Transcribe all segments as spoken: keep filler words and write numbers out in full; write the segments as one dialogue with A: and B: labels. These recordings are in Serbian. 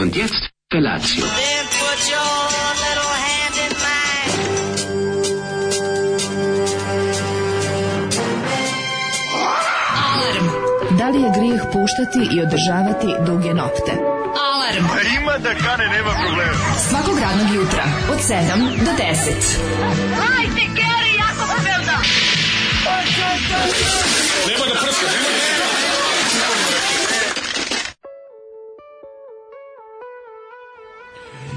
A: Und jetzt Felatio.
B: Then put your little hand in mine.
C: Alarm. Da li je grijeh puštati i održavati duge nokte? Alarm.
D: A ima da kane, nema problema.
C: Svakog radnog jutra od sedam do deset.
B: Hajde, Geri, jako se velda.
D: Nema da prska, nema da prska.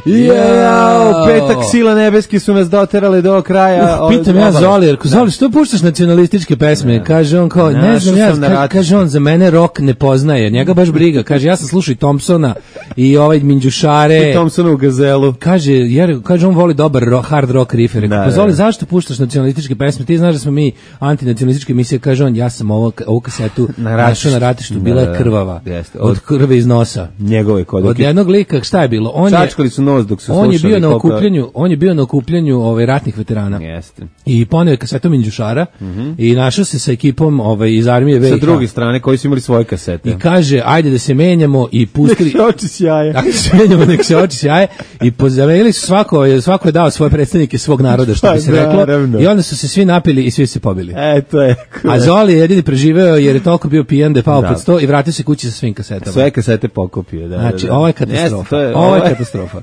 E: Jao, petak sila nebeski su nas doterali do kraja.
F: Uh, pitam ja Zoli, jer Zoli, što puštaš nacionalističke pesme? Kaže on kao, ne znam ja, ka, kaže on, za mene rock ne poznaje, njega baš briga. Kaže, ja sam slušao i Thompsona i ovaj Minđušare.
E: I Thompsona u Gazelu.
F: Kaže, jer, kaže, on voli dobar rock, hard rock riff. Rekao, pa Zoli, zašto puštaš nacionalističke pesme? Ti znaš da smo mi antinacionalističke emisije. Kaže on, ja sam ovo, ovu kasetu našao na ratištu, bila je krvava. Od krve iz nosa.
E: Njegove kodake.
F: Od jednog lika, šta je bilo? On
E: Čačkali su nos dok su
F: on je
E: slušali.
F: bio na okupljanju, on je bio na okupljanju ovaj ratnih veterana.
E: Jeste.
F: I poneo je kasetom Minđušara mm-hmm. i našao se sa ekipom ovaj iz armije ve i ha.
E: Sa druge strane koji su imali svoje kasete.
F: I kaže, ajde da se menjamo i pustili.
E: Nek se oči sjaje.
F: Ajde da se menjamo, nek se oči sjaje. I pozaveli su svako, svako je dao svoje predstavnike svog naroda, što bi se reklo. Naravno. I onda su se svi napili i svi se pobili.
E: E, to je. Cool.
F: A Zoli je jedini preživeo jer je toliko bio pijan da je pao da. pod sto i vratio se kući sa svim kasetama.
E: Sve kasete pokupio, da.
F: Znači,
E: da, da.
F: ovo je katastrofa. Jeste, to je,
E: ovo
F: je katastrofa.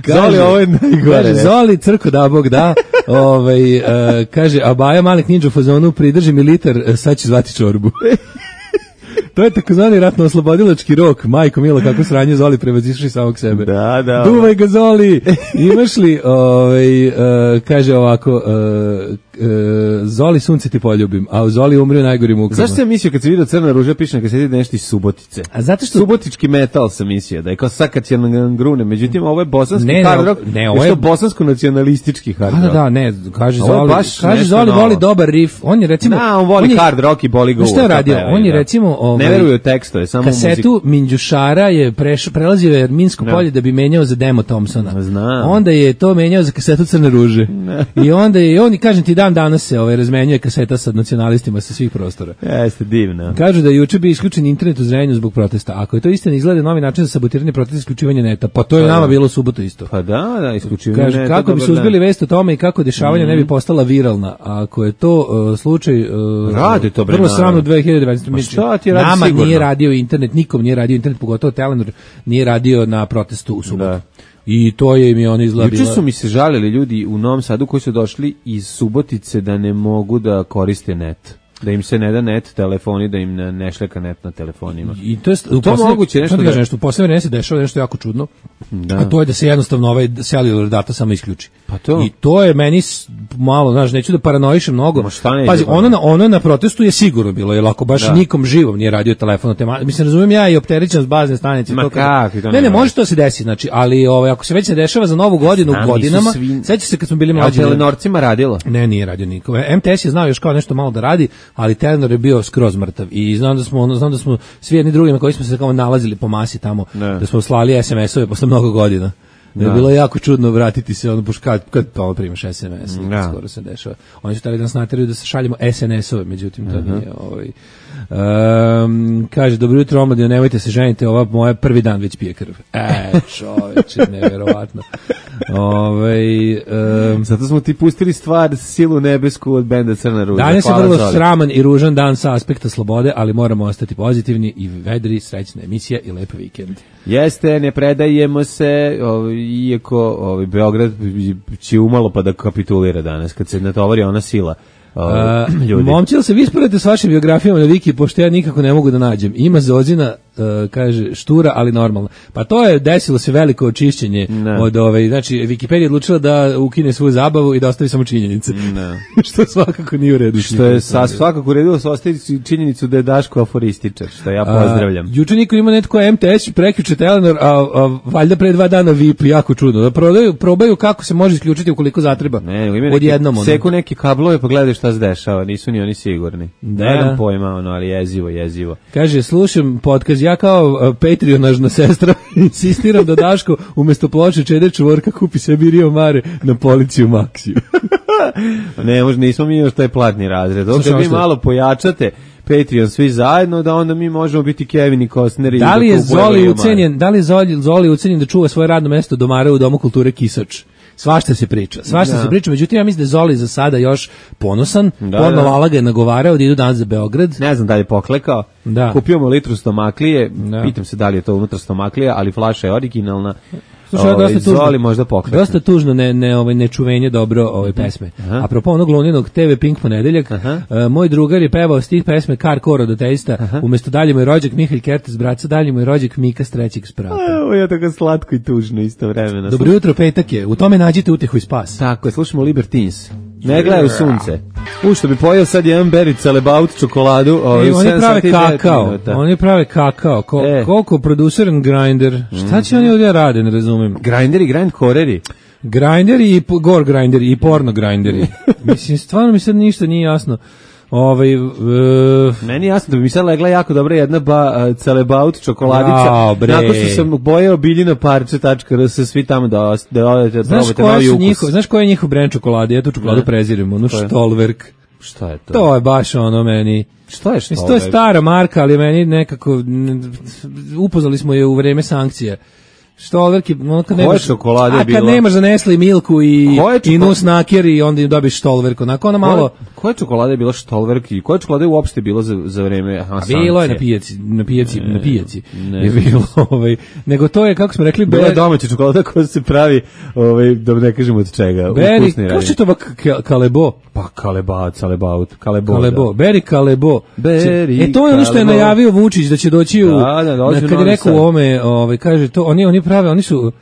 E: Zoli, ovo je najgore.
F: Kaže, Zoli, crko da Bog da, ovaj, uh, kaže, a Baja Malik Ninja u fazonu, pridrži mi litar, sad će zvati čorbu. To je takozvani ratno-oslobodilački rok. Majko milo, kako sranje Zoli prevazišli samog sebe.
E: Da, da.
F: Duvaj ga, Zoli! Imaš li, ovaj, uh, kaže ovako, uh, uh, Zoli, sunce ti poljubim, a u Zoli umri u najgorim mukama.
E: Zašto sam mislio kad se vidio Crna ruža, piše na kaseti da nešto iz Subotice?
F: A zato što...
E: Subotički metal sam mislio, da je kao Sakacijan grune, međutim ovo je bosanski
F: ne,
E: hard rock,
F: ne, ovo je
E: bosansko-nacionalistički hard rock.
F: Da, da, ne, kaže
E: ovo
F: Zoli, kaže Zoli
E: novo.
F: Voli dobar riff, on je recimo...
E: Da, on voli
F: on je,
E: hard rock i boli go.
F: Šta je radio? On je recimo... Ovaj,
E: ne veruje u tekstove, samo muziku.
F: Kasetu Minđušara je preš, prelazio je Minsko no. polje da bi menjao za demo Thompsona.
E: Znam.
F: Onda je to menjao za kasetu Crne ruže. No. I onda je, on, kažem ti, dan danas se ovaj, razmenjuje kaseta sa nacionalistima sa svih prostora.
E: Jeste divno.
F: Kažu da je juče bio isključen internet u Zrenjaninu zbog protesta. Ako je to istina, izgleda novi način za sabotiranje protesta, isključivanje neta. Pa to je pa nama da. bilo u subotu isto.
E: Pa da, da, isključivanje
F: Kaže,
E: neta.
F: Kako bi se uzbili vest o tome i kako dešavanja mm. ne bi postala viralna. A ako je to uh, slučaj... Uh,
E: Radi to, bre.
F: Vrlo sramno dve hiljade dvadeset.
E: Pa šta ti radi
F: nama
E: sigurno?
F: Nije radio internet, nikom nije radio internet, pogotovo Telenor nije radio na protestu u subotu. Da. I to je mi on izgleda.
E: Juče su mi se žalili ljudi u Novom Sadu koji su došli iz Subotice da ne mogu da koriste net. Da im se ne da net telefoni, da im ne šleka net na telefonima.
F: I to je
E: to posljednje, moguće nešto da...
F: nešto, u poslednje vreme se dešava nešto jako čudno.
E: Da.
F: A to je da se jednostavno ovaj cellular data samo isključi.
E: Pa to.
F: I to je meni malo, znaš, neću da paranoišem mnogo. Pazi, ono na, ono na protestu je sigurno bilo, jer ako baš da. nikom živom nije radio telefon, tema, mislim, razumijem ja i opterećen s bazne stanice.
E: Ma
F: to
E: kako? To
F: ne, ne, može to se desiti, znači, ali ovaj, ako se već se dešava za novu godinu Znam, godinama, svi... seća se kad smo bili mlađi.
E: A Telenorcima radilo?
F: Ne, nije radio niko. em te es je znao još kao nešto malo da radi, ali Telenor je bio skroz mrtav i znam da smo znam da smo svi jedni drugima koji smo se kao nalazili po masi tamo ne. da smo slali es em esove posle mnogo godina. Da je bilo jako čudno vratiti se ono pošto kad kad pa primaš es em es, ja. skoro se dešava. Oni su hteli da nas nateraju da se šaljemo es en esove, međutim to uh-huh. nije ovaj Um, kaže, dobro jutro omladino, nemojte se ženite, ova moja prvi dan već pije krv. E, čoveče, neverovatno. Ove, um,
E: Zato smo ti pustili stvar Silu nebesku od benda Crna ruža.
F: Danas je vrlo Zoli. sraman i ružan dan sa aspekta slobode, ali moramo ostati pozitivni i vedri, srećna emisija i lep vikend.
E: Jeste, ne predajemo se, ovaj, iako ovaj, Beograd će umalo pa da kapitulira danas, kad se natovari ona sila.
F: Uh, momčil se vi sporedite s vašim biografijama na Viki, pošto ja nikako ne mogu da nađem. Ima Zozina, uh, kaže, štura, ali normalno. Pa to je desilo se veliko očišćenje no. od ove, znači Wikipedia je odlučila da ukine svoju zabavu i da ostavi samo činjenice. No. Što svakako nije u redu.
E: Što je sa, svakako u redu da se ostavi činjenicu da je Daško aforističar, što ja pozdravljam.
F: Uh, juče niko ima netko em te es, prekjuče Telenor, a, a valjda pre dva dana V I P, jako čudno. Da prodaju, probaju kako se može isključiti ukoliko zatreba.
E: Ne,
F: odjednom.
E: Seku neki kablove pa gledaj šta se dešava, nisu ni oni sigurni.
F: Da,
E: nemam
F: da.
E: pojma, ono, ali jezivo, jezivo.
F: Kaže, slušam podcast, ja kao uh, Patreonažna sestra insistiram da Daško umjesto ploče Čeder čvorka kupi sebi Rio Mare na policiju Maxiju.
E: Ne, možda nismo mi još taj platni razred. Ovdje vi malo pojačate, Patreon svi zajedno, da onda mi možemo biti Kevin i Costner i
F: da li je
E: da
F: Zoli ucenjen, da li je Zoli, Zoli ucenjen da čuva svoje radno mesto domara u Domu kulture Kisač? Svašta se priča, svašta
E: da.
F: se priča, međutim ja mislim da je Zoli za sada još ponosan,
E: da,
F: Porno
E: da.
F: Lala ga je nagovarao da idu danas za Beograd.
E: Ne znam da li je poklekao,
F: da.
E: Kupio mu litru stomaklije,
F: da.
E: Pitam se da li je to unutra stomaklija, ali flaša je originalna.
F: Slušaj,
E: ovaj,
F: dosta tužno,
E: Zoli možda poklekne.
F: dosta tužno ne, ne, ovaj, nečuvenje dobro ove pesme.
E: Aha.
F: Apropo onog Luninog te ve Pink ponedeljak, uh, moj drugar je pevao stih pesme Kar Koro do Teista, umesto dalje moj rođak Mihalj Kertes braca, dalje moj rođak Mika s trećeg sprata.
E: Ovo je tako slatko i tužno isto vremena.
F: Dobro jutro, petak je, u tome nađite utehu i spas.
E: Tako je, slušamo Libertines. Ne gledaju sunce. U što bi pojeo sad jedan beri celebaut čokoladu.
F: E, oni prave kakao. Oni prave kakao. Ko, e. Koliko producer and grinder. Šta će mm. oni ovdje rade, ne razumem.
E: Grinderi, grind koreri.
F: Grinderi i gore grinderi i porno grinderi. Mislim, stvarno mi sad ništa nije jasno. Ovaj uh,
E: meni jasno da bi mi sad legla jako dobra jedna ba, uh, celebaut čokoladica.
F: Jao,
E: nakon što sam bojao biljina parče tačka r s svi tamo da da odete probate novi ukus.
F: Njihov, znaš koji je njihov brend čokolade? Ja tu čokoladu prezirem, ono Stolwerk.
E: Šta je to?
F: To je baš ono meni.
E: Šta je Stolwerk?
F: To je stara marka, ali meni nekako upoznali smo je u vreme sankcija. Stolwerk je, ono kad nemaš čokolade, a kad bilo? Nemaš za Nestle i Milku i i Nusnaker i onda im dobiš Stolwerk, onako ona malo.
E: Koja čokolada je bila Stolwerk i koja čokolada je uopšte bilo za za vreme sankcija?
F: Bilo je na pijaci, na pijaci, ne, na pijaci. Ne, je bilo ovaj, nego to je kako smo rekli,
E: bila je domaća čokolada koja se pravi, ovaj da ne kažemo od čega,
F: ukusni. Kako se to Kalebo?
E: Pa Kaleba, Celebaut, Kalebo.
F: Kalebo, Beri Kalebo. E to je ono što je najavio Vučić da će doći u,
E: da, da, doći
F: kad je rekao u ome, ovaj kaže to, oni oni prave, oni su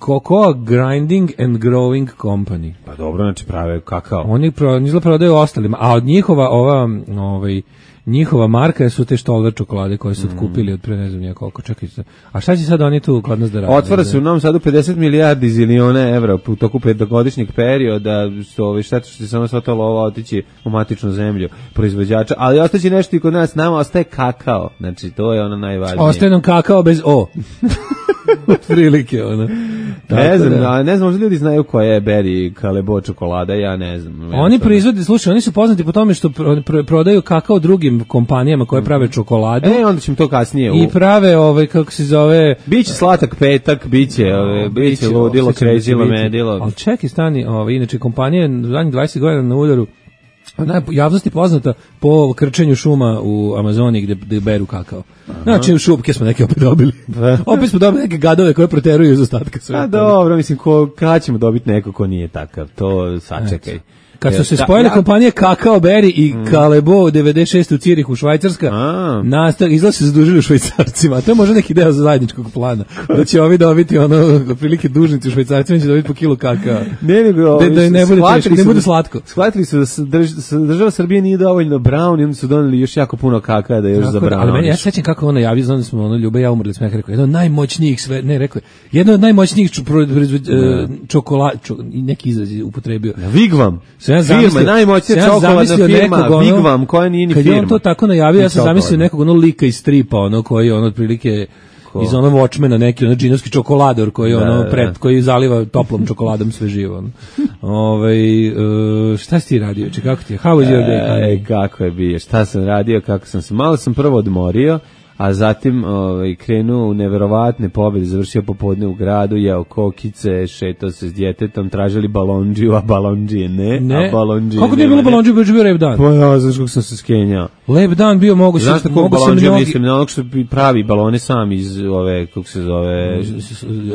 F: Cocoa uh, Grinding and Growing Company.
E: Pa dobro, znači prave kakao.
F: Oni pro, izgleda prodaju ostalima, a od njihova ova, ovaj, njihova marka su te Stolwer čokolade koje su otkupili od pre ne znam koliko, čekajte. A šta će sad oni tu kod nas da rade?
E: Otvara se u Novom Sadu pedeset milijardi ziliona evra u toku petogodišnjeg perioda, što ovaj šteta što će samo sva ta lova otići u matičnu zemlju proizvođača, ali ostaće nešto i kod nas, nama ostaje kakao. Znači to je ono najvažnije.
F: Ostaje nam kakao bez o. Prilike ono.
E: Ne znam, da. ne znam, možda ljudi znaju koja je Beri Kalebo čokolada, ja ne znam.
F: Oni proizvode, slušaj, oni su poznati po tome što pro, pro, prodaju kakao drugim kompanijama koje prave čokoladu.
E: E, onda ćemo to kasnije.
F: I prave, ovaj, kako se zove...
E: Biće slatak petak, biće, ove, biće ludilo, kređilo, medilo.
F: Ali čekaj, stani, ovaj, inače kompanija zadnjih dvadeset godina na udaru, javnosti poznata po krčenju šuma u Amazoniji gde, gde beru kakao. Aha. Znači u šupke smo neke opet dobili. Opet smo dobili neke gadove koje proteruju iz ostatka sveta.
E: A dobro, mislim, ko, kada ćemo dobiti neko ko nije takav, to sačekaj.
F: Kad su se spojile ja, kompanije Kakao Berry i mm. Kalebo devedeset šeste u Cirihu, Švajcarska, nastav, izgleda se zadužili u Švajcarcima. To je možda neki deo za zajedničkog plana. Da će ovi dobiti ono, prilike dužnici u Švajcarcima, će dobiti po kilu kakao.
E: Ne, nego,
F: da, da ne bude teško, ne bude slatko.
E: Shvatili su da drž, država Srbije nije dovoljno brown i onda su doneli još jako puno kakao da još tako, za brown. Ali meni,
F: ja sećam kako ono javio, znam da smo ono, Ljuba ja umrli smo, ja rekao, jedno od najmoćnijih sve, ne, rekao, jedno od najmoćnijih čokolada, neki izraz upotrebio.
E: Vigvam.
F: Ja
E: firma, najmoćnija čokoladna firma, Vigvam, koja nije ni firma.
F: Kad je on to tako najavio, ja sam zamislio nekog ono lika iz stripa, ono koji je ono otprilike iz ono Watchmena, neki ono džinovski čokolador koji je ono pred, koji zaliva toplom čokoladom sve živo. Ovaj uh, šta si ti radio? Če kako ti je? How was your day?
E: Ej, kako je bio? Šta sam radio? Kako sam se malo sam prvo odmorio, a zatim ovaj, krenuo u neverovatne pobjede, završio popodne u gradu, jeo kokice, šetao se s djetetom, tražili balondžiju, a balondžije ne,
F: ne.
E: a balondžije
F: kako nije bilo balondžije, bio bio lep dan?
E: Pa ja, znaš kako sam se skenjao.
F: Lep dan bio, mogu se...
E: Znaš tako balondžije mnogi... mislim, na onog što pravi balone sam iz ove, kako se zove...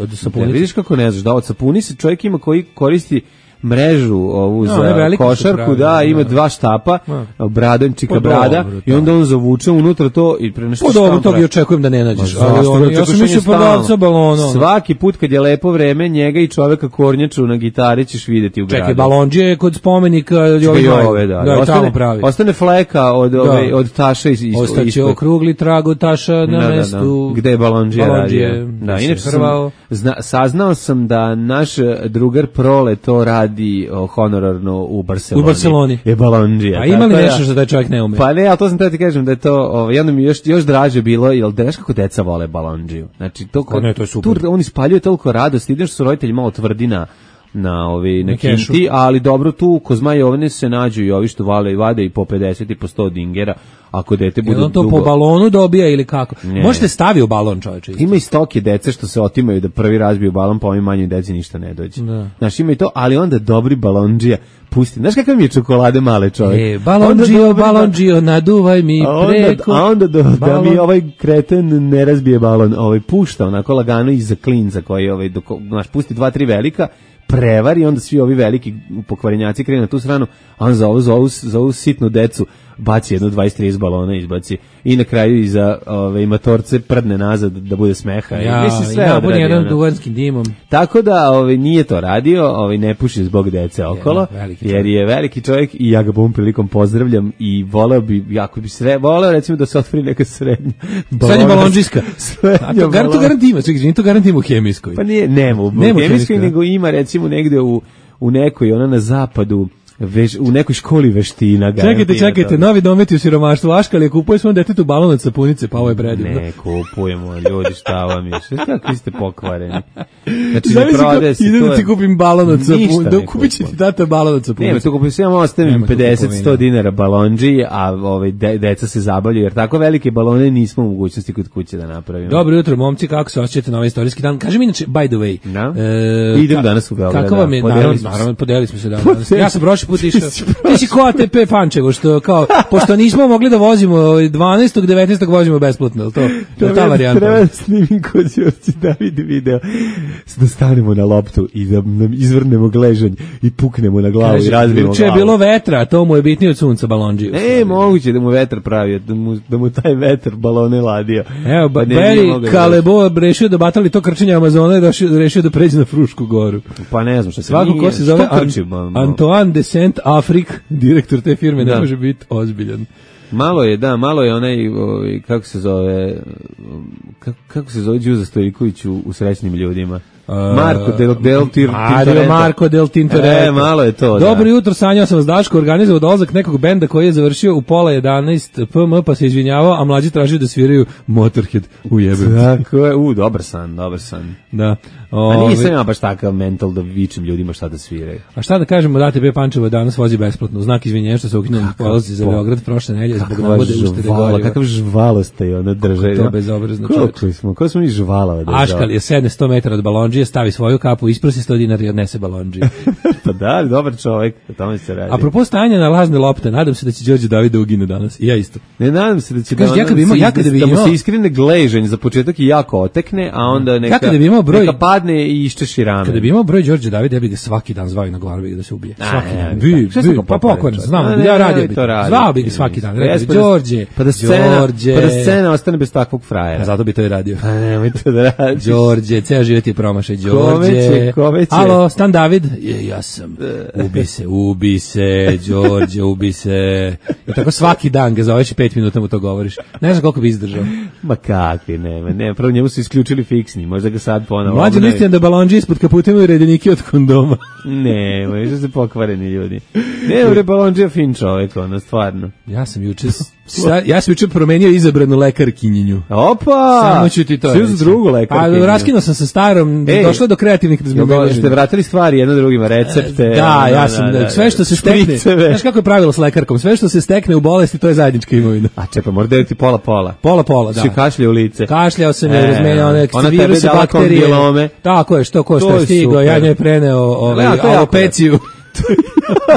F: Od sapunice.
E: Vidiš kako ne znaš, da od sapunice čovjek ima koji koristi mrežu ovu no, za košarku, da, ima dva štapa, no. bradančika brada, dobro, i onda on zavuče unutra to i pre nešto
F: škampra. Po dobro, toga očekujem da ne nađeš. Ali on, ja sam mislio prodavca balona.
E: Svaki put kad je lepo vreme, njega i čoveka kornjaču na gitari ćeš vidjeti u gradu.
F: Čekaj, balondžije je kod spomenika Jove,
E: da, da, ostane, ostane fleka od, da. ove, od taša iz, iz,
F: ostaće okrugli trag od taša na da, mestu.
E: Da, da. Gde je balondžije radio. Da, inače sam, zna, saznao sam da naš drugar Prole to radi di honorarno u Barseloni.
F: U Barseloni.
E: Je balondžija.
F: A ima li nešto što taj čovjek ne ume?
E: Pa ne, ali to sam te ti kažem da je to, ovaj, jedno mi još, još draže bilo, jel da znaš kako deca vole balondžiju. Znači, to,
F: ne, to je super.
E: Tu on ispaljuje toliko radosti, ideš su roditelji malo tvrdina, na ovi na
F: Na kešu.
E: kinti, ali dobro tu ko Zmaj Jovane se nađu i ovi što vale i vade i po pedeset i po sto dingera, ako dete bude
F: Jel on to
E: dugo.
F: po balonu dobija ili kako?
E: Ne.
F: Možete stavi u balon, čoveče.
E: Ima i stoke dece što se otimaju da prvi razbiju balon, pa ovim manjoj deci ništa ne dođe.
F: Da.
E: Znaš, ima i to, ali onda dobri balondžija pusti. Znaš kakav mi je čokolade male čovjek?
F: E, balondžio,
E: Onda dobri-
F: balondžio, naduvaj mi
E: A onda,
F: preko.
E: a onda do, da
F: balon.
E: mi ovaj kreten ne razbije balon, ovaj pušta onako lagano iza klinca koji ovaj, dok, znaš, pusti dva, tri velika, prevari, onda svi ovi veliki pokvarenjaci krenu na tu stranu, a on za ovu, za ovu, za ovu sitnu decu baci jedno dvadeset trideset balona, izbaci i na kraju iza ove, matorce prdne nazad da bude smeha. I
F: Ja,
E: mislim, sve
F: ja,
E: odradi,
F: on jedan
E: ono.
F: duvanskim dimom.
E: Tako da ovaj, nije to radio, ovaj, ne puši zbog dece okolo,
F: veliki
E: jer
F: čovjek.
E: je veliki čovjek i ja ga bom prilikom pozdravljam i voleo bi, jako bi sre, voleo recimo da se otvori neka srednja
F: Srednja balondžijska.
E: Srednja
F: A to garant, to
E: balon-
F: garant ima, čekaj, to garant ima u hemijskoj.
E: Pa nije, nema u,
F: Nema
E: u
F: u
E: hemijskoj,
F: hemijskoj,
E: nego ima recimo negde u, u nekoj, ona na zapadu, veš, u nekoj školi veština.
F: Čekajte,
E: garant ima
F: čekajte,
E: toga.
F: novi dometi u siromaštvu. Aškal je kupuje svom detetu balon od sapunice, pa ovo je predivno.
E: Ne kupujemo, ljudi, šta vam je? Šta kakvi ste pokvareni? Znači, ne
F: Zamisli
E: prodaje
F: kao,
E: se,
F: idem
E: to
F: da
E: je-
F: ti kupim balon od
E: Ništa
F: sapunice.
E: ne
F: Da kupit će ti
E: kupujemo.
F: tata balon od sapunice.
E: Nema, tu kupim sve, ja ostavim
F: Nema tu
E: pedeset do
F: kupovine.
E: sto dinara balondži, a ovaj, de, deca se zabavljaju, jer tako velike balone nismo u mogućnosti kod kuće da napravimo.
F: Dobro jutro, momci, kako se osjećate na ovaj istorijski dan? Kaži mi inače, by the way.
E: Da.
F: e,
E: Idem
F: ka-
E: danas u Beograd,
F: Kako
E: da,
F: vam je,
E: podelili
F: naravno,
E: smo se.
F: naravno, podelili smo se dan danas. Ja sam prošli put išao.
E: si
F: Ti si ko A T P Pančevo, što kao, pošto nismo mogli da vozimo ovaj, dvanaestog devetnaestog vozimo besplatno, je li to? Je li ta varijanta?
E: Treba da snimim kod Đorđe David video, da stanemo na loptu i da nam izvrnemo gležanj i puknemo na glavu i
F: Kaže,
E: razbijemo
F: juče je
E: glavu.
F: bilo vetra, a to mu je bitnije od sunca balondžiju.
E: E, moguće da mu vetar pravio, da mu, da mu taj vetar balone ladio.
F: Evo,
E: Pa
F: ba,
E: ne, nije mogao
F: Beri
E: da
F: Kalebo rešio da batali to krčenje Amazona i rešio, rešio da pređe na Frušku goru.
E: Pa ne znam što se
F: Svako
E: nije-
F: ko se zove
E: što
F: An,
E: trči, ma- ma-
F: Antoine de Saint-Afrique, direktor te firme, ne
E: Da.
F: može biti ozbiljan.
E: Malo je, da, malo je onaj, ovaj, kako se zove, kako, kako se zove Đuza Stojiković u, u Srećnim ljudima? Marko del, del Tir,
F: Mario
E: Tintoretto.
F: Marko del Tintoretto.
E: E, malo je to, da.
F: Dobro jutro, sanjao sam vas Daško, organizovao dolazak nekog benda koji je završio u pola jedanaest P M, pa se izvinjavao, a mlađi tražio da sviraju Motorhead u jebe.
E: Tako je, u, dobar san, dobar san.
F: Da.
E: A
F: Ove,
E: nisam ja baš takav mental da vičem ljudima šta da sviraju.
F: A šta da kažemo, da A T P Pančevo danas vozi besplatno, u znak izvinjenja što se ukinuo polazi za
E: po-
F: Beograd prošle nedelje zbog
E: Kakva
F: navode uštede
E: žvala,
F: goriva.
E: kakav žvalost je ona drže.
F: to bezobrazno,
E: Koliko
F: čoveče.
E: smo, koliko smo mi žvalava da
F: Aškal je sedne sto metara od balondžije, stavi svoju kapu, isprosi sto dinara i odnese balondžije.
E: Pa da, dobar čovjek, o tome se radi.
F: Apropo stanja na lažne lopte, nadam se da će Đorđe David da ugine danas. I ja isto.
E: Ne nadam se da će
F: Kažeš,
E: da,
F: ja kad bi imao-
E: se-
F: ja kad bi
E: da mu
F: imao-
E: se iskrene gležanj za početak i jako otekne, a onda neka,
F: Ja kada bi imao broj-
E: neka padne i iščeši rame.
F: Kada bi imao broj Đorđe Davida, ja bih ga svaki dan zvao i na glavi da se ubije.
E: A,
F: Svaki
E: ne,
F: dan.
E: ne,
F: Bi,
E: tako. Šta sam
F: bi,
E: ga
F: pa
E: pokvario,
F: pokojno,
E: čovječe?
F: znam,
E: A,
F: ja
E: ne,
F: radio
E: ne,
F: bi.
E: to radi.
F: Zvao bih ga svaki dan. Rekao bi,
E: Jes, pa da-
F: Đorđe,
E: pa da scena,
F: Đorđe.
E: pa da scena ostane bez takvog
F: A
E: frajera.
F: zato bi to i radio.
E: Pa nemoj to da radiš.
F: Đorđe, ceo život je promašaj,
E: Kome
F: Đorđe.
E: će, kome će?
F: Alo, Stan David? Je, ja sam. Ubi se, ubi se, Đorđe, ubi se. I tako svaki dan ga zoveš i pet minuta mu to govoriš. Ne znam koliko bi izdržao.
E: Ma kakvi, nema, ne, prvo njemu su isključili fiksni, možda ga sad ponovo.
F: Mlađe
E: obnovi.
F: listijan da balonđi ispod kaputa imaju redenike od kondoma.
E: Ne, možda su pokvareni ljudi. Ne, bre, balonđe je fin čovjek, ono, stvarno.
F: Ja sam juče, sa- ja sam juče promenio izabranu lekarkinjenju.
E: Opa!
F: Samo ću ti to
E: Sve
F: reći.
E: za drugu lekarkinju.
F: Pa raskinuo sam sa starom,
E: Ej,
F: došlo je do kreativnih
E: Jel da-
F: razmimoilaženja.
E: Ste vratili stvari jedno drugima, recepte?
F: Da,
E: ono,
F: ja sam, da, sve što se stekne,
E: špriceve.
F: znaš kako je pravilo s lekarkom, sve što se stekne u bolesti, to je zajednička imovina.
E: A čekaj, mora deliti pola-pola.
F: Pola, pola, da.
E: Si kašlje u lice.
F: Kašljao sam je,
E: E,
F: razmenjao one
E: ona tebi
F: viruse,
E: dala
F: bakterije.
E: kondilome.
F: Tako je, što ko
E: To
F: što je
E: je
F: stigao,
E: super.
F: ja njoj preneo ovaj,
E: Ja, to je jako
F: alopeciju.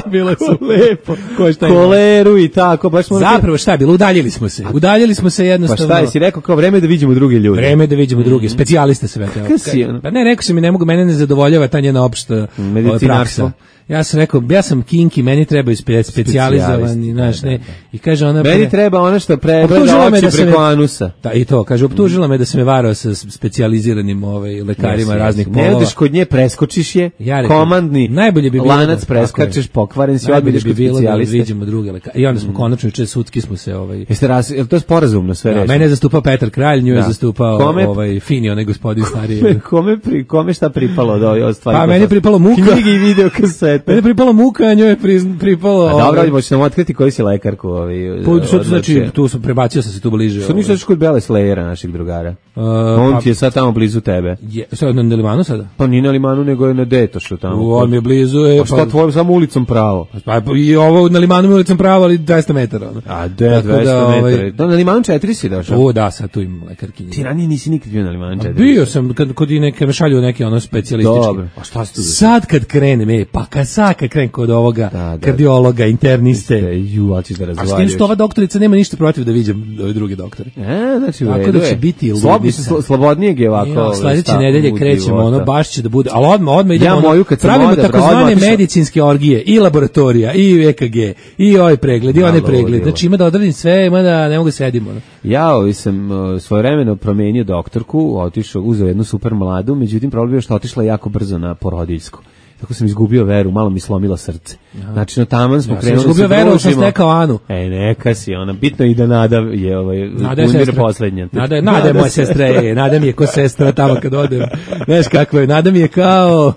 F: Bilo je super.
E: Lepo.
F: Ko je šta imao?
E: Koleru i tako, baš morate...
F: Zapravo šta je bilo, udaljili smo se. Udaljili smo se
E: Pa
F: jednostavno.
E: šta je, si rekao kao vreme da vidimo druge ljude.
F: Vreme da vidimo druge, specijaliste sve te.
E: Kakav si, ono?
F: Pa ne, rekao sam mi ne mogu, mene ne zadovoljava ta njena opšta ovaj,
E: Medicinarstvo.
F: praksa. Ja sam rekao, ja sam kinki, meni trebaju spe, specijalizovani,
E: Specijalisti,
F: znaš,
E: da,
F: ne.
E: da, da.
F: I kaže ona
E: Meni
F: pre-
E: treba ono što pregleda
F: Optužila me
E: oči
F: da sam
E: preko
F: je-
E: anusa.
F: Da, i to, kaže, optužila me da sam je varao sa specijaliziranim ovaj, lekarima
E: Jesi,
F: raznih
E: jesi.
F: polova.
E: Ne odeš kod nje, preskočiš je,
F: Ja rekao,
E: komandni
F: najbolje bi bilo
E: lanac
F: da-
E: preskačeš,
F: tako je.
E: pokvaren si,
F: Najbolje
E: odbilješ
F: bi
E: kod
F: bilo da
E: specijaliste.
F: vidimo druge lekare. I onda smo konačno, juče sudski smo se ovaj,
E: Jeste raz, je li to je sporazumno sve
F: da,
E: rešeno?
F: mene je zastupao Petar Kralj, nju je
E: Da.
F: zastupao
E: Kome-
F: ovaj, Fini, onaj gospodin stariji.
E: Kome, kome, pri, kome šta pripalo od ove od stvari?
F: Pa
E: koje
F: meni je
E: su-
F: pripalo muka.
E: Knjige i video kasete. dete.
F: Mene je pripala muka, a njoj je pri- pripalo...
E: A dobro, ali možeš nam otkriti koji si lekarku. Ovi,
F: Pa, što to znači, tu sam, prebacio sam se tu bliže.
E: Što misliš kod Bele Slayera, našeg drugara?
F: Uh,
E: On
F: pa,
E: ti je sad tamo blizu tebe.
F: je, sad na Limanu sada?
E: Pa nije na Limanu, nego je na Detošu tamo.
F: U, on mi je blizu. Je,
E: Pa šta tvojom samo ulicom pravo?
F: Pa i ovo na Limanu mi ulicom pravo, ali dvesta metara. Ono.
E: A de,
F: Tako
E: dvesta
F: da, ovaj,
E: metara. Da, na Limanu četiri si došao?
F: O, da, sad tu imam lekarkinje.
E: Ti ranije nisi nikad bio na Limanu četiri.
F: Bio sam kad kod i neke me šalju neke ono specijalistički.
E: Dobro. A šta si tu?
F: Sad kad krenem, e, pa kad sad kad krenem kod ovoga
E: Da, da.
F: kardiologa, interniste.
E: Ju, ali ćeš da
F: A s
E: razvaljuš.
F: tim što ova doktorica nema ništa protiv da viđem ove druge doktore.
E: E, znači, u
F: Tako
E: redu
F: da će
E: je.
F: biti
E: Slob-
F: ludica.
E: sl- Slobodnijeg je ovako.
F: Ja, sledeće
E: stav
F: nedelje
E: u
F: krećemo,
E: života.
F: ono baš će da bude, ali odmah, odmah idemo,
E: Ja
F: ono,
E: moju kad sam
F: pravimo
E: odabrao,
F: takozvane
E: odmah otišao.
F: medicinske orgije, i laboratorija, i E K G, i ovaj pregled, i
E: Malo
F: onaj pregled,
E: ludilo.
F: znači ima da odradim sve, ima da ne mogu da sedim, ono.
E: Ja ovaj sam uh, svojevremeno promenio doktorku, otišao, uzeo jednu super mladu, međutim problem je što otišla jako brzo na porodiljsku. Tako sam izgubio veru, malo mi slomila srce. Znači, no taman smo
F: Ja sam
E: krenuli da se
F: izgubio veru, ali sam
E: družimo.
F: stekao Anu.
E: E, neka si, ona, bitno je i da Nada je, ovaj,
F: Nada je
E: umire
F: sestra.
E: poslednja.
F: Nada je, Nada je moja sestra, e, Nada mi je ko sestra tamo kad odem. Znaš kako je, Nada mi je kao...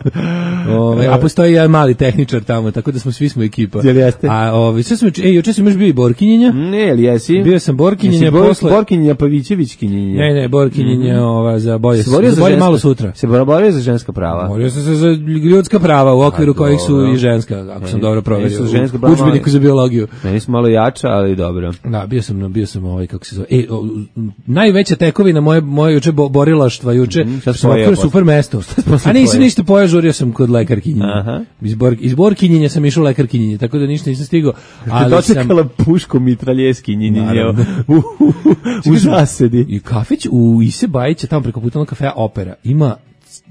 F: Ove, a postoji jedan mali tehničar tamo, tako da smo svi smo ekipa.
E: Jel jeste?
F: A ove, sve smo, ej, juče sam još bio i Borkinjenja.
E: Ne, ali jesi?
F: Bio sam Borkinjenja
E: Jesi Bor-
F: posle...
E: Borkinjenja Pavićevićkinjenja.
F: Ne, ne, Borkinjenja ova, za bolje,
E: Se borio
F: za
E: za
F: bolje
E: ženska-
F: malo sutra.
E: Se borio za ženska prava.
F: Borio sam se za ljudska prava u okviru
E: A,
F: kojih su
E: dobro.
F: i ženska, ako sam
E: E,
F: dobro proverio.
E: nisu ženska
F: U
E: prava,
F: udžbeniku
E: ali-
F: za biologiju.
E: Meni su malo jača, ali dobro.
F: Da, bio sam, bio sam ovaj, kako se zove, e, o, najveća tekovina moje, moje juče bo, borilaštva, juče,
E: Mhm, šta si
F: sam
E: pojeo
F: okvirio
E: posle?
F: super mesto.
E: posle
F: A nisam
E: pojeo?
F: ništa pojeo, žurio sam kod lekarkinjenja.
E: Aha.
F: Iz, Bor, iz Borkinjenja sam išao u lekarkinjenje, tako da ništa nisam stigao.
E: Te
F: Ali sam...
E: dočekala puško mitraljeskinjenje
F: Naravno.
E: u, u, u zasedi.
F: I kafić u Ise Bajića, tamo preko puta onog kafeja Opera, ima,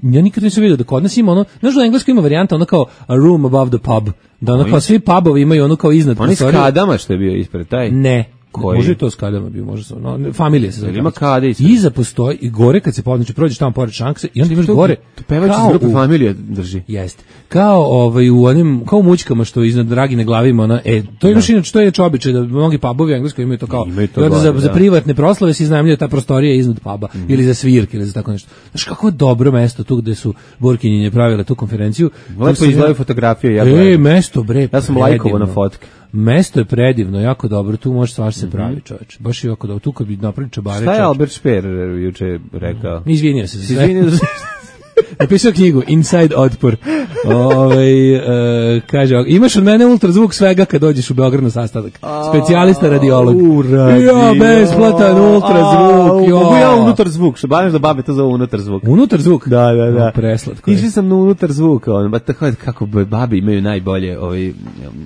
F: ja nikad nisam vidio da kod nas ima ono, znaš da u engleskoj ima varijanta ono kao a room above the pub, da ono kao svi pubovi imaju ono kao iznad
E: Oni s
F: prostorije.
E: kadama što je bio ispred taj.
F: Ne.
E: Koji?
F: Može i to s kadama bio, može sam. No, familija se zove.
E: Jel ima
F: kafić.
E: kade ispred?
F: Iza postoji i gore kad se podneće, prođeš tamo pored šankse i onda imaš gore.
E: To pevač iz
F: kao
E: grupe
F: u-
E: Familija drži.
F: Jeste. Kao ovaj u onim kao u mućkama što iznad Dragine glavi ima ona, e to imaš inače to je inače običaj da mnogi pubovi u Engleskoj imaju to kao
E: Imaju to
F: i onda za,
E: gore,
F: za
E: da.
F: privatne proslave se iznajmljuje ta prostorija iznad puba ili za svirke ili za tako nešto. Znaš kako je dobro mesto tu gde su Borkinjenje pravile tu konferenciju. Tu
E: Lepo
F: sam
E: izgledaju
F: ja-
E: fotografije. Ja,
F: E,
E: gledam.
F: mesto bre.
E: Ja sam
F: predivno.
E: lajkovao na fotke.
F: Mesto je predivno, jako dobro, tu može stvar se pravi, čoveče. Baš je jako dobro, tu kad bi napravili čabare.
E: Šta je
F: čoveče.
E: Albert Speer juče rekao?
F: Izvinio se za sve.
E: Izvinite za
F: Napisao knjigu Inside Otpor. Ovaj e, kaže, imaš od mene ultrazvuk svega kad dođeš u Beograd na sastanak. Specijalista radiolog.
E: U, radio.
F: Ja, besplatan ultrazvuk.
E: A, mogu ja
F: Ja,
E: unutar zvuk, što baš da babe to zove unutar zvuk.
F: Unutar zvuk?
E: Da, da, da.
F: O, preslatko je.
E: Išli sam na unutar zvuka, on, ba tako kako babi imaju najbolje ovaj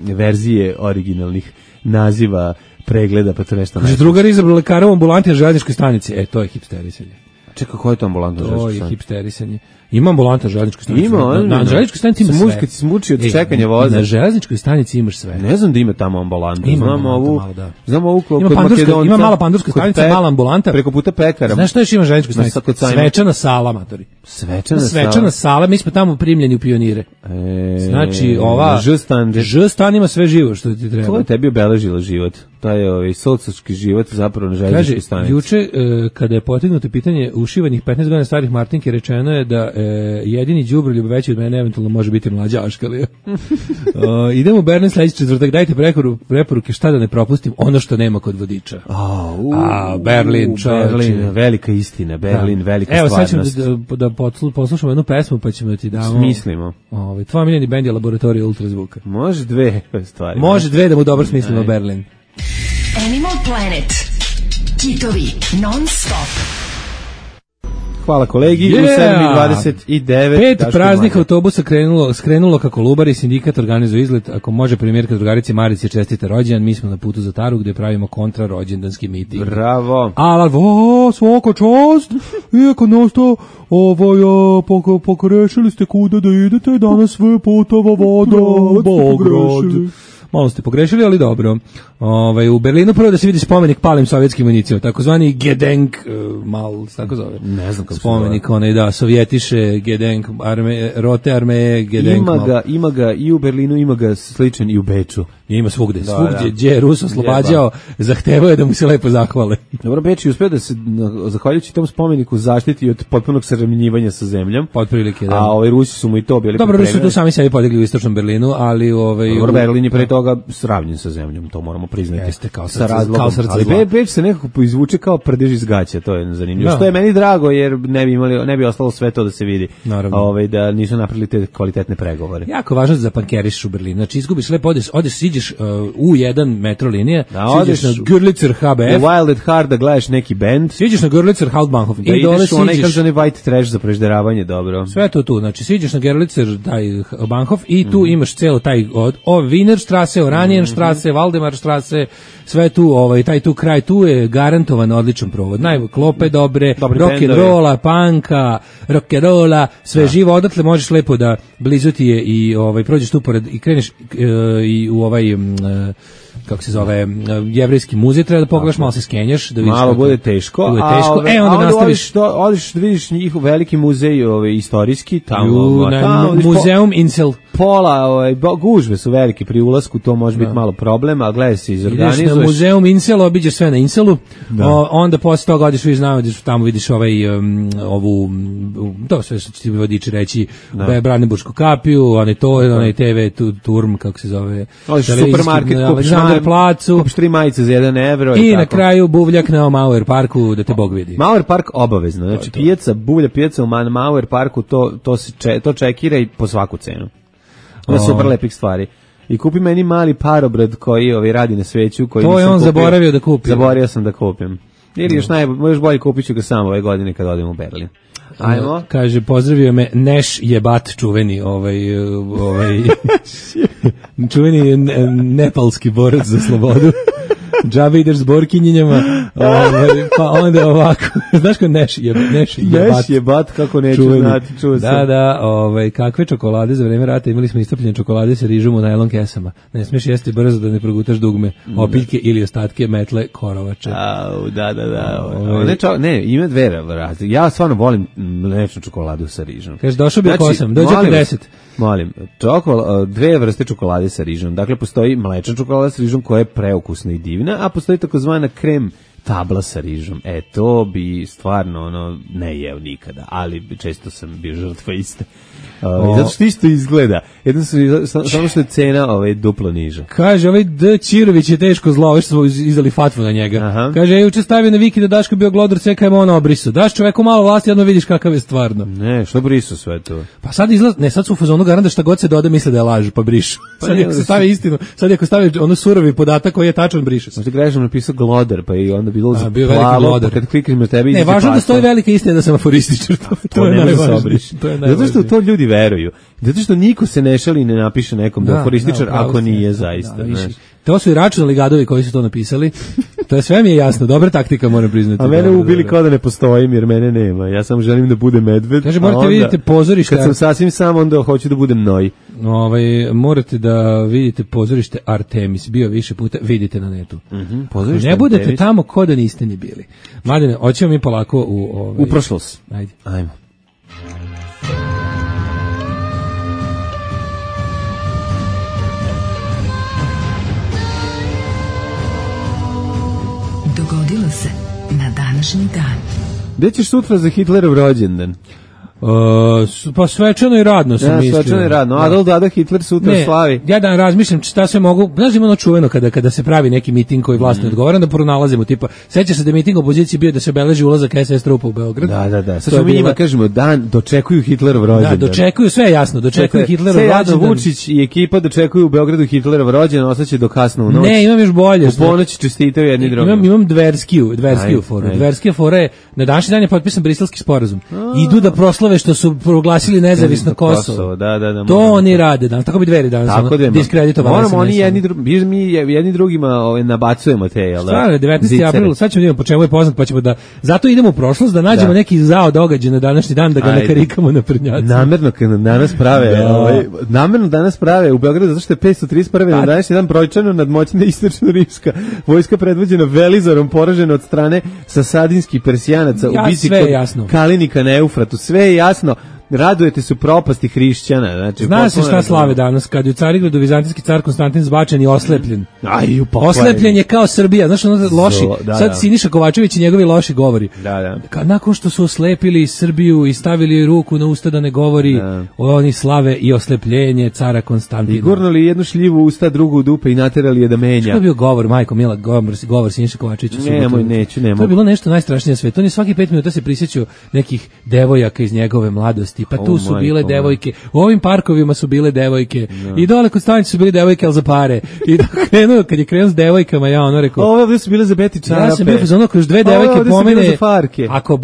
E: verzije originalnih naziva pregleda, pa to nešto
F: Kaže,
E: ne.
F: drugar izabrao lekara u ambulanti na željezničkoj stanici. E, to je hipsterisanje.
E: Čekaj, ko je to ambulantno
F: To je
E: železničko?
F: hipsterisanje. Ima ambulanta na železničkoj stanici.
E: Ima,
F: na,
E: on-
F: na, na železničkoj stanici ima
E: Smuč-
F: sve.
E: kad si smučio od
F: E,
E: čekanja voza.
F: Na železničkoj stanici imaš sve.
E: Ne znam da ima tamo ambulantu.
F: Ima
E: Znam
F: ambulanta
E: ovu,
F: malo, da.
E: znam ovu kod
F: Ima pandurska-
E: Makedonca,
F: ima mala pandurska
E: kod
F: stanica,
E: Pe-
F: mala ambulanta.
E: Preko puta pekara.
F: Znaš što još ima železničkoj
E: Na
F: stanici?
E: Sa- kod Sajma.
F: Svečana sala, matori.
E: Svečana,
F: Svečana sala, mi smo tamo primljeni u pionire.
E: E,
F: Znači, ova...
E: Žstan,
F: Žstan ima sve živo što ti
E: to
F: treba.
E: je tebi obeležilo život. To je ovaj socački život zapravo na
F: Kaže,
E: željezničkoj stanici.
F: juče, e, kada je potegnuto pitanje ušivanih petnaest godina starih Martinke, rečeno je da e, jedini đubroljub veći od mene eventualno može biti mlađa Aškalija. O, idemo u Berlin sledeći četvrtak, dajte preporu, preporuke šta da ne propustim, ono što nema kod vodiča.
E: A, u,
F: A, Berlin,
E: u,
F: čoveče.
E: Berlin, velika istina, Berlin,
F: Da.
E: velika
F: Evo, sad ćemo
E: stvarnost.
F: da, da, da poslu- poslušamo jednu pesmu, pa ćemo ti damo...
E: Smislimo.
F: Ovaj, tvoj miljeni bend je Laboratorija ultrazvuka.
E: Može dve stvari.
F: Može dve da mu dobro smislimo Berlin.
C: Animal Planet. Kitovi non stop.
E: Hvala kolegi, u
F: Yeah!
E: sedam i dvadeset devet.
F: Pet
E: Daško
F: praznih
E: Mlađa.
F: autobusa krenulo, skrenulo kako Kolubari, sindikat organizuje izlet. Ako može premijerka drugarici Marici čestite rođendan, mi smo na putu za Taru gde pravimo kontra rođendanski miting.
E: Bravo.
F: Alvo, svaka čast, iako nosto, ovaj, a, pok, pokrešili ste kuda da idete, danas sve putova voda, Bograd. malo ste pogrešili, ali dobro. Ovaj, u Berlinu prvo da se vidi spomenik palim sovjetskim vojnicima, takozvani Gedenk, uh, mal, tako zove.
E: Ne znam kako
F: spomenik, onaj, da, sovjetiše, Gedenk, arme, rote armeje, Gedenk.
E: Ima
F: mal.
E: ga, ima ga i u Berlinu, ima ga sličan i u Beču.
F: Ima svugde,
E: da,
F: svugdje,
E: da.
F: gdje je Rus oslobađao, zahtevao je da mu se lepo zahvale.
E: Dobro, Beč je uspio da se, zahvaljujući tom spomeniku, zaštiti od potpunog sravnjivanja sa zemljom.
F: Otprilike, da.
E: A ovaj Rusi su mu i to bili
F: dobro, Rusi su tu sami sebi podigli u istočnom Berlinu, ali ovaj
E: Dobro, Berlin je pre toga sravnjen sa zemljom, to moramo priznati.
F: Jeste, kao
E: sa
F: srce,
E: razlogom.
F: kao srce
E: Ali
F: zla.
E: Be, Beč se nekako izvuče kao prdež iz gaća, to je zanimljivo.
F: Da.
E: Što je meni drago, jer ne bi imali, ne bi ostalo sve to da se vidi.
F: Naravno.
E: Ovaj, da nisu napravili te kvalitetne pregovore.
F: Jako važno za pankeriš u Berlinu. Znači izgubiš lepo, odeš, odeš siđeš uh, u jedan metro linije,
E: da,
F: siđeš na Görlitzer H B F.
E: U Wild at Heart da gledaš neki bend.
F: Siđeš na Görlitzer Hauptbahnhof
E: Da
F: i dole
E: ideš u onaj
F: siđeš.
E: kažani white trash za prežderavanje, dobro.
F: Sve to tu, znači siđeš na Görlitzer taj Bahnhof i tu mm. imaš celo taj od o Wienerstrasse, Oranienstrasse, mm -hmm. Waldemarstrasse, sve tu, ovaj taj tu kraj tu je garantovan odličan provod. Naj klope dobre, rock and rolla, panka, rock and rolla, sve da. Živo, odatle možeš lepo da blizu ti je i ovaj prođeš tu pored i kreneš e, i u ovaj m, e, kako se zove, jevrejski muzej, treba da pogledaš, malo se skenjaš, da vidiš.
E: Malo bude teško,
F: bude teško.
E: A,
F: e, onda, onda
E: nastaviš, do, odiš da vidiš njihov veliki muzej, ovaj, istorijski, tamo,
F: Ju, na,
E: tamo
F: muzeum po, Insel.
E: Pola, ovaj, gužve su velike pri ulasku, to može biti malo problem, a gledaj se izorganizuješ.
F: Ideš na muzeum Insel, obiđeš sve na Inselu, o, onda posle toga odiš, vidiš, znamo, tamo vidiš ovaj, um, ovu, um, to sve što će ti vodiči reći, da. Brandenburšku kapiju, onaj to, onaj te ve tu, Turm, kako se zove.
E: Odiš u supermarket, kupiš
F: placu,
E: kupiš tri majice za jedan evro.
F: I,
E: I
F: na
E: tako.
F: Kraju buvljak na Mauer parku da te Bog vidi.
E: Mauer park obavezno, znači pijaca, buvlja pijaca u Mauer parku, to, to, se če, to čekira i po svaku cenu. Ono je super lepih stvari. I kupi meni mali parobrad koji ovaj, radi na sveću. Koji
F: to je on kupio. Zaboravio da kupi.
E: Zaboravio sam da kupim. Ili još, naj, još bolje kupit ću ga sam ove godine kad odem u Berlin. Ajmo.
F: Kaže, pozdravio me Neš jebat čuveni, ovaj, ovaj, čuveni nepalski borac za slobodu. Džabe ideš s borkinjinjama, ovaj, pa onda ovako, znaš ko Neš jebat? Neš jebat,
E: Neš jebat kako neću čuveni. Znati, čuo sam.
F: Da, da, ovaj, kakve čokolade za vreme rata, imali smo istopljene čokolade sa rižom u najlon kesama. Ne smiješ jesti brzo da ne progutaš dugme, opiljke ili ostatke metle korovače.
E: Au, da, da, da. Ovaj. Ne, čo, ne, ima dve razlike. Ja stvarno volim mlečnu čokoladu sa rižom.
F: Kaže, došao bi znači, oko osam, dođe oko deset.
E: Molim, čokol, dve vrste čokolade sa rižom. Dakle, postoji mlečna čokolada sa rižom koja je preukusna i divna, a postoji takozvana krem tabla sa rižom. E, to bi stvarno ono, ne jeo nikada, ali često sam bio žrtva iste. Uh, zato što isto izgleda. Jedno su, samo što je cena ovaj, duplo niža.
F: Kaže, ovaj D. Čirović je teško zlo, ovo što smo izdali fatvu na njega. Aha. Kaže, ja juče stavio na Viki da Daško bio glodar, sve kaj ono obrisu. Daš čoveku malo vlasti, jedno vidiš kakav je stvarno.
E: Ne, što brisu sve to?
F: Pa sad izlaz, ne, sad su u fazonu garanta šta god se doda misle da je laž, pa brišu. Pa sad ako se stavi istinu, sad ako stavi ono surovi podatak koji je tačan, briše se.
E: Možda grešno napisao glodar, pa i onda bilo
F: A,
E: za
F: bio
E: plavo, pa kad klikneš na tebi...
F: Ne, važno da stoji velika istina da sam aforističar. To, to, to je najvažnije.
E: Zato što to ljudi veruju. Zato što niko se ne šali i ne napiše nekom da je aforističar da, ako nije da, zaista. Da, da,
F: to su i računalni gadovi koji su to napisali. To je sve mi je jasno, dobra taktika moram priznati.
E: A mene dobro, ubili kao da ne postojim jer mene nema. Ja samo želim da budem medved.
F: Kaže, morate vidite pozorište.
E: Kad sam sasvim sam, onda hoću da budem noj.
F: Ovaj, morate da vidite pozorište Artemis. Bio više puta, vidite na netu.
E: Mm-hmm, pozorište
F: ne budete
E: Artemis.
F: Tamo ko da niste ni bili. Mladene, hoćemo mi polako u... Ovaj,
E: u prošlost.
F: Ajde.
E: Ajmo.
C: Dogodilo se na današnji dan.
E: Gde ćeš sutra za Hitlerov rođendan?
F: Uh, pa svečano i radno sam
E: ja,
F: mislio.
E: Svečano i radno. Adolf Dada Hitler sutra
F: ne,
E: slavi.
F: Ja dan razmišljam šta sve mogu. Znaš, ima ono čuveno kada, kada se pravi neki miting koji vlast ne mm. odgovara, da pronalazimo tipa. Sećaš se da je miting opozicije bio da se obeleži ulazak es es trupa u Beograd?
E: Da, da, da. Sad mi njima kažemo dan dočekuju Hitlerov rođendan.
F: Da, dočekuju, sve je jasno, dočekuju dakle, Hitlerov rođendan.
E: Vučić i ekipa dočekuju u Beogradu Hitlerov rođendan, ostaće do kasno u noć.
F: Ne, imam još bolje.
E: U ponoć čestitaju jedni drugima.
F: Imam imam dverskiju, dverskiju foru. Dverskija fora je na današnji dan je potpisan Briselski sporazum. A. Idu da proslave naslove što su proglasili nezavisno Kosovo.
E: Da, da, da.
F: To oni rade danas, tako bi Dveri danas.
E: Tako da
F: diskreditovali.
E: Moramo oni jedni drugi, mi jedni drugima ovaj nabacujemo te, jel da?
F: Stvarno, devetnaesti april, sad ćemo da vidimo po čemu je poznat, pa ćemo da zato idemo u prošlost da nađemo da. neki zao događaj na današnji dan da ga Ajde. nakarikamo na prnjacima.
E: Namerno kad danas prave, da. ovaj namerno danas prave u Beogradu zato što je petsto trideset prvi na današnji dan brojčano nadmoćna istočno-rimska vojska predvođena Velizarom poražena od strane sasadinskih Persijanaca
F: ja,
E: u bici kod Kalinika na Eufratu. Sve je jasno. Radujete su propasti hrišćana. Znači,
F: zna se šta slave danas, kad je u Carigradu vizantijski car Konstantin zbačen i oslepljen.
E: Aj,
F: oslepljen je kao Srbija, znaš, ono loši, Zlo, da, sad da. Siniša Kovačević i njegovi loši govori.
E: Da, da.
F: Ka, nakon što su oslepili Srbiju i stavili joj ruku na usta da ne govori, da. Oni slave i oslepljenje cara Konstantina.
E: I gurnuli jednu šljivu u usta, drugu u dupe i naterali je da menja.
F: Što je bio govor, majko Mila, govor, govor Siniša Kovačevića?
E: Nemoj, neću, nemoj.
F: To je bilo nešto najstrašnije na svetu. On je svaki pet minuta se prisjećao nekih devojaka iz njegove mladosti. Pa tu su bile devojke, u ovim parkovima su bile devojke, no. I dole kod stanice su bile devojke, ali za pare. I krenuo, kad je krenuo s devojkama, ja ono rekao...
E: Ove ovdje su bile za beti čarape.
F: Ja sam bio za ono, kroz dve devojke pomene... Ako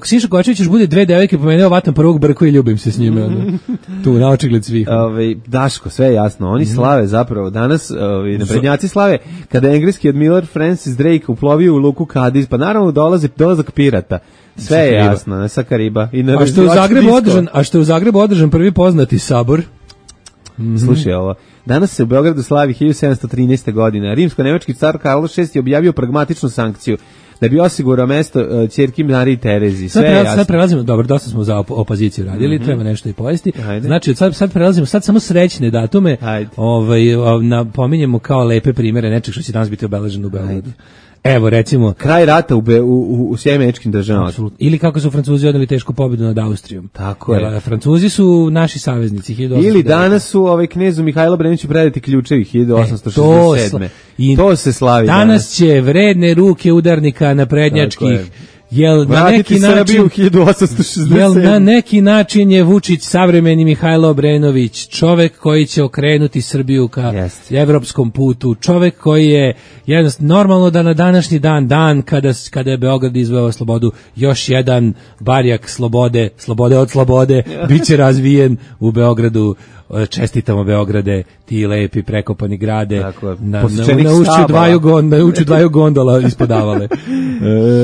F: Siša Kovačević još bude dve devojke pomene, ovatam prvog brku i ljubim se s njime. Ono. Tu, na očigled svih.
E: Ove, Daško, sve je jasno. Oni slave zapravo. Danas, ovi, naprednjaci slave, kada je engleski admiral Francis Drake uplovio u luku Cadiz, pa naravno dolazi dolazak pirata. Sve je jasno, ne sa Kariba. I na
F: a što je u Zagrebu održan, a što je u Zagrebu održan prvi poznati sabor.
E: Mm-hmm. Slušaj ovo. Danas se u Beogradu slavi hiljadu sedamsto trinaeste. godine. Rimsko-nemački car Karlo šesti je objavio pragmatičnu sankciju da bi osigurao mesto uh, ćerki Mariji Terezi. Sve
F: sad,
E: je jasno.
F: Sad prelazimo, dobro, dosta smo za op- opoziciju radili, mm-hmm. treba nešto i pojesti. Ajde. Znači, sad, sad prelazimo, sad samo srećne datume, ovaj, napominjemo kao lepe primere nečeg što će danas biti obeleženo u Beogradu. Ajde. Evo, recimo...
E: Kraj rata u, Be, u, u, u Sjemeničkim državama.
F: Apsolutno. Ili kako su Francuzi odneli tešku pobjedu nad Austrijom.
E: Tako je.
F: Francuzi su naši saveznici.
E: Ili danas su ovaj knezu Mihajlo Breniću predati ključevi hiljadu osamsto šezdeset sedme. E, to, to se slavi danas.
F: Danas će vredne ruke udarnika naprednjačkih jel na neki način
E: hiljadu osamsto šezdeset sedme.
F: Jel na neki način je Vučić savremeni Mihajlo Obrenović, čovek koji će okrenuti Srbiju ka yes. evropskom putu, čovek koji je jednostavno normalno da na današnji dan, dan kada, kada je Beograd izveo slobodu, još jedan barjak slobode, slobode od slobode, bit će razvijen u Beogradu. Čestitamo Beograde, ti lepi prekopani grade, na, na, na ušću dvaju, gon, na ušću dvaju gondola ispodavale.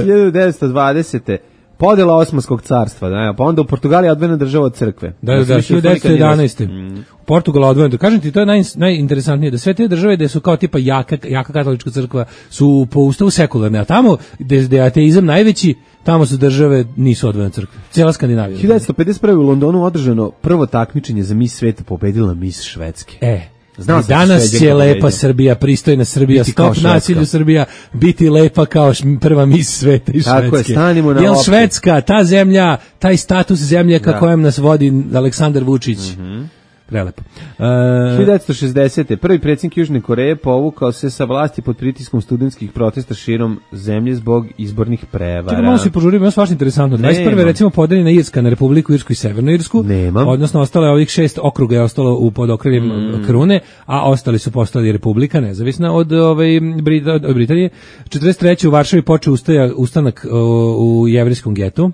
E: hiljadu devetsto dvadesete podela Osmanskog carstva, da, pa onda u Portugaliji odvojena država od crkve.
F: Da, da, da hiljadu devetsto jedanaeste. Mm. Portugala odvojena. Kažem ti, to je naj, najinteresantnije, da sve te države gde su kao tipa jaka, jaka katolička crkva su po ustavu sekularne, a tamo gde, gde je ateizam najveći, tamo su države nisu odvojene crkve. Cijela Skandinavija.
E: hiljadu devetsto pedeset prve. u Londonu održano prvo takmičenje za Miss sveta, pobedila Miss Švedske.
F: E, Znao danas će lepa Srbija, pristojna Srbija, biti stop nasilju Srbija, biti lepa kao prva Miss sveta iz Švedske.
E: Tako je, stanimo na
F: Jel Švedska, ta zemlja, taj status zemlje ka kojem nas vodi Aleksandar Vučić. Mm-hmm. Prelepo. Uh,
E: hiljadu devetsto šezdesete. prvi predsjednik Južne Koreje povukao se sa vlasti pod pritiskom studentskih protesta širom zemlje zbog izbornih prevara.
F: Čekaj, malo se požurimo, je svašta interesantno. dvadeset prve. recimo podeljena Irska na Republiku Irsku i Severnu Irsku.
E: Nemam.
F: Odnosno ostalo je ovih šest okruga je ostalo u pod okriljem mm. krune, a ostali su postali republika nezavisna od ove Brita, od Britanije. četrdeset treće. u Varšavi počeo ustaja, ustanak u, u jevrijskom getu.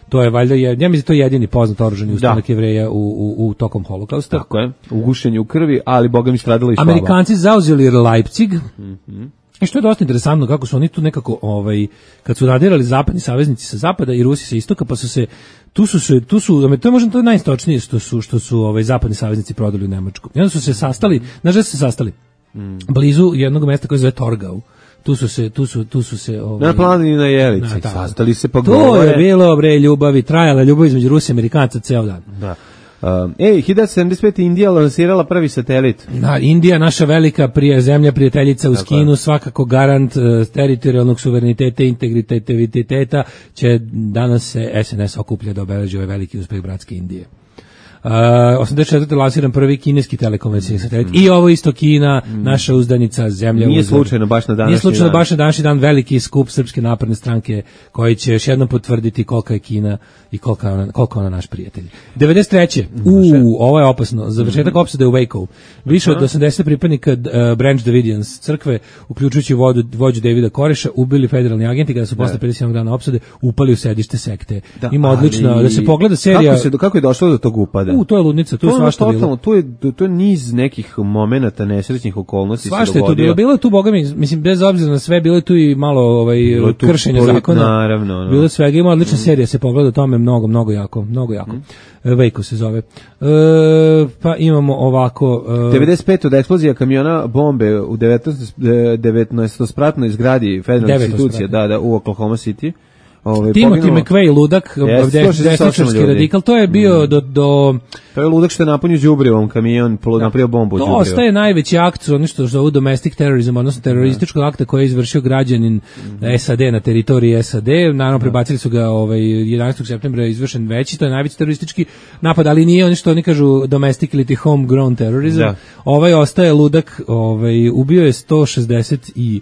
F: To je valjda, ja mislim, to je jedini poznat oružani ustanak Jevreja u, u, u tokom holokausta.
E: Tako je, u gušenju krvi, ali boga mi stradala i slava.
F: Amerikanci zauzeli Leipzig, mm-hmm. i što je dosta interesantno, kako su oni tu nekako, ovaj, kad su radirali zapadni saveznici sa zapada i Rusi sa istoka, pa su se, tu su se, tu su, to je možda to najistočnije što su, što su ovaj, zapadni saveznici prodali u Nemačku. I onda su se sastali, znaš da su se sastali, mm. blizu jednog mesta koje se zove Torgau. Tu su se, tu su, tu su se ovaj,
E: na planini na Jelici, na, sastali se pa
F: govore. To je bilo bre ljubavi, trajala ljubav između Rusije i Amerikanca ceo dan.
E: Da. Um, ej, hiljadu devetsto sedamdeset pete. Indija lansirala prvi satelit.
F: Da, Indija, naša velika prije zemlja prijateljica uz Kinu, svakako garant uh, teritorijalnog suvereniteta i integriteta, će danas se S N S okuplja da obeleži ovaj veliki uspeh bratske Indije. Uh, osamdeset četvrte lansiran prvi kineski telekomunikacijski satelit. Mm. I ovo isto Kina, mm. naša uzdanica, zemlja
E: Nije
F: uzor.
E: slučajno baš na današnji
F: Nije slučajno
E: dan.
F: baš na današnji dan veliki skup Srpske napredne stranke koji će još jednom potvrditi kolika je Kina i koliko je ona, koliko je ona naš prijatelj. devedeset treće U, ovo je opasno. Završetak opsade u Wakeu. Više od osamdeset pripadnika uh, Branch Davidians crkve, uključujući vodu, vođu Davida Koreša, ubili federalni agenti kada su posle pedeset jednog dana opsade upali u sedište sekte.
E: Da,
F: Ima odlično
E: ali,
F: da se pogleda serija.
E: Kako, se, kako je došlo do tog upada?
F: U, to je ludnica, tu je svašta bilo.
E: To je, to je niz nekih momenata, nesrećnih okolnosti se
F: svašta
E: dogodio.
F: je tu bilo. Bilo je tu, boga mi, mislim, bez obzira na sve, bilo je tu i malo ovaj, kršenja zakona.
E: Naravno. No.
F: Bilo je svega, ima odlična mm. serija, se pogleda o tome mnogo, mnogo jako, mnogo jako. Mm. Vejko se zove. E, pa imamo ovako... E,
E: devedeset pete od eksplozija kamiona bombe u devetnaestospratnoj zgradi federalne institucije, da, da, u Oklahoma City. Ove,
F: Timothy
E: poginulo...
F: McVeigh, ludak,
E: yes,
F: desničarski radikal, to je bio mm. do, do...
E: To je ludak što je napunio đubrivom kamion, da. napravio bombu u đubrivo.
F: To ostaje najveći akt, ono što zovu domestic terrorism, odnosno terorističkog akta koji je izvršio građanin mm. S A D na teritoriji S A D. Naravno, prebacili su ga ovaj, jedanaestog septembra je izvršen veći, to je najveći teroristički napad, ali nije ono što oni kažu domestic ili homegrown terrorism. Da. Ovaj ostaje ludak, ovaj, ubio je sto šezdeset i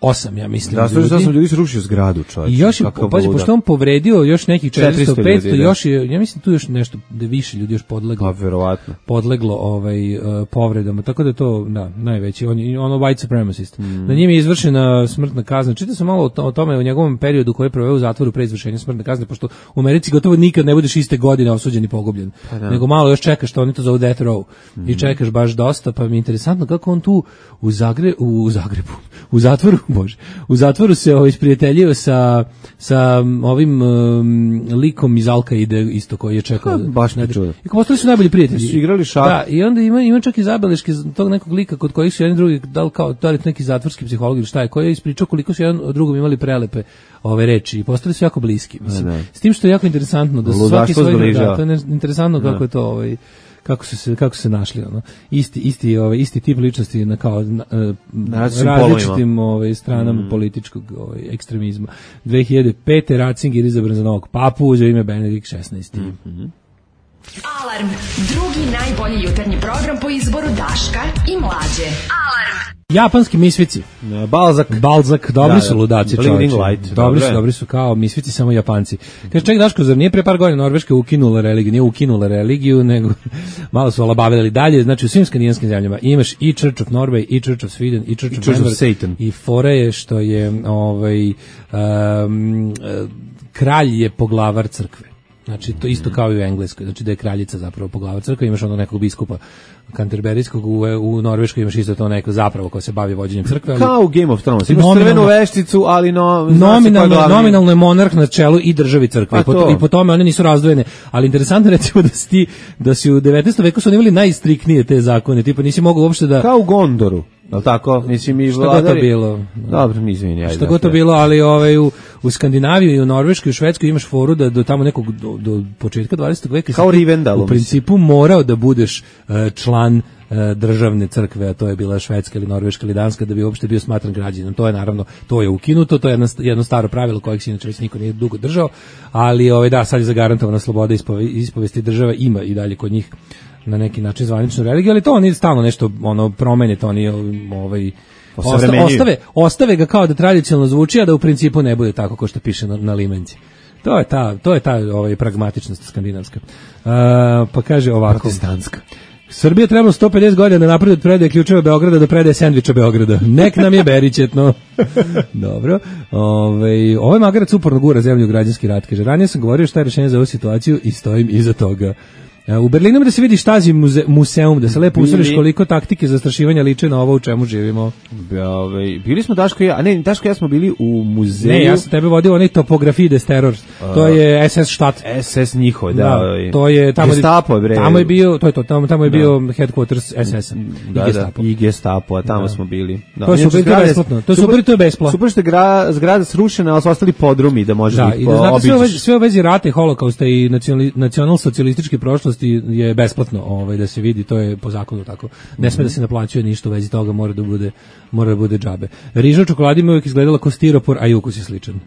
F: osam, ja mislim.
E: Da, sto šezdeset osam ljudi su rušio zgradu, čovječe.
F: I još je, pazi, pošto on povredio još nekih četiristo petsto, ljudi, još je, ja mislim tu još nešto, da više ljudi još podleglo.
E: Pa, verovatno.
F: Podleglo ovaj, uh, povredama, tako da je to, da, najveći, on je ono white supremacist. Mm. Na njim je izvršena smrtna kazna. Čitao sam malo o, to, o tome, u njegovom periodu koji je proveo u zatvoru pre izvršenja smrtne kazne, pošto u Americi gotovo nikad ne budeš iste godine osuđen i pogubljen. Pa da. Nego malo još čekaš, što oni to zovu death row. Mm. I čekaš baš dosta, pa mi je interesantno kako on tu u, Zagre, u Zagrebu, u zatvoru, bože, u zatvoru se ovaj isprijateljio sa sa ovim um, likom iz Al-Kaide isto koji je čekao.
E: Baš ne čuo.
F: I postali su najbolji prijatelji.
E: Su igrali šah.
F: Da, i onda ima ima čak i zabeleške tog nekog lika kod kojih su jedan drugi dal kao da li neki zatvorski psiholog ili šta je, koji je ispričao koliko su jedan od drugom imali prelepe ove reči i postali su jako bliski. Mislim. Ne, ne. S tim što je jako interesantno da su svaki svoj da, to je interesantno kako ne. je to ovaj kako su se kako su se našli ono isti isti ovaj isti tip ličnosti na kao na, na različitim ovaj stranama mm. političkog ovaj ekstremizma. dve hiljade pete Ratzinger izabran za novog papu, uzeo ime Benedikt šesnaesti.
E: Mm-hmm.
C: Alarm, drugi najbolji jutarnji program po izboru Daška i Mlađe. Alarm.
F: Japanski misvici.
E: Balzak.
F: Balzak, dobri da, su ludaci, čovječe. Dobri
E: Dobre.
F: su, dobri su kao misvici, samo Japanci. Kaže, ček, Daško, zar nije pre par godina Norveška ukinula religiju? Nije ukinula religiju, nego malo su olabavili dalje. Znači, u svim skandinavskim zemljama imaš i Church of Norway, i Church of Sweden, i Church, I of,
E: Church of
F: Satan. I fora je što je ovaj, um, kralj je poglavar crkve. Znači, to isto kao i u Engleskoj, znači da je kraljica zapravo poglavar crkve, imaš ono nekog biskupa Kanterberijskog, u, u Norveškoj imaš isto to neko zapravo ko se bavi vođenjem crkve. Ali
E: kao u Game of Thrones, imaš crvenu vešticu, ali no,
F: nominalno, nominalno je monarh na čelu i državi crkve. I po, i po tome one nisu razdvojene. Ali interesantno recimo da si, da si u devetnaestom veku su oni imali najstriktnije te zakone, tipa nisi mogao uopšte da...
E: Kao u Gondoru. Jel tako? Mislim i vladari.
F: Šta god to bilo.
E: Dobro, izvini, ajde.
F: Šta god to bilo, ali ovaj u, u Skandinaviji i u Norveškoj i u Švedskoj imaš foru da do tamo nekog do, do početka dvadesetog veka
E: kao Rivendell,
F: u principu morao da budeš uh, član uh, državne crkve, a to je bila švedska ili norveška ili danska, da bi uopšte bio smatran građaninom. To je naravno, to je ukinuto, to je jedno, jedno staro pravilo kojeg se inače već niko nije dugo držao, ali ovaj da, sad je zagarantovana sloboda ispove, ispovesti država, ima i dalje kod njih na neki način zvaničnu religiju, ali to oni stalno nešto ono promene, to oni ovaj osta, ostave, ostave ga kao da tradicionalno zvuči, a da u principu ne bude tako kao što piše na, na limenci. To je ta, to je ta ovaj pragmatičnost skandinavska. Uh, pa kaže ovako.
E: Protestantska.
F: Srbija trebalo sto pedeset godina napred od predaje ključeva Beograda do predaje sendviča Beograda. Nek nam je beričetno. Dobro. Ove, ovaj magarac uporno gura zemlju u građanski rat. Kaže, ranije sam govorio šta je rešenje za ovu situaciju i stojim iza toga. U Berlinu da se vidi Štazi muze, museum, da se lepo usreš koliko taktike zastrašivanja liče na ovo u čemu živimo.
E: Ove, bili smo Daško i ja, a ne, Daško i ja smo bili u muzeju.
F: Ne, ja sam tebe vodio onaj Topografie des Terrors. To je S S Štat.
E: S S njihov, da.
F: da to je tamo
E: Gestapo, bre.
F: Tamo je bio, to je to, tamo tamo je da. bio headquarters S S-a.
E: Da, i Gestapo. Da, i Gestapo, a tamo da. smo bili. Da.
F: To je super, to je besplatno. To je super, to je besplatno.
E: Super što je gra, zgrada srušena, ali su ostali podrumi da možeš
F: da, ih obići. Da, i da znate sve u vezi rata i holokausta i nacionalsocijalističke prošlosti zavisnosti je besplatno, ovaj da se vidi, to je po zakonu tako. Ne sme da se naplaćuje ništa u vezi toga, mora da bude mora da bude džabe. Riža u čokoladi mi uvijek izgledala kao stiropor, a i ukus je sličan.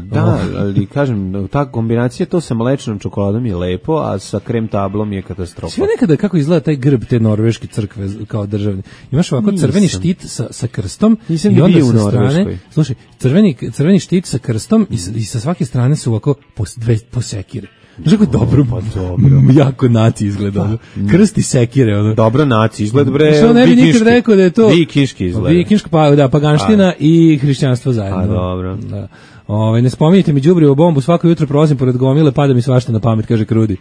E: Da, ali kažem, ta kombinacija to sa mlečnom čokoladom je lepo, a sa krem tablom je katastrofa.
F: Sve nekada kako izgleda taj grb te norveške crkve kao državni. Imaš ovako
E: Nisam.
F: crveni štit sa, sa krstom
E: Nisam
F: i onda
E: bio u
F: sa strane,
E: Norveškoj.
F: slušaj, crveni, crveni štit sa krstom i sa, i sa svake strane su ovako po, dve, po sekire. Znaš kako dobro,
E: pa dobro.
F: jako naci izgleda. ono. Krst i sekire. Ono.
E: Dobro naci, izgled bre.
F: Što ne bi nikad
E: vikinški.
F: rekao da je to
E: Vikinški izgled.
F: Vikinška, pa da, paganština i hrišćanstvo zajedno.
E: A dobro.
F: Da. Ove, ne spominjite mi đubrivu bombu, svako jutro prolazim pored gomile, pada mi svašta na pamet, kaže Krudi.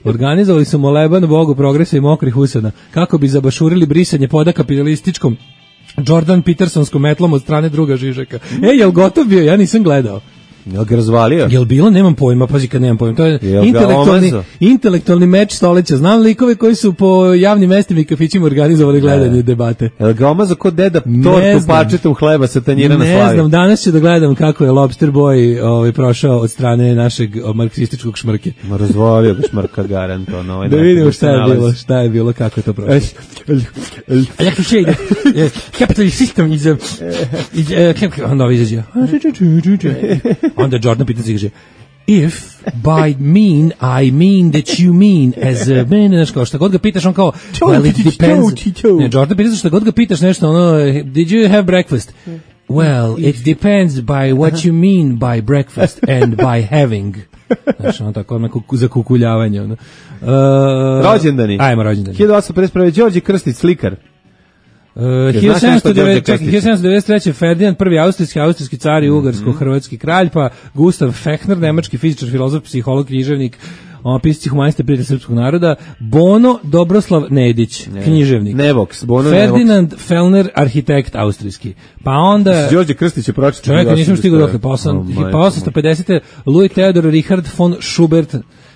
F: Organizovali su moleban Bogu progresa i mokrih usana, kako bi zabašurili brisanje poda kapitalističkom Jordan Petersonskom metlom od strane druga Žižeka. E, jel gotov bio? Ja nisam gledao.
E: Jel ga razvalio?
F: Jel bilo? Nemam pojma, pazi kad nemam pojma. To je
E: Jel ga
F: intelektualni,
E: omazo?
F: intelektualni meč stoleća. Znam likove koji su po javnim mestima i kafićima organizovali gledanje debate.
E: Jel ga omazo kod deda
F: Ne
E: tortu
F: znam.
E: parčetom hleba sa tanjira na
F: Ne
E: slavi?
F: znam, danas ću da gledam kako je Lobster Boy ovaj, prošao od strane našeg o, marksističkog šmrke.
E: Ma razvalio ga šmrka garant, ono. Ovaj
F: Da
E: neki
F: vidimo šta je
E: nalazi.
F: bilo, šta je bilo, kako je to prošlo. A jak to še ide? Capitalist system is a... is a- Onda ovo izađe. Onda Jordan Peterson kaže, if by mean I mean that you mean as a man, znaš kao šta god ga pitaš, on kao, well it depends. Ne, Jordan Peterson šta god ga pitaš nešto, ono, did you have breakfast? Well, it depends by what you mean by breakfast and by having. Znaš, ono tako, ono kuku- za kukuljavanje. Ono. Uh,
E: Rođendani.
F: Ajmo, rođendani.
E: hiljadu osamsto pedeset prve. Đorđe Krstić, slikar.
F: Uh,
E: znaš nešto o Đorđe
F: hiljadu sedamsto devedeset treće. Ferdinand prvi austrijski, austrijski car i ugarsko-hrvatski kralj, pa Gustav Fechner, nemački fizičar, filozof, psiholog, književnik, on pisac humanista, prijatelj srpskog naroda, Bono Dobroslav Nedić, književnik.
E: Nevox, Bono
F: Ferdinand Fellner, arhitekt austrijski. Pa onda...
E: Đorđe Krstić je pročitao.
F: Čovjek, nisam stigao dokle, pa osam- pa osamsto pedeset. Louis Theodor Richard von Schubert,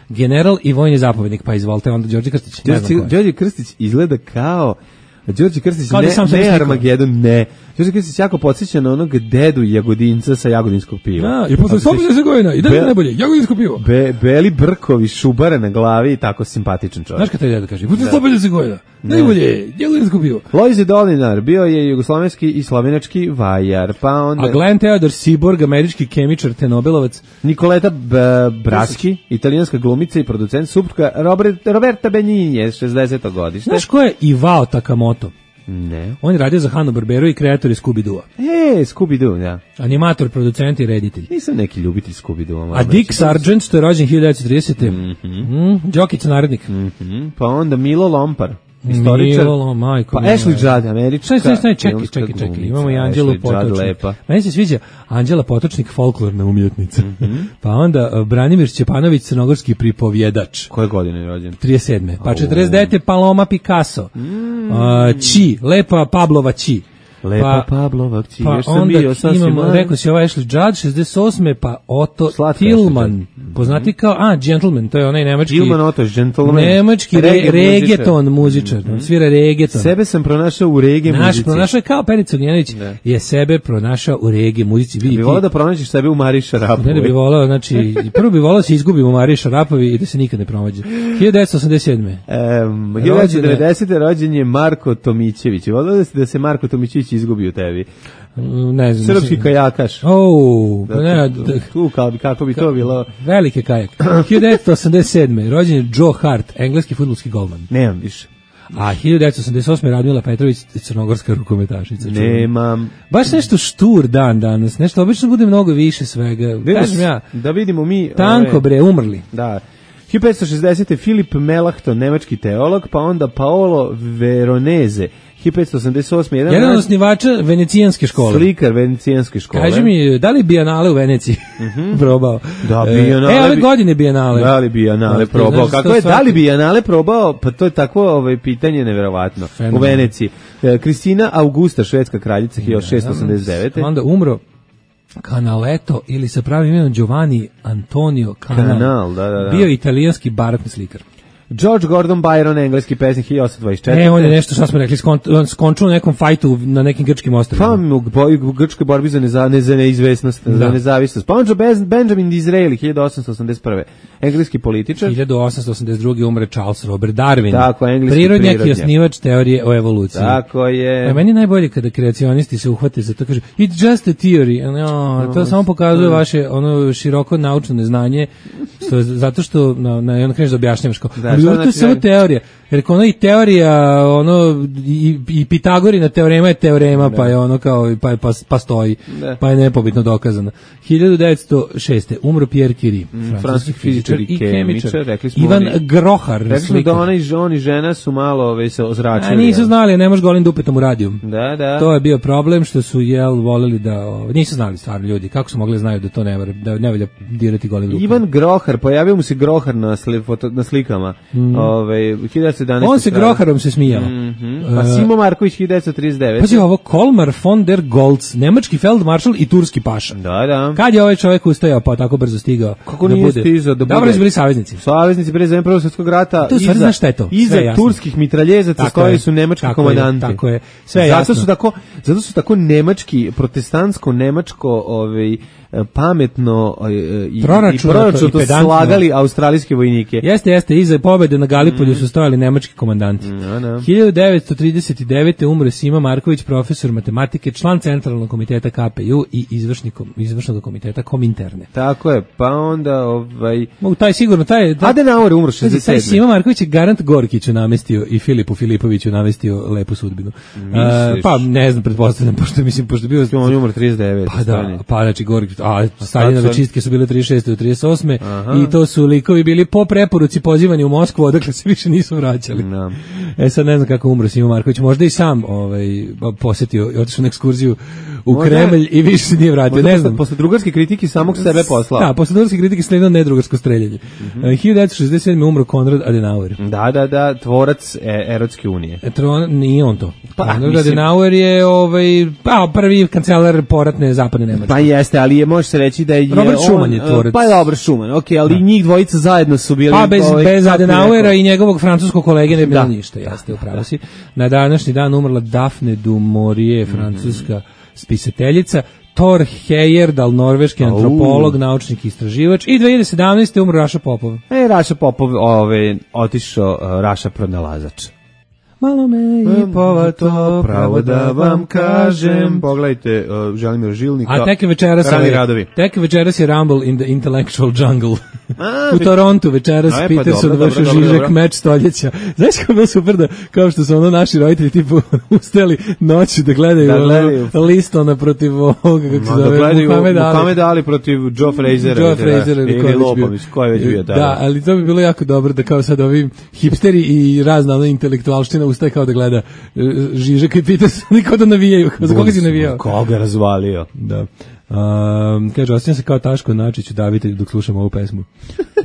F: general i vojni zapovjednik, pa izvolite, onda Đorđe Krstić. Ne znam ko je.
E: Đorđe Krstić izgleda kao Đorđe Krstić,
F: Kao da
E: ne,
F: sam sebi
E: ne
F: slikao.
E: Armagedon, ne. Đorđe Krstić jako podsjeća na onog dedu Jagodinca sa jagodinskog piva.
F: Da, i posle sto pedeset godina, i dalje
E: Be-
F: najbolje, jagodinsko pivo.
E: Be, beli brkovi, šubare na glavi i tako simpatičan čovjek.
F: Znaš kad taj deda kaže, posle sto pedeset godina, najbolje, jagodinsko pivo.
E: Lojze Dolinar bio je jugoslovenski i slovenački vajar, pa onda
F: A Glenn Theodor Seaborg, američki kemičar te Nobelovac,
E: Nikoleta B- Braski, italijanska glumica i producent, supruga Robert, Roberta Benigni, šezdeseto godište.
F: znaš ko je Ivao Takamoto?
E: Ne.
F: On je radio za Hanna-Barberu i kreator je Scooby-Doo.
E: E, Scooby-Doo, da.
F: Animator, producent i reditelj.
E: Nisam neki ljubitelj Scooby-Doo.
F: A Dick Sargent, što je rođen hiljadu devetsto tridesete. Mm, Đokić narednik.
E: Mhm. Pa onda Milo Lompar, istoričar.
F: Milo, majko
E: Pa
F: moja.
E: Ashley Judd, američka.
F: Staj, staj, staj, čekaj,
E: filmska
F: čekaj, čekaj.
E: glumica.
F: Imamo i Anđelu
E: Ashley Judd,
F: Potočnik.
E: lepa.
F: Meni se sviđa Anđela Potočnik, folklorna umjetnica. Pa onda uh, Branimir Šćepanović, crnogorski pripovjedač.
E: Koje godine je rođen?
F: trideset sedme. Pa četrdeset devete. Paloma Picasso. Uh, Či, lepa Pablova Či.
E: Lepa Pavlova kći,
F: Pa
E: još sam
F: onda
E: bio sasvim
F: imamo,
E: mlad.
F: rekao si ovaj Ashley Judd, šezdeset osme. Pa Otto
E: Slatka
F: Tillman,
E: Ashley
F: poznati kao, a, Gentleman, to je onaj nemački,
E: Tillman Otto, gentleman.
F: nemački re,
E: Reggae
F: regeton muzičar, on svira regeton.
E: Sebe sam pronašao u reggae
F: Naš
E: muzici.
F: pronašao je kao Perica Ognjanović, je sebe pronašao u reggae muzici. Vidi
E: Bi
F: ti,
E: volao da pronađeš sebe u Mariji Šarapovoj.
F: ne da bi volao, znači, prvo bi volao da se izgubimo u Mariji Šarapovi i da se nikad ne pronađe. hiljadu devetsto osamdeset sedme.
E: Um, hiljadu devetsto devedesete. rođen je Marko Tomićević. Volao da se, da se Marko Tomićević izgubi u tebi.
F: Ne znam.
E: Srpski
F: mislim-
E: kajakaš.
F: O,
E: Da,
F: ne,
E: tu-
F: d-
E: tu, kako bi, kako bi to bilo?
F: veliki kajak. hiljadu devetsto osamdeset sedme. rođen je Joe Hart, engleski fudbalski golman.
E: Nemam više.
F: A hiljadu devetsto osamdeset osme. Radmila Petrović, crnogorska rukometašica. čuvena.
E: Nemam.
F: Baš nešto štur dan danas, nešto obično bude mnogo više svega. Kažem ja,
E: Da vidimo mi...
F: tanko
E: ove,
F: bre, umrli.
E: Da. hiljadu petsto šezdesete. Filip Melanchthon, nemački teolog, pa onda Paolo Veronese, hiljadu petsto osamdeset osme. Jedan,
F: Jedan od
E: mlad
F: osnivača venecijanske škole.
E: slikar venecijanske škole.
F: Kaži mi, da li Bijenale u Veneciji probao?
E: Da,
F: E,
E: Bijenale
F: E, ove
E: bi-
F: godine Bijenale.
E: Da li bi Bijenale
F: Da,
E: probao?
F: znaš,
E: Kako
F: to
E: je, da li
F: svaki-
E: bi Bijenale probao? Pa to je takvo ovaj, pitanje neverovatno.
F: Fenomen.
E: U Veneciji. E, Kristina Augusta, švedska kraljica, hiljadu šeststo osamdeset devete.
F: Onda umro Canaletto ili sa pravim imenom Giovanni Antonio Canal.
E: Canal, da, da, da.
F: Bio je italijanski barokni slikar.
E: George Gordon Byron, engleski pesnik hiljadu osamsto dvadeset četvrte.
F: E, on je nešto, šta smo rekli, skon, skončio u nekom fajtu na nekim grčkim ostrvima.
E: Pa, u grčkoj borbi za, neza, ne, za neizvesnost, da. za nezavisnost. Pa, Benjamin Disraeli, hiljadu osamsto osamdeset prve. Engleski političar.
F: hiljadu osamsto osamdeset druge umre Charles Robert Darwin.
E: Tako, engleski
F: prirodnjak.
E: prirodnjak
F: i osnivač teorije o evoluciji.
E: Tako je.
F: A meni je najbolje kada kreacionisti se uhvate za to, kaže, it's just a theory. No, to samo pokazuje vaše ono široko naučno neznanje, što, zato što, no, na, ono kreneš da objašnjavaš kao, da, ali to je samo teorija. Jer ono i teorija, ono, i, i Pitagorina teorema je teorema, da. pa je ono kao, pa, pa, pa stoji, da. pa je nepobitno dokazana. hiljadu devetsto šeste. umro Pierre Curie,
E: mm, francuski fizičar i kemičar. Rekli smo
F: Ivan
E: oni,
F: Grohar,
E: rekli smo da ona i žon i žena su malo ove, se ozračili.
F: A nisu znali, ne može golim dupetom u radiju.
E: Da, da.
F: To je bio problem što su, jel, voleli da, o, nisu znali stvarno ljudi, kako su mogli znaju da to ne, da ne valja dirati golim dupetom.
E: Ivan Grohar, pojavio mu se Grohar na, sli, foto, na slikama. Mm. Ove,
F: On se Groharom se smijao.
E: Mm -hmm. Pa Simo Marković hiljadu devetsto trideset devet.
F: Pazi ovo, Kolmar von der Goltz, nemački feldmaršal i turski paša.
E: Da, da.
F: Kad je ovaj čovjek ustajao pa tako brzo stigao?
E: Kako
F: da
E: nije
F: bude?
E: stizao da bude?
F: Dobro, su bili saveznici.
E: Saveznici pre za Prvog svjetskog rata.
F: To iza, znaš šta je to?
E: Iza turskih mitraljezaca stojali su nemački
F: tako
E: komandanti.
F: Je, tako je. Sve je
E: zato
F: jasno.
E: Su tako, zato su tako nemački, protestantsko nemačko, ovaj pametno i proračunato slagali australijske vojnike.
F: Jeste, jeste, iza pobede na Galipolju mm. su stojali nemački komandanti.
E: No, no.
F: hiljadu devetsto trideset devete. umre Sima Marković, profesor matematike, član Centralnog komiteta K P U i izvršnog komiteta Kominterne.
E: Tako je, pa onda ovaj...
F: U taj sigurno, taj... taj
E: Adenauer umro šezdeset sedme.
F: Taj Sima Marković je garant Gorkiću namestio i Filipu Filipoviću namestio lepu sudbinu. Uh, pa ne znam, pretpostavljam, pošto mislim, pošto bio...
E: On je umro trideset devete.
F: Pa da, pa znači Gorkić, a Staljinove čistke su bile trideset šeste do trideset osme. Aha. I to su likovi bili po preporuci pozivani u Moskvu, odakle se više nisu vraćali.
E: No.
F: E sad ne znam kako umro Simo Marković, možda i sam ovaj, posetio i otišao na ekskurziju u možda, Kremlj i više se nije vratio, ne znam.
E: Posle drugarske kritike samog sebe poslao.
F: Da, posle drugarske kritike sledilo nedrugarsko streljanje. Mm -hmm. hiljadu devetsto šezdeset sedme. umro Konrad Adenauer.
E: Da, da, da, tvorac e, Erotske unije.
F: E, tron, nije on to. Pa, Konrad mislim... Adenauer je ovaj, pa, prvi kancelar poratne zapadne Nemačke.
E: Pa jeste, ali je, može se reći da je
F: Robert
E: on,
F: Schuman je tvorac.
E: Pa je Robert Schuman, ok, ali da. njih dvojica zajedno su bili...
F: Pa bez,
E: ovaj,
F: bez Adenauera i njegovog francuskog kolege ne bilo ništa, jeste, upravo si. Na današnji dan umrla Daphne du Maurier, francuska mm -hmm. spisateljica, Thor Heyerdahl, norveški antropolog, naučnik i istraživač, i dve hiljade sedamnaeste. umro Raša Popov.
E: E, Raša Popov ove, otišao uh, Raša pronalazač.
F: Malo me i povato, pravo da vam kažem.
E: Pogledajte, uh, Želimir Žilnika.
F: A tek večeras je, tek večeras je Rumble in the Intellectual Jungle. A, u Torontu večeras pa Peterson vrši Žižek meč stoljeća. Znaš kako je bilo super da, kao što su ono naši roditelji tipu ustali noću da gledaju, da gledaju. Ono, listona protiv ovoga, kako se zove,
E: da Muhammed Ali. Muhammed Ali protiv Joe Frasera.
F: Joe Frasera ili
E: Lopović, ko je već bio tada.
F: Da, ali to bi bilo jako dobro da kao sad ovi hipsteri i razna ona intelektualština ustaje kao da gleda Žižeka i Peterson, niko da navijaju. Za koga si navijao?
E: Koga razvalio.
F: Da. Um, kaže, osjećam se kao Taško Načić, udavitelj dok slušam ovu pesmu.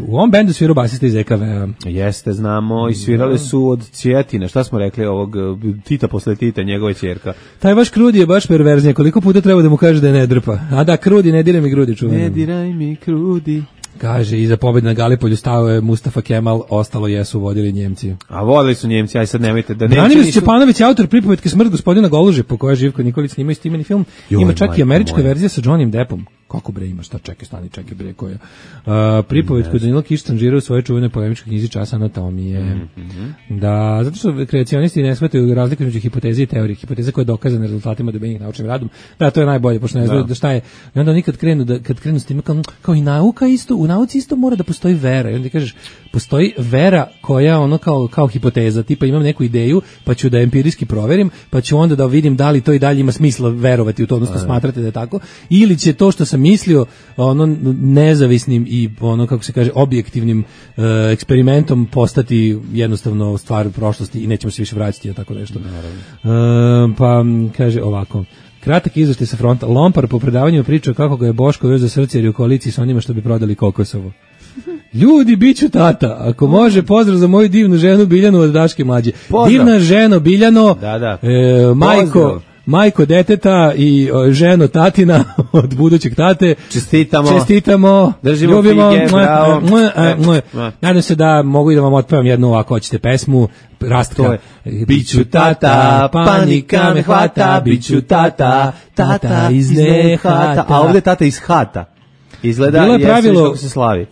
F: U ovom bendu svirao basista iz E K V-a.
E: Jeste, znamo, i svirali su od Cjetina, šta smo rekli, ovog Tita posle Tita, njegove ćerka.
F: Taj vaš Krudi je baš perverznije, koliko puta treba da mu kaže da je ne drpa. A da, Krudi, ne diraj mi grudi, čuvam.
E: Ne diraj mi Krudi.
F: Kaže, iza pobjede na Galipolju stao je Mustafa Kemal, ostalo jesu vodili Njemci.
E: A vodili su Njemci, aj sad nemojte da neće.
F: Branimir Stjepanović je autor pripovetke Smrt gospodina Goluže, po kojoj Živko Nikolić snimao snimeni film. Joj, ima čak i američka moja verzija sa Johnnym Deppom. Kako bre ima, šta čekaj, stani, čekaj bre koja. Uh, pripovetku Danilo Kiš tanžira u svojoj čuvenoj polemičkoj knjizi Čas anatomije. Mm -hmm. Da, zato što kreacionisti ne shvataju razliku između hipoteze i teorije. Hipoteza koja je dokazana rezultatima dobijenih naučnim radom. Da, to je najbolje, pošto ne znaju da šta je. I onda oni kad krenu, da, kad krenu s tim, kao, kao i nauka isto, u nauci isto mora da postoji vera. I onda kažeš, postoji vera koja ono kao, kao hipoteza, tipa imam neku ideju, pa ću da empirijski proverim, pa ću onda da vidim da li to i dalje ima smisla verovati u to, odnosno smatrate da je tako, ili će to što sam mislio ono nezavisnim i ono kako se kaže objektivnim uh, eksperimentom postati jednostavno stvar prošlosti i nećemo se više vraćati, tako nešto. Uh, pa kaže ovako. Kratak izveštaj sa fronta. Lompar po predavanju pričao kako ga je Boško veo za srce jer je u koaliciji sa onima što bi prodali Kokosovo. Ljudi, biću tata. Ako može, pozdrav za moju divnu ženu Biljanu od Daške mlađe. Pozdrav. Divna ženo Biljano,
E: da, da.
F: E, majko, majko deteta i o, ženo tatina od budućeg tate.
E: Čestitamo.
F: Čestitamo.
E: Držimo
F: ljubimo,
E: fige,
F: moj,
E: bravo.
F: moj, moj. Nadam se da mogu i da vam otpevam jednu ovako hoćete pesmu. Rastka.
E: Biću tata, panika me hvata, biću tata, tata iz nehata. A ovde tata iz hata. Izgleda,
F: bilo je pravilo,
E: se slavi.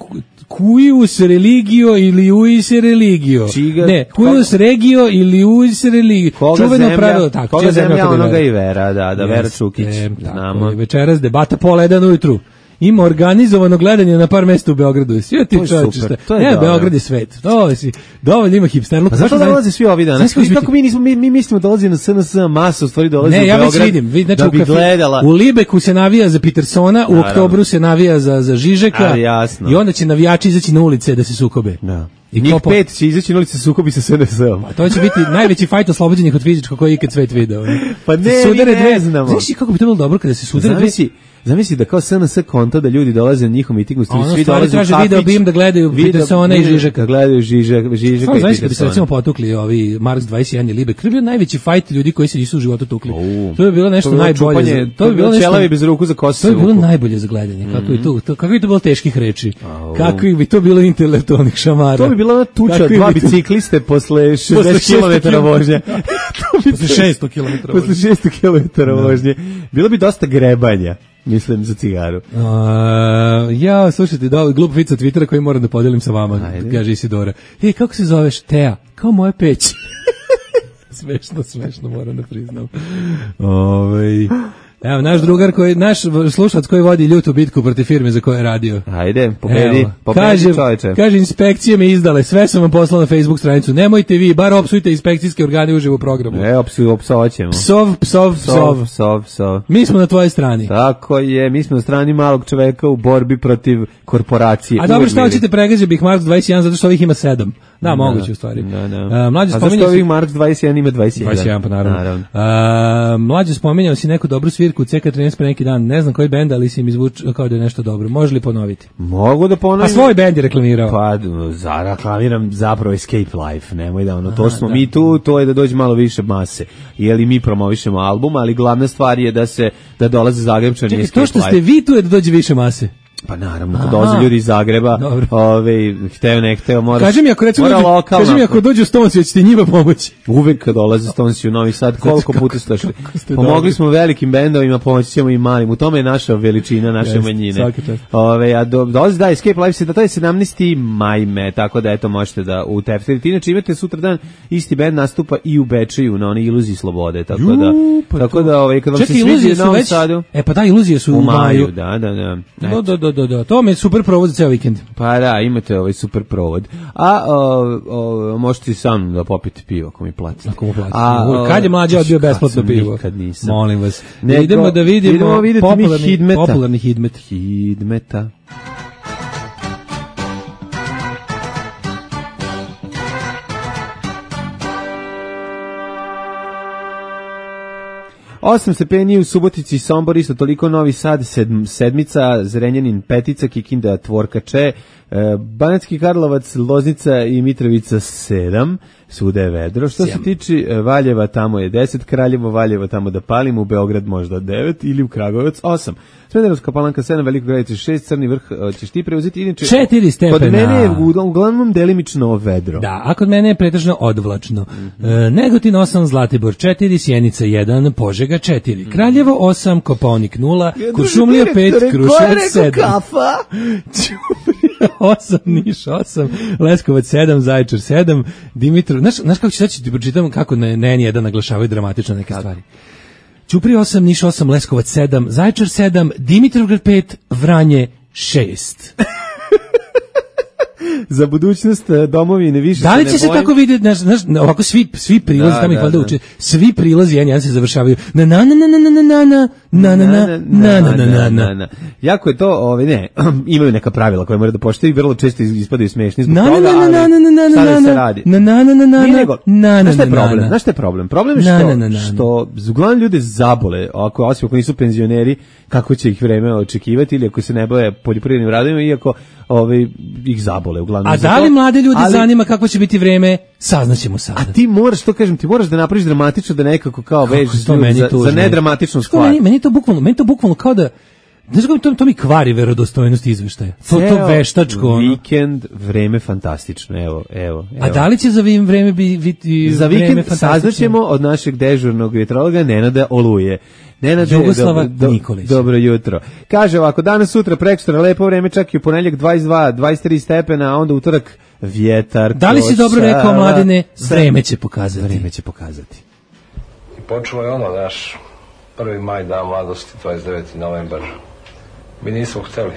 F: Cuius religio ili uis religio.
E: Čiga,
F: ne, cuius regio ili uis religio.
E: Koga
F: Čuveno
E: zemlja,
F: pravilo, tako.
E: Koga zemlja,
F: zemlja
E: onoga i vera, da, da, Vera
F: Jeste,
E: Čukić. Znamo.
F: Večeras debata pola jedan ujutru. Ima organizovano gledanje na par mesta u Beogradu. Svi ti čovječe. Ne, Beograd je svet. To si dovoljno ima hipsterluk.
E: Pa zašto dolaze svi ovi dana? Kako mi nismo mi, mi mislimo dolazi na S N S masa, u stvari dolazi
F: ne,
E: u
F: ja
E: Beograd.
F: već vidim, vid, znači,
E: da bi gledala.
F: U Libeku se navija za Petersona, u oktobru se navija za za Žižeka.
E: A, jasno.
F: I onda će navijači izaći na ulice da se sukobe.
E: Da. I njih po... pet će izaći na ulici sukobi sa S N S-om.
F: To će biti najveći fajt oslobođenih od fizičkog koji je ikad svet video.
E: Pa ne, mi ne znamo.
F: Znaš kako bi to bilo dobro kada se sudare dve...
E: Zamisli da kao S N S konta da ljudi dolaze na njihov miting, svi dolaze u
F: traže video bim da gledaju Petersona i Žižeka.
E: Da gledaju Žižeka, Žižeka i
F: Petersona. Bi se recimo potukli ovi Marks dvadeset jedan i Libe. To je bio najveći fajt ljudi koji se nisu u životu tukli. Uh, to bi bilo nešto to najbolje. Čupanje,
E: za, to bi bilo nešto čelavi bez ruku za kosu.
F: To bi bilo najbolje za gledanje. Kako je to, to kako bi to bilo teških reči. Kakvi bi to bilo intelektualnih šamara.
E: To bi bila tuča dva bicikliste posle šezdeset kilometara vožnje.
F: Posle šesto kilometara.
E: Posle šesto kilometara vožnje. Bilo bi dosta grebanja. Mislim za cigaru.
F: Uh, ja, slušajte, da, glup vic sa Twittera koji moram da podelim sa vama, ajde. Kaže Isidora. E, kako se zoveš? Teja. Kao moja peć. Smešno, smešno, moram da priznam. Ove, evo, naš drugar, koji, naš slušalac koji vodi ljutu bitku protiv firme za koje je radio.
E: Ajde, pobedi, pobedi
F: kaže,
E: čoveče.
F: Kaže, inspekcije me izdale, sve sam vam poslao na Facebook stranicu. Nemojte vi, bar opsujte inspekcijske organe uživo u programu.
E: E, opsu, opsovaćemo.
F: Psov, psov, psov.
E: Psov, psov.
F: Mi smo na tvojoj strani.
E: Tako je, mi smo na strani malog čoveka u borbi protiv korporacije.
F: A dobro, šta hoćete, pregađa bih Marks dvadeset jedan, zato što ovih ima sedam. Da, da, moguće u stvari. Da, da. Uh, mlađe
E: a zašto ovih Marks dvadeset jedan ima dvadeset jedan?
F: dvadeset jedan, pa naravno. naravno. Uh, mlađe spominjao si neku dobru svirku u C K trinaest pre neki dan. Ne znam koji bend, ali si mi zvuči kao da je nešto dobro. Može li ponoviti?
E: Mogu da ponovim.
F: A svoj bend je reklamirao.
E: Pa, za, reklamiram zapravo Escape Life. Nemoj da ono, to smo da. mi tu, to je da dođe malo više mase. Jeli mi promovišemo album, ali glavna stvar je da se, da dolaze Zagrebčani Escape Life.
F: To što ste vi tu je da dođe više mase.
E: Pa naravno, kad dolaze ljudi iz Zagreba, ove, hteo ne hteo, moraš...
F: Kaži mi ako, recimo, dođu, lokalna, kaži mi ako dođu Stonesi, hoćete njima pomoći.
E: Uvek kad dolaze Stonesi u Novi Sad, koliko puta ste došli. Pomogli smo velikim bendovima, pomoći ćemo i malim. U tome je naša veličina, naše yes, manjine. Ove, a do, dolazi da, Escape Life se, da to je sedamnaesti maj, tako da eto možete da u teftirite. Inače imate sutra dan, isti bend nastupa i u Bečeju na onoj Iluziji slobode, tako da, Ju, pa tako da, ove, kad vam se svidi na Novom Sadu...
F: E pa da, Iluzije su u maju.
E: Da, da, da.
F: Do, do, do, do. To mi je super provod za ceo vikend.
E: Pa da, imate ovaj super provod. A o, o, možete sam da popite pivo ako mi platite.
F: Ako mu platite. A, kad je mlađa odbio besplatno pivo?
E: Nikad nisam.
F: Molim vas. Nego, idemo da vidimo
E: idemo
F: popularni,
E: hidmeta.
F: popularni hidmet.
E: Hidmeta. Osam stepeni u Subotici, Sombor, isto toliko, Novi Sad, sedm, sedmica, Zrenjanin, petica, Kikinda, Tvorkače, e, Banatski Karlovac, Loznica i Mitrovica, sedam, svuda je vedro. Što se tiče Valjeva, tamo je deset, Kraljevo, Valjevo, tamo da palimo, u Beograd možda devet ili u Kragujevac, osam. Smederevska Palanka, sedam, Veliko Gradište, šest, Crni Vrh, ćeš ti preuzeti, inače...
F: četiri stepena.
E: Kod mene je uglavnom delimično vedro.
F: Da, a kod mene je pretežno odvlačno. Mm-hmm. E, Negotin osam, Zlatibor četiri, Sjenica jedan, Požega četiri, Kraljevo osam, Kopaonik nula, Kuršumlija pet, Kruševac sedam.
E: Kafa?
F: Ćuprija osam, Niš osam, Leskovac sedam, Zaječar sedam, Dimitrov... Znaš, znaš kako ću sad ću ti pročitam kako na N jedan naglašavaju dramatično neke stvari. Ćuprija osam, Niš osam, Leskovac sedam, Zaječar sedam, Dimitrovgrad pet, Vranje šest.
E: Za budućnost domovine više
F: da li
E: se
F: će se
E: bojim.
F: tako vidjeti, znaš, znaš, ovako svi svi prilazi, da, tamo ih valjda uče, svi prilazi N jedan se završavaju na na na na na na na na na na na na na na.
E: Jako je to, ovaj ne, imaju neka pravila koje moraju da poštuju i vrlo često ispadaju smešni zbog
F: toga,
E: ali šta da se radi?
F: Na na na na na na na.
E: Znaš šta je problem? Znaš šta je problem? Problem je što što uglavnom ljude zabole, ako osim ako nisu penzioneri, kako će ih vreme očekivati ili ako se ne bave poljoprivrednim radovima, iako ovaj ih zabole uglavnom.
F: A da li mlade ljudi ali, zanima kako će biti vreme Saznaćemo sada.
E: A ti moraš, to kažem, ti moraš da napraviš dramatično, da nekako kao vežeš za, za nedramatičnu stvar.
F: Meni, meni, to bukvalno, meni to bukvalno kao da, znaš kako to, to mi kvari verodostojnost izveštaja. To, to veštačko. Ono.
E: Vikend, vreme fantastično, evo, evo. evo.
F: A da li će za vreme biti
E: za vikend saznaćemo od našeg dežurnog vjetrologa Nenada Oluje. Nenade,
F: Jugoslava
E: do, do,
F: Nikolić.
E: Dobro jutro. Kaže ovako, danas, sutra, prekosutra, lepo vreme, čak i u ponedjeljak dvadeset dva, dvadeset tri stepena, a onda utorak vjetar.
F: Da li si dobro rekao, Mladene? Vreme će pokazati.
E: Vreme će pokazati.
A: I počelo je ono, naš prvi maj, dan mladosti, dvadeset deveti novembar. Mi nismo hteli,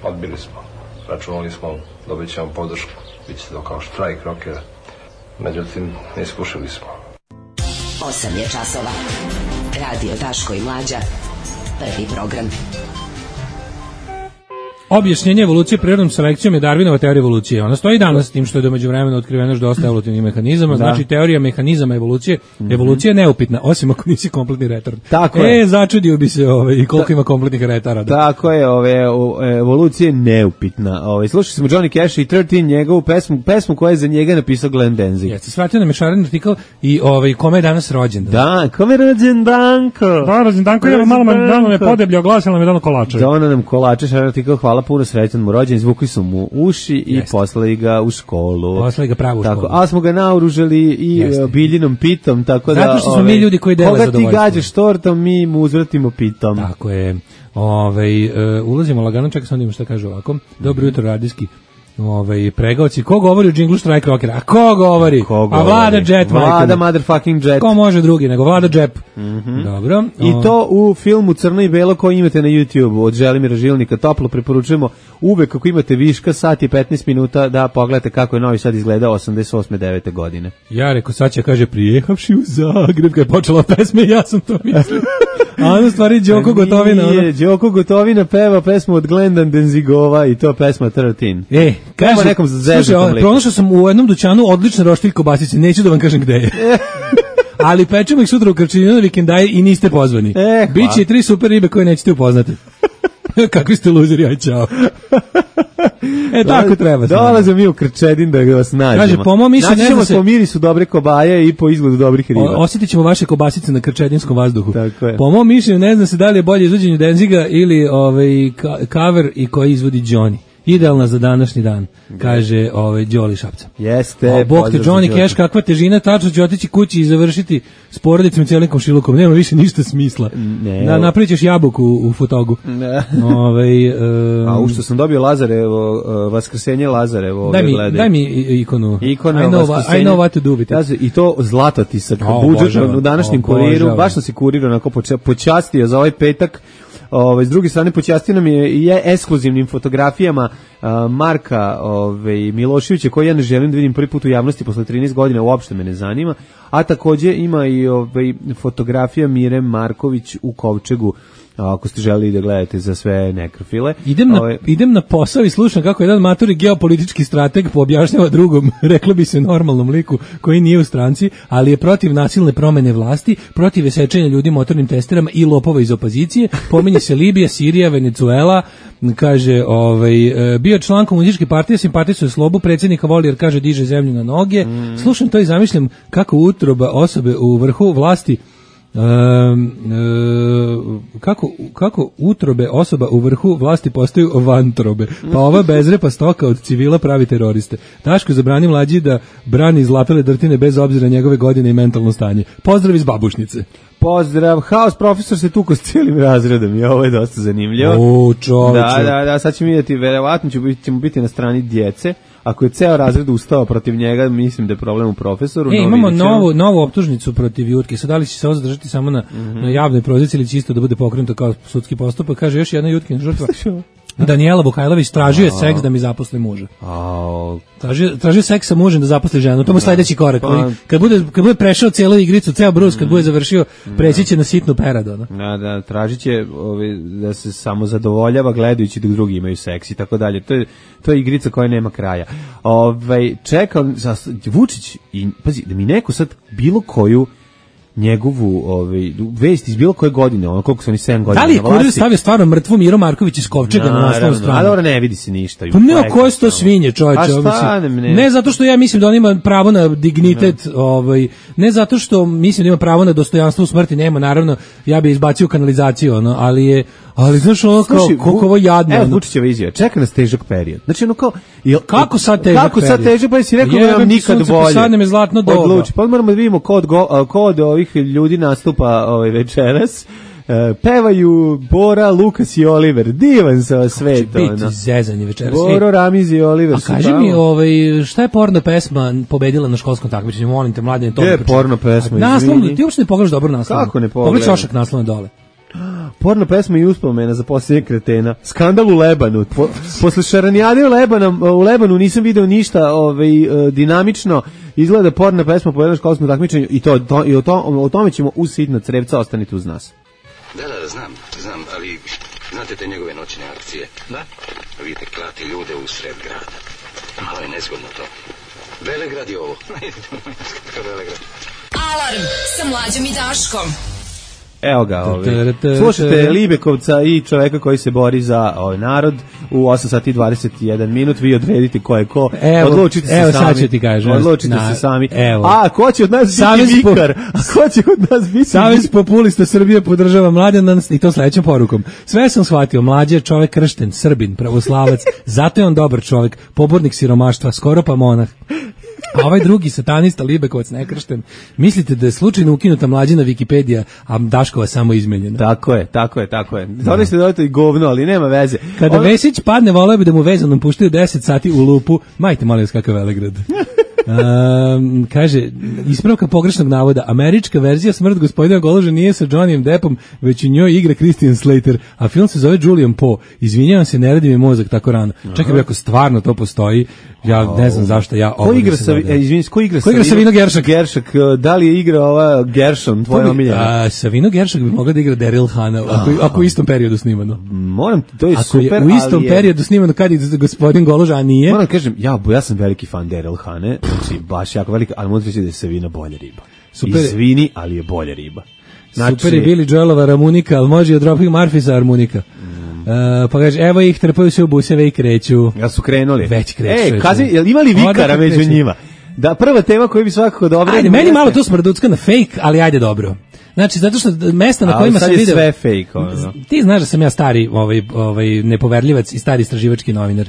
A: odbili smo. Računali smo, dobit ćemo podršku, bit će to kao štrajk rokera. Međutim, ne iskušali smo.
C: osam je časova. Radio Daško i Mlađa. Prvi program.
F: Objašnjenje evolucije prirodnom selekcijom je Darwinova teorija evolucije. Ona stoji danas s tim što je do međuvremena otkriveno još dosta evolutivnih mehanizama. Znači teorija mehanizama evolucije. Mm-hmm. Evolucija je neupitna, osim ako nisi kompletni retard.
E: Tako
F: e,
E: je.
F: začudio bi se ovaj, koliko Ta, ima kompletnih retarada.
E: Tako je, ove, evolucija je neupitna. Ove, slušali smo Johnny Cash i trinaest, njegovu pesmu, pesmu koja je za njega napisao Glenn Danzig.
F: Jeste, svratio nam je šaren artikl i ovaj, kome je danas rođendan.
E: Da, kome je rođendanko?
F: Da, rođendanko je malo dano me podeblje, oglasila me dano kolače.
E: Dono nam kolače, šaren artikl, hvala puno, srećan mu rođen, zvukli su mu uši i Jeste. Poslali ga u školu.
F: Poslali ga pravo u
E: tako,
F: školu.
E: A smo ga naoružali i Jeste. Biljinom pitom, tako da...
F: Zato što smo ove, mi ljudi koji dele zadovoljstvo.
E: Koga ti gađaš tortom, mi mu uzvratimo pitom.
F: Tako je. Ove, uh, ulazimo lagano, čekaj sam da ima šta kaže ovako. Dobro jutro, radijski. Ovaj pregaoci, ko govori o džinglu Strike Rockera? A ko govori?
E: Ko govori?
F: A Vlada Jet,
E: Vlada motherfucking Jet.
F: Ko može drugi nego Vlada Jet?
E: Mm-hmm.
F: Dobro.
E: I to u filmu Crno i belo koji imate na YouTubeu od Želimira Žilnika. Toplo preporučujemo uvek ako imate viška sat i petnaest minuta da pogledate kako je Novi Sad izgledao osamdeset osme devete godine.
F: Ja reko sad će kaže prijehavši u Zagreb kad je počela pesma ja sam to mislio. A ono stvari Đoko Gotovina.
E: Nije, Đoko Gotovina peva pesmu od Glenda Denzigova i to pesma trinaest.
F: E, kaže,
E: nekom
F: slušaj, pronašao sam u jednom dućanu odlične roštilj kobasice, neću da vam kažem gde je. Ali pečemo ih sutra u Krčinu na vikendaje i niste pozvani.
E: E,
F: Biće i tri super ribe koje nećete upoznati. Kakvi ste luzeri, aj čao. E, tako treba.
E: Dolaze mi u Krčedin da vas nađemo.
F: Kaže, po mom mišljenju
E: ne znam se... po mirisu dobre kobaje i po izgledu dobrih riba.
F: O, osjetit ćemo vaše kobasice na krčedinskom vazduhu.
E: Tako je.
F: Po mom mišljenju ne znam se da li je bolje izvođenje Denziga ili ovaj, cover i koji izvodi Johnny. Idealna za današnji dan, kaže ovaj Đoli Šapca.
E: Jeste.
F: O, bog te Johnny Cash, kakva težina, tačno ću otići kući i završiti s porodicom i cijelim komšilukom. Nema više ništa smisla.
E: Ne.
F: Na, napravit ćeš jabuku u, u fotogu.
E: Ne.
F: Ove, um,
E: A u što sam dobio Lazarevo, uh, Vaskrsenje Lazarevo.
F: Daj mi, daj mi ikonu.
E: Ikona
F: I know, what, I know what to do with it.
E: I to zlatotisak.
F: Oh,
E: budžet u današnjem oh, kuriru. Baš sam si kurir onako počastio za ovaj petak. Ove, s druge strane, počastio nam je i ekskluzivnim fotografijama uh, Marka ove, Miloševića, koji ja ne želim da vidim prvi put u javnosti posle trinaest godina, uopšte me ne zanima, a takođe ima i ove, fotografija Mire Marković u kovčegu, ako ste želeli da gledate za sve nekrofile.
F: Idem na, Ove... idem na posao i slušam kako jedan maturi geopolitički strateg poobjašnjava drugom, reklo bi se normalnom liku, koji nije u stranci, ali je protiv nasilne promene vlasti, protiv sečenja ljudi motornim testerama i lopova iz opozicije. Pominje se Libija, Sirija, Venezuela, kaže, ovaj, bio član komunističke partije, simpatizuje slobu, predsjednika voli jer kaže diže zemlju na noge. Mm. Slušam to i zamišljam kako utroba osobe u vrhu vlasti Um, um, kako, kako utrobe osoba u vrhu vlasti postaju vantrobe, pa ova bezrepa stoka od civila pravi teroriste. Daško zabrani Mlađi da brani izlapele drtine bez obzira njegove godine i mentalno stanje. Pozdrav iz Babušnice.
E: Pozdrav, haos profesor se tuko s cijelim razredom i ovo je dosta zanimljivo.
F: O, čoveče.
E: Da, da, da, sad ćemo vidjeti, verovatno ćemo biti, ćemo biti na strani djece. Ako je ceo razred ustao protiv njega, mislim da je problem u profesoru.
F: E, imamo novu, novu optužnicu protiv Jutke. Sad da li će se ovo zadržati samo na, mm-hmm. na javnoj proziciji ili će isto da bude pokrenuto kao sudski postupak? Kaže još jedna Jutkin žrtva. Danijela Bukajlović tražio je seks da mi zaposli muža. Tražio, tražio seks sa mužem da zaposli ženu. To mu sledeći korak. Kad bude, kad bude prešao cijelu igricu, ceo brus, kad bude završio, preći će na sitnu peradu. No?
E: Da, da, tražit će ovi, da se samo zadovoljava gledajući dok drugi imaju seks i tako dalje. To je, to je igrica koja nema kraja. Ove, čekam, Vučić, i, pazi, da mi neko sad bilo koju njegovu ovaj vest iz bilo koje godine, ono koliko su oni sedam godina.
F: Da li je
E: na vlasti.
F: Kurir stavio stvarno mrtvu Miro Marković iz Kovčega na naslovnu stranu?
E: A dobro, ne vidi se ništa.
F: Pa ne, ko je to svinje, čoveče,
E: A šta,
F: mislim.
E: ne, ne.
F: Ne zato što ja mislim da on ima pravo na dignitet, ovaj, ne zato što mislim da ima pravo na dostojanstvo u smrti, nema, naravno, ja bih izbacio kanalizaciju, ono, ali je, ali znaš ono kao,
E: Slušaj,
F: koliko ovo jadno.
E: Evo,
F: ono.
E: Vučićeva izjava, čeka nas težak period. Znači, ono kao... Jel,
F: Kako sad težak
E: Kako sad
F: period?
E: težak, pa si rekao da
F: Jebem
E: nam
F: ti
E: nikad
F: sunce,
E: bolje.
F: posadne me zlatno doba.
E: Odluči, pa moramo da vidimo ko od, go, ko od ovih ljudi nastupa ovaj večeras. Uh, pevaju Bora, Lukas i Oliver. Divan sa svet.
F: Biti zezanje večeras.
E: Boro, Ramiz i Oliver.
F: A kaži mi, ovaj, šta je porno pesma pobedila na školskom takmičenju? Molim te, mladine, to.
E: Gde je porno pesma,
F: Naslov,
E: izvini?
F: ti uopšte ne pogledaš dobro naslov.
E: Kako ne pogledam?
F: Pogledaj šošak naslovne dole.
E: Porno pesma i uspomena za posljednje kretena. Skandal u Lebanu. Po, posle šaranijade u Lebanu, u Lebanu nisam video ništa ovaj, dinamično. Izgleda porno pesma po jednom školskom takmičenju i, to, to, i o, to, o tome ćemo uz sitna crevca, ostanite uz nas.
G: Da, da, znam, znam, ali znate te njegove noćne akcije? Da. Vidite, klati ljude u sred grada. Malo je nezgodno to. Velegrad je ovo. Velegrad.
C: Alarm sa Mlađom i Daškom.
E: Evo ga, ovaj. Slušajte Libekovca i čoveka koji se bori za ovaj narod u osam sati i dvadeset jedan minut, vi odredite ko je ko,
F: evo,
E: odlučite se
F: evo,
E: sami.
F: Sad ću ti kažem.
E: Odlučite
F: na,
E: se sami.
F: Evo.
E: A, ko će od nas
F: Savez
E: biti
F: po,
E: vikar? A ko će od nas biti
F: Savez populista Srbije podržava Mlađana i to sledećom porukom. Sve sam shvatio, Mlađe je čovek kršten, Srbin, pravoslavac, zato je on dobar čovek, pobornik siromaštva, skoro pa monah. A ovaj drugi satanista Libekovac nekršten, mislite da je slučajno ukinuta Mlađina Wikipedija, a Daškova samo izmenjena.
E: Tako je, tako je, tako je. Zato ste dodati govno, ali nema veze.
F: Kada
E: Ono...
F: Vesić padne, voleo bi da mu vezanom puštaju deset sati u lupu. Majte, molim vas, kakav Velegrad. Um, kaže, ispravka pogrešnog navoda, američka verzija Smrt gospodina Goloža nije sa Johnnyem Deppom, već u njoj igra Christian Slater, a film se zove Julian Poe. Izvinjavam se, ne radi mi mozak tako rano. Čekaj, ako stvarno to postoji, ja ne znam zašto ja
E: ko igra sa e, izvini, ko igra
F: ko igra Savino Geršak?
E: Geršak, da li je igra ova Gershon, tvoja omiljena?
F: Savino Geršak bi mogla da igra Daryl Hannah, ako, ako u istom periodu snimano.
E: Moram, to je
F: ako
E: super,
F: je u istom
E: je...
F: periodu snimano kad je gospodin Goloža, a nije.
E: Moram kažem, ja, ja sam veliki fan Daryl Hannah, znači baš jako veliki, ali moram reći da je Savino bolja riba. Super. Izvini, ali je bolja riba.
F: Znači, super je Billy Joelova harmonika, ali može i od Dropkick Murphys harmonika. Uh, pa kaže, evo ih, trpaju se u buseve i kreću.
E: Ja su krenuli.
F: Već kreću.
E: E, kazi, jel imali vikara među kreću. Njima? Da, prva tema koju bi svakako dobro...
F: Ajde, meni malo to smrducka na fake, ali ajde dobro. Znači, zato što mesta na kojima sam video...
E: Ali sad je sve fake. Ono.
F: Ti znaš da sam ja stari ovaj, ovaj, nepoverljivac i stari istraživački novinar.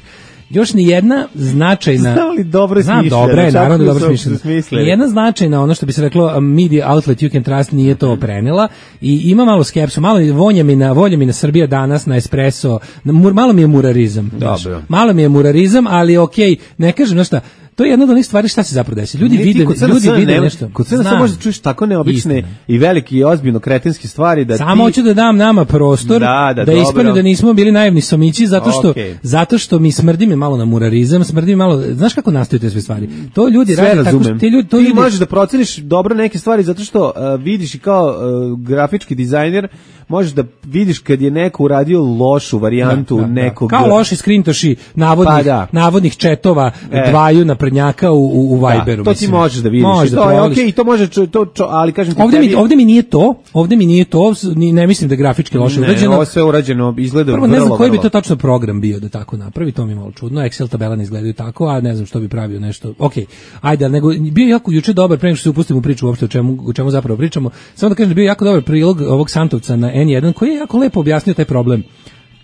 F: Još ni jedna značajna...
E: Znam li dobro
F: smišljena? Znam, dobro je, naravno dobro smišljena. Nijedna značajna, ono što bi se reklo, media outlet you can trust nije to prenela i ima malo skepsu, malo vonja mi na, volja mi na Srbija danas, na espresso, na, malo mi je murarizam.
E: Dobro.
F: Malo mi je murarizam, ali okej, okay, ne kažem, znaš šta, to je jedna od onih stvari šta se zapravo desi. Ljudi vide, ljudi vide ne, nešto.
E: Kod sve samo možeš čuješ tako neobične istina. I velike i ozbiljno kretenske stvari da
F: samo
E: ti...
F: hoću da dam nama prostor
E: da, da,
F: da ispadne da nismo bili naivni somići zato što okay. zato što mi smrdi mi malo na murarizam, smrdi mi malo, znaš kako nastaju te sve stvari. To ljudi
E: sve
F: rade tako što ti ljudi to
E: ti
F: ljudi...
E: možeš da proceniš dobro neke stvari zato što uh, vidiš i kao uh, grafički dizajner možeš da vidiš kad je neko uradio lošu varijantu
F: da, da,
E: nekog...
F: Kao loši skrintoši navodnih, pa da. navodnih četova e. dvaju naprednjaka u, u, u Viberu.
E: Da, to ti možeš da vidiš.
F: Možeš
E: to
F: da
E: je okej, okay, to može, to, to, ali kažem ti...
F: Ovde,
E: tebi...
F: mi, ovde mi nije to, ovde mi nije to, ne mislim da je grafički loše urađeno.
E: Ne, ovo sve urađeno izgleda
F: prvo,
E: vrlo,
F: ne znam koji
E: vrlo.
F: bi to tačno program bio da tako napravi, to mi je malo čudno. Excel tabela ne izgledaju tako, a ne znam što bi pravio nešto. Okej, okay. Ajde, nego bio jako juče dobar, pre nego što se upustimo u priču uopšte o čemu, o čemu zapravo pričamo. Samo da kažem da bio jako dobar prilog ovog Santovca na en jedan koji je jako lepo objasnio taj problem.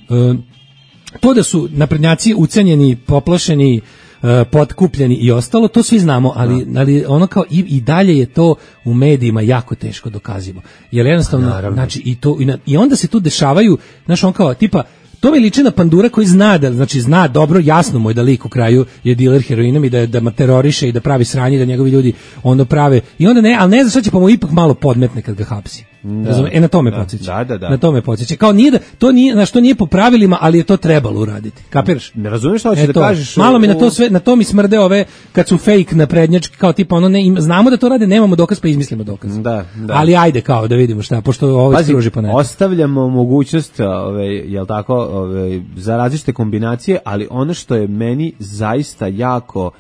F: E, to da su naprednjaci ucenjeni, poplašeni, e, potkupljeni i ostalo, to svi znamo, ali, no. ali ono kao i, i dalje je to u medijima jako teško dokazivo. Jer jednostavno,
E: Naravno.
F: znači, i, to, i, na, i onda se tu dešavaju, znaš, on kao, tipa, to mi liči na Pandura koji zna da, znači zna dobro, jasno mu je da lik u kraju je diler heroinom i da, da teroriše i da pravi sranje, da njegovi ljudi onda prave, i onda ne, ali ne zna šta će pa mu ipak malo podmetne kad ga hapsi. Da, e na to me
E: da,
F: podsjeća.
E: Da, da, da.
F: Na to me podsjeća. Kao nije da to nije, znači to nije po pravilima, ali je to trebalo uraditi. Kapiraš?
E: Ne razumeš šta hoćeš da kažeš.
F: Malo mi na to sve, na to mi smrde ove kad su fake naprednjački, kao tipa ono ne, im, znamo da to rade, nemamo dokaz pa izmislimo dokaz.
E: Da, da.
F: Ali ajde kao da vidimo šta, pošto ovaj struži po netu.
E: Ostavljamo mogućnost, ove, jel tako, ove, za različite kombinacije, ali ono što je meni zaista jako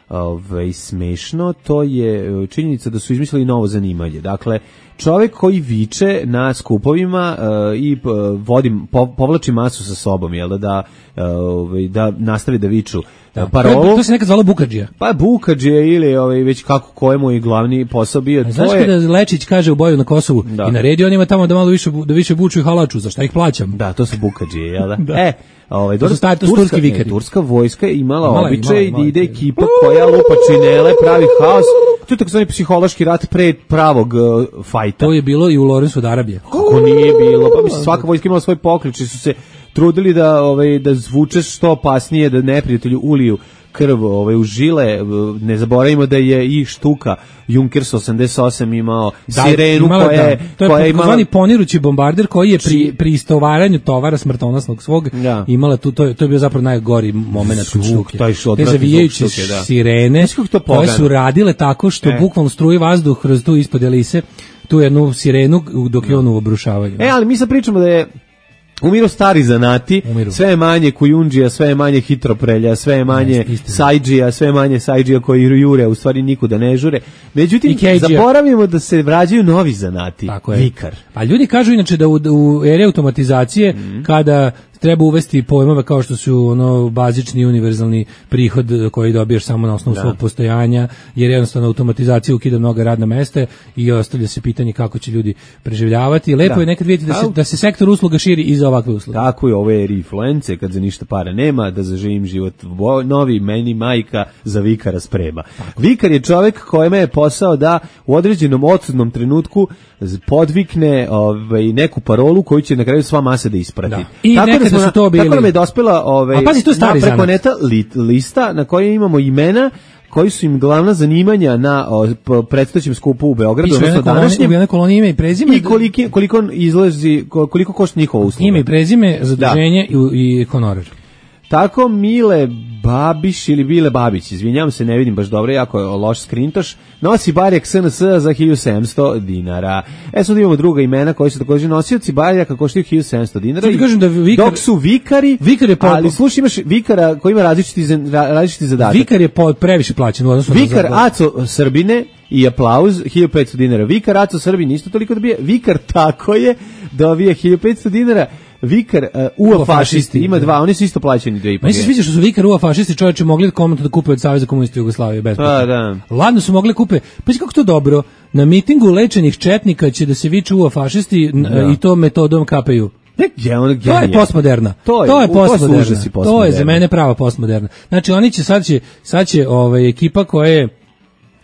E: ovaj, smešno, to je činjenica da su izmislili novo zanimanje. Dakle, čovjek koji viče na skupovima uh, i uh, vodi, po, povlači masu sa sobom, jel da, da, uh, da nastavi da viču
F: da,
E: parolu.
F: To, to se nekad zvalo bukadžija.
E: Pa bukadžija ili ovaj, već kako kojemu je glavni posao bio.
F: Znaš
E: to je...
F: kada Lečić kaže u boju na Kosovu da. I naredi onima tamo da malo više, da više buču i halaču, za šta ih plaćam?
E: Da, to su bukadžije, jel da?
F: da.
E: E, ovaj,
F: to su stari, to su turski vikari.
E: Turska vojska imala,
F: imala
E: običaj
F: imala,
E: da ide ekipa koja lupa činele, pravi haos. To je takozvani psihološki rat pre pravog uh, fajta.
F: To je bilo i u Lorencu od Arabije.
E: Kako nije bilo? Pa mislim, svaka vojska imala svoj poklič i su se trudili da, ovaj, da zvuče što opasnije, da neprijatelju uliju krv ovaj, u žile. Ne zaboravimo da je i štuka Junkers osamdeset osam imao da, sirenu
F: imala,
E: koja je...
F: Da. To je takozvani ponirući bombarder koji je pri,
E: Či...
F: pri istovaranju tovara smrtonosnog svog da. Imala tu, to je, to je bio zapravo najgori moment kod štuke. Te zavijajuće da. Sirene koje su radile tako što e. bukvalno struje vazduh kroz tu ispod elise, tu jednu sirenu dok je on u obrušavanju.
E: E, ali mi sad pričamo da je umiru stari zanati, Umiru. sve je manje kujundžija, sve je manje hitroprelja, sve je manje sajdžija, sve je manje sajdžija koji jure, u stvari nikuda ne žure. Međutim, zaboravimo da se vrađaju novi zanati, vikar.
F: A ljudi kažu inače da u, u eri automatizacije, mm. kada treba uvesti pojmove kao što su ono bazični univerzalni prihod koji dobijaš samo na osnovu da. svog postojanja, jer jednostavno automatizacija ukida mnoga radna mesta i ostavlja se pitanje kako će ljudi preživljavati. Lepo da. je nekad vidjeti da se, da se sektor usluga širi i za ovakve usluge.
E: Tako je, ove eri influence, kad za ništa para nema, da zaživim život novi, meni majka za vikara sprema. Tako. Vikar je čovjek kojima je posao da u određenom odsudnom trenutku podvikne ovaj, neku parolu koju će na kraju sva masa da isprati. Da.
F: I tako nekada da su to bili.
E: Tako nam je dospela ovaj,
F: pazi, to stari
E: preko zanat. Neta li, lista na kojoj imamo imena koji su im glavna zanimanja na o, predstojećem skupu u Beogradu, odnosno današnjem.
F: Ime kolonije, ime i prezime.
E: I koliko, koliko izlazi, koliko košta njihova usluga.
F: Ime i prezime, zaduženje da. i, i honorar.
E: Tako Mile Babiš ili Bile Babić, izvinjavam se, ne vidim baš dobro, jako je loš skrintoš, nosi barjak S N S za hiljadu sedamsto dinara. E sad imamo druga imena koji su također nosioci barjaka koštaju hiljadu sedamsto dinara. I,
F: kažem da vikar,
E: dok su vikari,
F: vikar je po,
E: ali slušaj, imaš vikara koji ima različiti, različiti zadatak.
F: Vikar je po, previše plaćen.
E: Vikar Aco Srbine i aplauz, hiljadu petsto dinara. Vikar Aco Srbin isto toliko dobije. Vikar tako je, dobije hiljadu petsto dinara. Vikar uh, U A fašisti, ima dva, oni su isto plaćeni dve i po.
F: Meni se sviđa što su Vikar U A fašisti čovječe mogli komentno da kupe od Saveza komunista Jugoslavije besplatno.
E: Da, da.
F: Ladno su mogli kupe. Pa kako to dobro, na mitingu lečenih četnika će da se viču U A fašisti da. I to metodom K P U.
E: Je on
F: to je postmoderna. To je, to je postmoderna. postmoderna. To je za mene prava postmoderna. Znači oni će sad će sad će ovaj ekipa koja je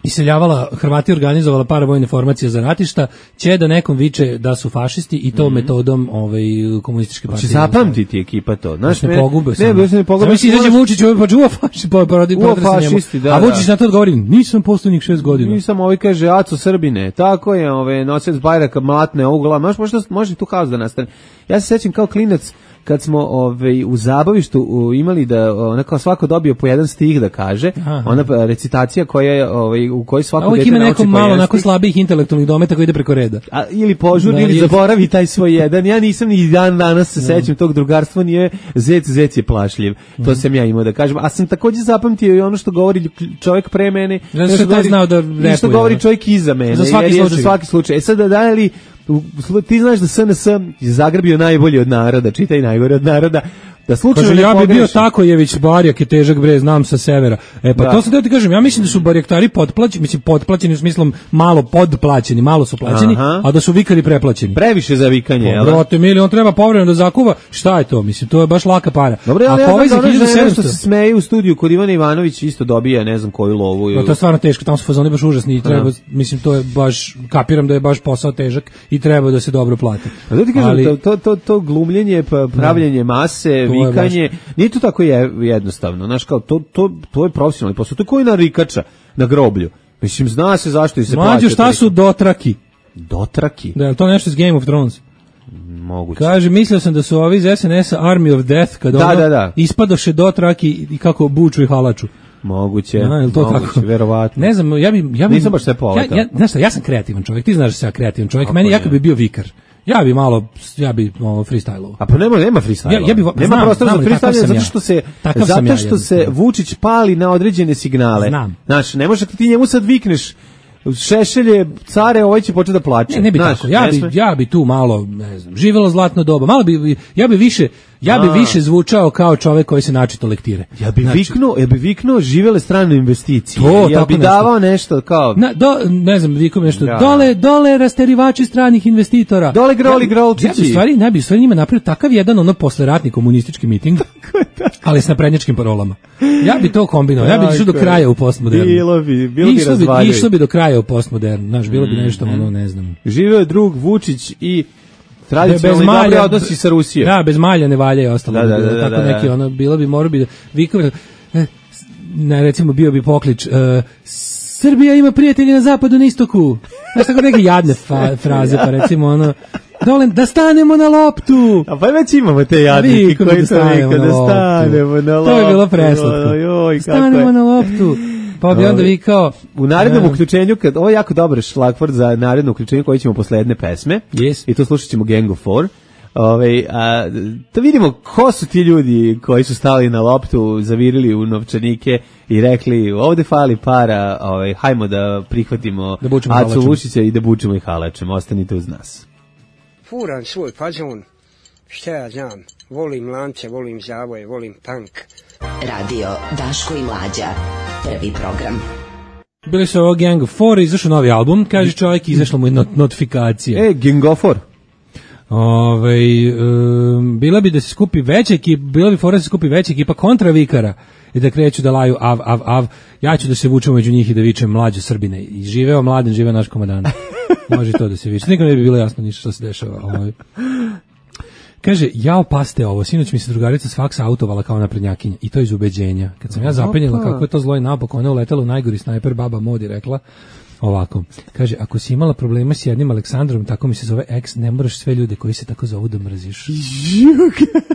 F: iseljavala, Hrvati organizovala paravojne formacije za ratišta, će da nekom viče da su fašisti i to mm-hmm. metodom ovaj, komunističke partije.
E: Će zapamtiti ekipa to. Znaš,
F: ne pogube
E: se. Ne, ne, ne pogube.
F: Znači, si izađe Vučić, pa čuva fašisti, pa porodi
E: fašisti, da,
F: a Vučić na to odgovori, nisam poslednjih šest godina.
E: Nisam, ovaj kaže, Aco Srbine, tako je, ovaj, nosilac bajraka, mlatne ovu glavu, može, može tu haos da nastane. Ja se sećam kao klinac, kad smo ovaj u zabavištu u, imali da ona kao svako dobio po jedan stih da kaže, aha. Ona recitacija koja je ovaj u kojoj svako dete nauči po jedan stih. Ovo ima neko malo
F: onako slabijih intelektualnih dometa koji ide preko reda.
E: A, ili požuri da, ili zaboravi taj svoj jedan. Ja nisam ni dan danas se sećam tog drugarstva, nije zec, zec je plašljiv. Mm. To sam ja imao da kažem. A sam takođe zapamtio i ono što govori čovjek pre mene,
F: znači što govori, znao da repuje,
E: što govori čovjek iza mene.
F: Za svaki slučaj.
E: Za svaki slučaj. E sad da da li ti znaš da S N S je zagrbio najbolji od naroda, čitaj najgore od naroda, da slučajno
F: kaže, ja bi bio Takojević, Barjak je težak bre, znam sa severa. E pa da. To sam da ti kažem, ja mislim da su barjaktari potplaćeni, mislim potplaćeni u smislu malo podplaćeni, malo su plaćeni, aha. A da su vikari preplaćeni.
E: Previše za vikanje, je l'
F: da? Brote, mili, on treba povremeno da zakuva, šta je to? Mislim, to je baš laka para.
E: Dobro, ali ja znam da nešto se smeje u studiju kod Ivana Ivanović isto dobija, ne znam koju lovu.
F: No, to je stvarno teško, tamo su fazoni baš užasni i treba, mislim, to je baš, kapiram da je baš posao težak i treba da se dobro plati.
E: A da ti kažem, ali, to, to, to glumljenje, pravljenje mase, vikanje, nije to tako je jednostavno, znaš, kao to, to, to je profesionalni posao, to je koji narikača na groblju. Mislim, zna se zašto i se plaća.
F: Mlađo, šta su dotraki?
E: Dotraki?
F: Da, to nešto iz Game of Thrones.
E: Moguće.
F: Kaže, mislio sam da su ovi iz S N S-a Army of Death, kada
E: da,
F: ono
E: da, da.
F: ispadoše dotraki i kako buču i halaču.
E: Moguće,
F: da, je to
E: moguće,
F: tako?
E: Verovatno.
F: Ne znam, ja bi... Ja bi
E: nisam baš sve poletao.
F: Ja, ja, znaš šta, ja sam kreativan čovjek, ti znaš da sam ja kreativan čovjek, meni ja kad bi bio vikar, Ja bi malo, ja bi malo freestylovao.
E: A pa nema, nema freestyle.
F: Ja, ja bi,
E: nema
F: znam,
E: prostora
F: znam,
E: za freestyle zato
F: ja.
E: što se
F: Takav
E: zato
F: ja,
E: što se Vučić pali na određene signale.
F: Znam.
E: Znaš, ne možeš ti njemu sad vikneš Šešelje, care, ovaj će početi da plače.
F: Ne, ne bi
E: Znaš,
F: tako. Ja
E: ne
F: bi,
E: sme.
F: ja bi tu malo, ne znam, živelo zlatno doba. Malo bi, ja bi više, ja bi
E: A.
F: više zvučao kao čovek koji se načito lektire.
E: Ja bi
F: Znači,
E: viknuo, ja bi viknuo živele strane investicije.
F: To,
E: ja
F: tako
E: bi
F: nešto.
E: davao nešto kao
F: Na, do, ne znam, vikom nešto,
E: Da.
F: dole, dole rasterivači stranih investitora.
E: Dole groli
F: ja, bi-
E: grolčići.
F: Ja bi u stvari, ne bi u stvari njima napravio takav jedan ono posleratni komunistički miting, ali s naprednjačkim parolama. Ja bi to kombinovao, ja bi išao do
E: Tako je.
F: kraja u postmodernu.
E: Bilo bi, bilo bi
F: Išlo bi,
E: razvaljuj.
F: išlo bi do kraja u postmodernu, znaš, bilo bi nešto, ono, ne znam.
E: Živeo je drug Vučić i
F: Bez
E: tradicionalni dobri
F: malja,
E: odnosi sa Rusijom.
F: Da, bez malja ne valja i ostalo.
E: Da,
F: bi
E: da,
F: bilo.
E: da, da,
F: Tako
E: da.
F: neki, ono, bilo bi, morao bi da, vikove, eh, ne, recimo, bio bi poklič, eh, Srbija ima prijatelje na zapadu, na istoku. Znaš, tako neke jadne fa, fraze, pa recimo, ono, dole, da stanemo na loptu.
E: A pa već imamo te jadnike
F: Vikom
E: koji
F: da
E: to
F: stanemo
E: vika,
F: na
E: da
F: loptu.
E: stanemo na loptu.
F: To je bilo preslatko.
E: Oj, kako
F: Stanemo
E: je.
F: na loptu. Pa bi onda vikao...
E: U narednom
F: eh,
E: uključenju, kad, ovo je jako dobar šlagvord za naredno uključenje koji ćemo posle jedne pesme.
F: Yes.
E: I tu slušat ćemo Gang of Four. Ove, a, da vidimo ko su ti ljudi koji su stali na loptu, zavirili u novčanike i rekli ovde fali para, ovaj, hajmo da prihvatimo
F: Da bučemo
E: Acu
F: halačem.
E: Vučića i da bučemo i halačem. Ostanite uz nas.
H: Furan svoj fazon, šta ja znam, volim lance, volim zavoje, volim tank.
C: Radio Daško i Mlađa. Prvi program.
F: Bili su ovo Gang of Four, izašao novi album, kaže čovjek, izašla mu je not, notifikacija.
E: E, Gang of Four.
F: Ovaj um, bila bi da se skupi veća ekipa, bila bi fora da se skupi veća ekipa kontra vikara i da kreću da laju av, av, av. Ja ću da se vučem među njih i da vičem mlađo Srbine. I živeo Mladen, živeo naš komandant. Može to da se viče. Nikom ne bi bilo jasno ništa što se dešava. Ovaj. Kaže, jao paste ovo, sinoć mi se drugarica s faksa autovala kao naprednjakinja i to iz ubeđenja. Kad sam ja zapenjela kako je to zlo i naopako, ona je uletela u najgori snajper, baba Modi rekla ovako. Kaže, ako si imala problema s jednim Aleksandrom, tako mi se zove ex, ne moraš sve ljude koji se tako zovu da mrziš.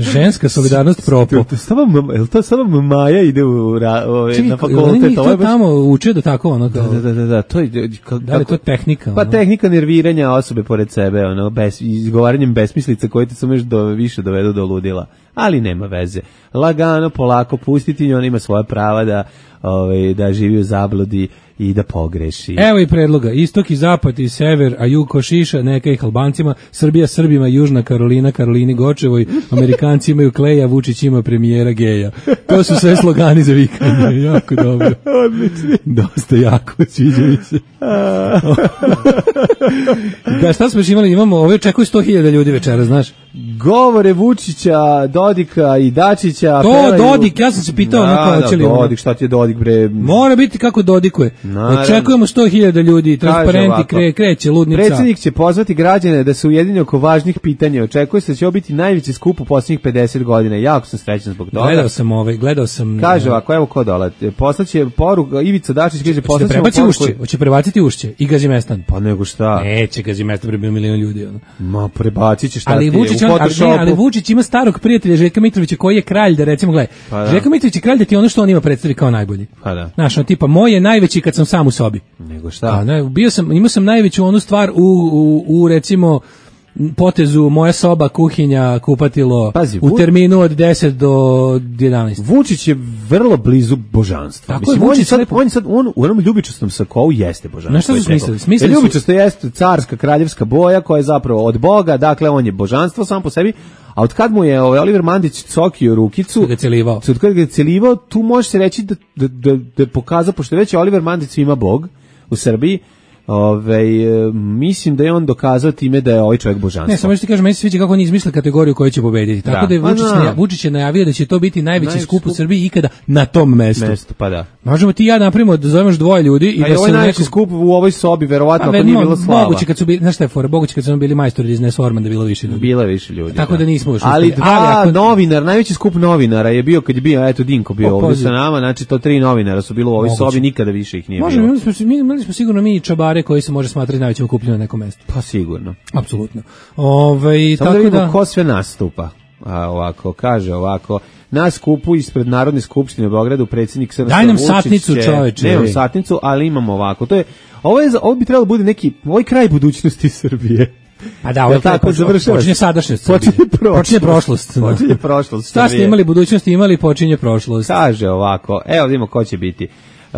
F: Ženska solidarnost propo.
E: To samo, je li to samo Maja ide u, ra, ove,
F: Čekaj,
E: na
F: oni
E: fakultet?
F: njih
E: Ovo je
F: to
E: baš-
F: tamo uče da tako ono kao,
E: Da, da, da, da, to je kao,
F: da li to je tehnika?
E: Pa
F: ono?
E: tehnika nerviranja osobe pored sebe, ono, bez, izgovaranjem besmislica koje te samo još do, više dovedu do ludila. Ali nema veze. Lagano, polako, pustiti nju, ona ima svoja prava da, ovaj, da živi u zabludi i da pogreši.
F: Evo i predloga, istok i zapad i sever, a jug košiša, neka ih Albancima, Srbija Srbima, Južna Karolina, Karolini Gočevoj, Amerikanci imaju Kleja, Vučić ima premijera geja. To su sve slogani za vikanje, jako dobro.
E: Odlični.
F: Dosta jako, sviđa mi se. Da, šta smo još imali? Imamo, ove očekuju sto hiljada ljudi večera, znaš?
E: Govore Vučića, Dodika i Dačića.
F: To,
E: pevaju-
F: Dodik, ja sam se pitao,
E: da,
F: onako,
E: da,
F: hoće li ono-
E: Dodik, šta ti je Dodik, bre?
F: Mora biti kako dodikuje.
E: Naravno.
F: Očekujemo sto hiljada ljudi,
E: Kaže
F: transparenti,
E: ovako,
F: kre, kreće, ludnica.
E: Predsjednik će pozvati građane da se ujedine oko važnih pitanja. Očekuje se da će ovo biti najveći skup u posljednjih pedeset godina. Jako sam srećan zbog toga.
F: Gledao sam ovaj, gledao sam...
E: Kaže ovako, evo ko dola. Poslaće poruku, Ivica Dačić kaže,
F: Hoće
E: poslaće
F: prebaci ušće, hoće prebaciti ušće i Gazimestan.
E: Pa nego šta?
F: Neće Gazimestan, bre bio milion ljudi. Ono.
E: Ma prebacit će šta
F: Ali
E: ti je,
F: Vučić,
E: u
F: on, ali, ne,
E: Photoshopu.
F: ali Vučić ima starog prijatelja Željka Mitrovića koji je kralj, da recimo, gledaj,
E: Pa da.
F: Željko Mitrović je kralj da ti ono što on ima predstavi kao najbolji.
E: Pa da.
F: Znaš, on tipa, moj je najveći kad sam sam u sobi.
E: Nego
F: A,
E: šta?
F: ne, bio sam, imao sam najveću onu stvar u, u, u recimo, potezu moja soba, kuhinja, kupatilo,
E: Pazi,
F: u
E: Vu-
F: terminu od deset do jedanaest.
E: Vučić je vrlo blizu božanstva.
F: Tako
E: Mislim,
F: je,
E: on je
F: Vučić
E: sad,
F: lepo-
E: on je sad, on u onom ljubičastom sakou jeste božanstvo.
F: Znaš šta su
E: je teklo.
F: smislili? Smislili
E: E,
F: su-
E: Ljubičasto jeste carska kraljevska boja koja je zapravo od Boga, dakle on je božanstvo sam po sebi, a od kad mu je ovaj Oliver Mandić cokio rukicu,
F: Kad ga je celivao.
E: od kad ga je celivao, tu može se reći da, da, da, da je pokazao, pošto je već Oliver Mandić ima Bog u Srbiji, Ove, e, mislim da je on dokazao time da je ovaj čovjek božanstvo.
F: Ne, samo što ti kažem, meni se sviđa kako oni izmislili kategoriju koju će pobediti. Tako
E: Da.
F: da, je
E: Pa
F: Vučić,
E: da.
F: naja- Vučić je najavio da će to biti najveći
E: Najveći
F: skup u
E: skup.
F: Srbiji ikada na tom mestu.
E: Mesto, pa da.
F: Možemo ti i ja napravimo da zovemo još dvoje ljudi i
E: A
F: da
E: je ovaj
F: se u
E: najveći
F: nekom...
E: skup u ovoj sobi, verovatno,
F: Pa,
E: ako nije
F: mo-
E: bilo slava.
F: moguće kad su bili, znaš šta je fora, moguće kad su bili majstori iz Nesorman da je bilo više ljudi.
E: Bilo je više ljudi.
F: Tako da nismo još
E: Ali
F: uspeli.
E: dva
F: Ali ako-
E: novinar, najveći skup novinara je bio kad je bio, eto Dinko bio
F: O,
E: ovdje
F: pazi.
E: sa nama, znači to tri novinara su bilo u ovoj
F: Moguće.
E: sobi, nikada više ih nije
F: Možemo,
E: bilo.
F: imali smo, mi- imali smo sigurno mi i čabare koji se može smatrati najvećim okupljenom na nekom mestu.
E: Pa sigurno.
F: Apsolutno. Ovaj
E: Samo da
F: tako
E: vidimo
F: da
E: ko sve nastupa. A ovako, kaže ovako, na skupu ispred Narodne skupštine u Beogradu predsjednik S R S
F: Daj nam
E: Vučić
F: satnicu,
E: će-
F: čoveče,
E: Nemam
F: ej.
E: satnicu, ali imamo ovako. To je, ovo, je, za- ovo bi trebalo da bude neki, ovaj kraj budućnosti Srbije.
F: Pa da, ovo
E: tako završava.
F: Počinje sadašnjost.
E: Počinje prošlost.
F: Počinje prošlost.
E: Počinje prošlost.
F: Šta ste imali budućnost, imali počinje prošlost.
E: Kaže ovako, evo vidimo ko će biti.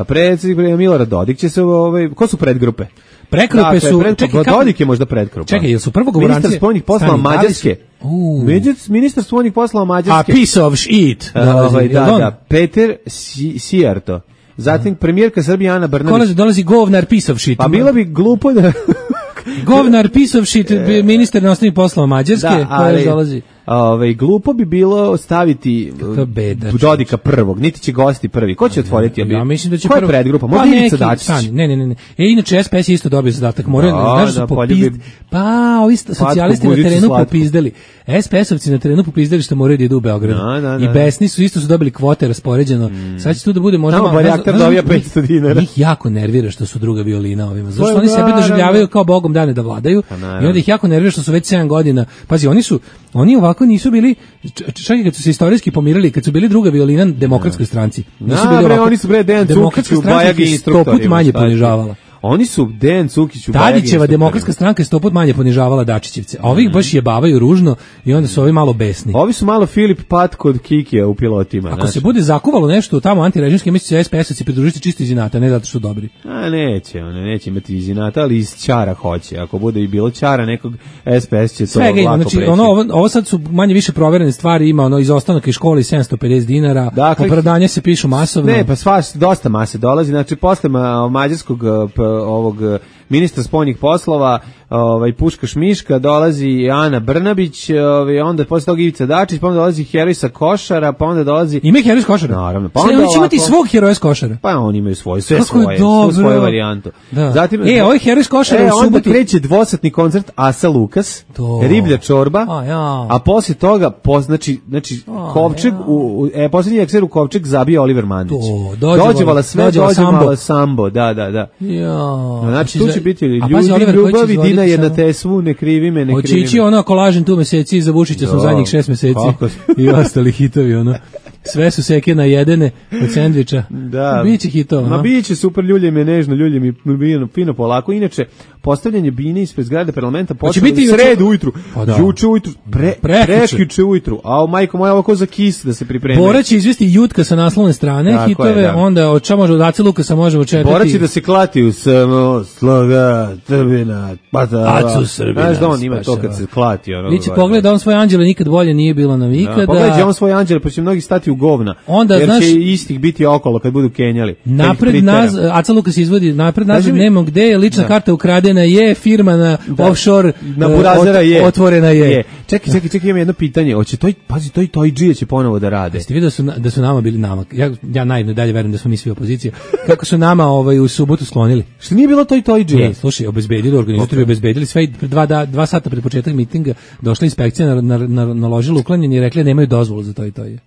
E: Predsjednik Milorad Dodik će se, ovaj, ko su predgrupe?
F: Prekrupe dakle,
E: su,
F: pred,
E: čekaj, Dodik je možda predgrupa.
F: Čekaj, jel su prvo govorancije?
E: Ministar spoljnih poslova Mađarske. Ministar spoljnih poslova Mađarske.
F: A piece of shit.
E: Ovaj, da, da, Peter Sijarto. Zatim premijerka Srbije Ana Brnabić.
F: Dolazi, dolazi govnar piece of shit.
E: Pa bilo bi glupo da...
F: govnar piece of shit, ministar inostranih poslova Mađarske.
E: Da, ali,
F: dolazi.
E: Ove, glupo bi bilo staviti Dodika prvog, niti će gosti prvi. Ko će otvoriti?
F: Ja mislim da će
E: Ko je
F: prvo...
E: predgrupa?
F: Pa
E: Možda Ivica Dačić.
F: Ne, ne, ne, ne. E, inače, S P S je isto dobio zadatak. Moraju, da, znaš da su popizd... Bi... Pa, ovi socijalisti na terenu slatko. Popizdali. S P S-ovci na terenu popizdali što moraju da idu u Beograd.
E: Da, da, da.
F: I besni su, isto su dobili kvote raspoređeno. Mm. Sad će tu da bude možda...
E: Tamo Barjaktar dobija petsto dinara.
F: Njih jako nervira što su druga violina ovima. Zato što oni sebe doživljavaju kao bogom dane da vladaju. I onda ih jako nervira što su već sedam godina. Pazi, oni su, oni ovako nisu bili, čak i kad su se istorijski pomirili, kad su bili druga violina Demokratskoj stranci. Nisu bili ovako.
E: Oni su bre Dejan Cukić u Bajagi instruktori.
F: Sto put manje ponižavala.
E: Oni su Dejan Cukić u Bajagi.
F: Tadićeva Demokratska stranka je sto put manje ponižavala Dačićevce. A ovih baš jebavaju ružno i onda su ovi malo besni.
E: Ovi su malo Filip Pat kod Kikija u pilotima.
F: Ako se bude zakuvalo nešto tamo antirežimski, misli će S P S-ovci pridružiti čisto iz inata, ne zato što su dobri.
E: A neće, one neće imati iz inata, ali iz ćara hoće. Ako bude i bilo ćara nekog, S P S će to
F: svega
E: lako
F: znači,
E: preći.
F: Ono, ovo, ovo sad su manje više proverene stvari, ima ono izostanak iz škole i sedamsto pedeset dinara, dakle, opravdanje se pišu masovno.
E: Ne, pa svaš, dosta mase dolazi, znači posle ma, mađarskog p, ovog ministra spoljnih poslova, ovaj Puškaš Miška, dolazi Ana Brnabić, ovaj onda posle toga Ivica Dačić, pa onda dolazi heroj sa Košara, pa onda dolazi
F: ima heroj sa Košara.
E: Naravno,
F: pa onda oni će imati svog heroja sa Košara.
E: Pa oni imaju svoje, sve svoje, svoju svoju varijantu.
F: Da. Zatim e, ovaj heroj sa Košara
E: e,
F: u subotu
E: onda kreće dvosatni koncert Asa Lukas, to. Riblja čorba.
F: A, ja.
E: A posle toga po, znači znači a, Kovčeg ja. u, u e poslednji ekser u Kovčeg zabija Oliver Mandić. To, dođevala sve, dođevala sambo. sambo, da, da, da.
F: Ja.
E: Znači tu će biti ljudi ljubavi, Dina je na tesvu, ne krivi me, ne krivi me.
F: Očići ono kolažen tu meseci, za Vučića sam zadnjih šest meseci i ostali hitovi, ono. Sve su seke najedene od sendviča.
E: Da.
F: Biće hitova.
E: Ma biće super, ljulje me nežno, ljulje mi fino, fino polako. Inače, postavljanje bine ispred zgrade parlamenta počelo u sredu ujutru. Pa da. Juče ujutru, pre, prekjuče ujutru. A majko moja ovako za kis da se pripremi.
F: Bora će izvesti Jutka sa naslovne strane, tako hitove, je, da. Onda od ča može od Ace Lukasa možemo četati.
E: Bora će da se klati u samo sloga, Srbina, pata.
F: Acu Srbina.
E: Znaš da on ima to kad se klati. Ono,
F: Liče pogled da on svoj anđele nikad bolje nije bilo nam ikada. Da,
E: pogledaj on svoj anđele, pa će mnogi stati u govna.
F: Onda,
E: jer
F: znaš,
E: će istih biti okolo kad budu kenjali.
F: Napred nas, Aca Lukas izvodi, napred nas nemamo gde je, lična da. Karta ukradena je, firma na da. Offshore
E: na Burazera je.
F: Otvorena je. je.
E: Čekaj, čekaj, čekaj, imam jedno pitanje. Hoće toj, pazi, toj toj džije će ponovo da rade.
F: Jeste vidio da su da su nama bili nama. Ja ja naivno dalje verujem da smo mi svi opozicija. Kako su nama ovaj u subotu sklonili?
E: Što nije bilo toj toj džije?
F: Ne, slušaj, obezbedili organizatori, obezbedili sve dva da, dva sata pred početak mitinga došla inspekcija na, na, na, naložila uklanjanje i rekla nemaju dozvolu za to i to je.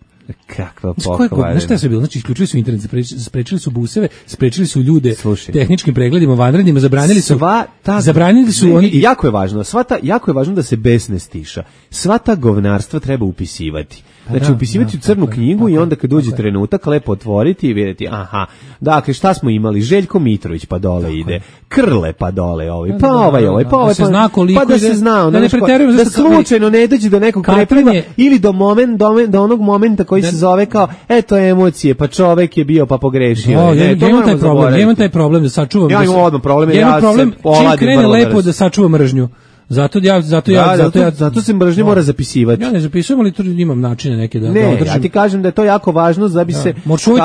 E: Kakva pokvarena.
F: Znaš šta je sve bilo? Znači, isključili su internet, sprečili su buseve, sprečili su ljude Slušaj. tehničkim pregledima, vanrednima, zabranili su...
E: Sva ta...
F: Zabranili su... Oni...
E: Jako je važno, sva ta, jako je važno da se bes ne stiša. Sva ta govnarstva treba upisivati. Znači, da, upisivati da, u crnu knjigu i onda kad uđe trenutak, lepo otvoriti i vidjeti, aha, dakle, šta smo imali? Željko Mitrović pa dole tako ide, Krle pa dole ovaj, pa ovaj, ovaj, pa ovaj, pa, pa da se zna,
F: da, ne
E: da, da slučajno ne dođe do nekog prepliva ili do, moment, do, do onog momenta koji se zove kao, eto emocije, pa čovek je bio pa pogrešio.
F: No, ne, ja imam taj problem, ja imam taj problem da sačuvam.
E: Ja imam odmah problem,
F: ja,
E: ja
F: problem,
E: se oladim
F: čim krene lepo da sačuvam mržnju. Zato ja zato ja
E: da,
F: zato ja
E: zato se mržnja mora zapisivati.
F: Ja ne zapisujem, ali tu imam načine neke da
E: ne,
F: da održim.
E: Ja ti kažem da je to jako važno da bi da. se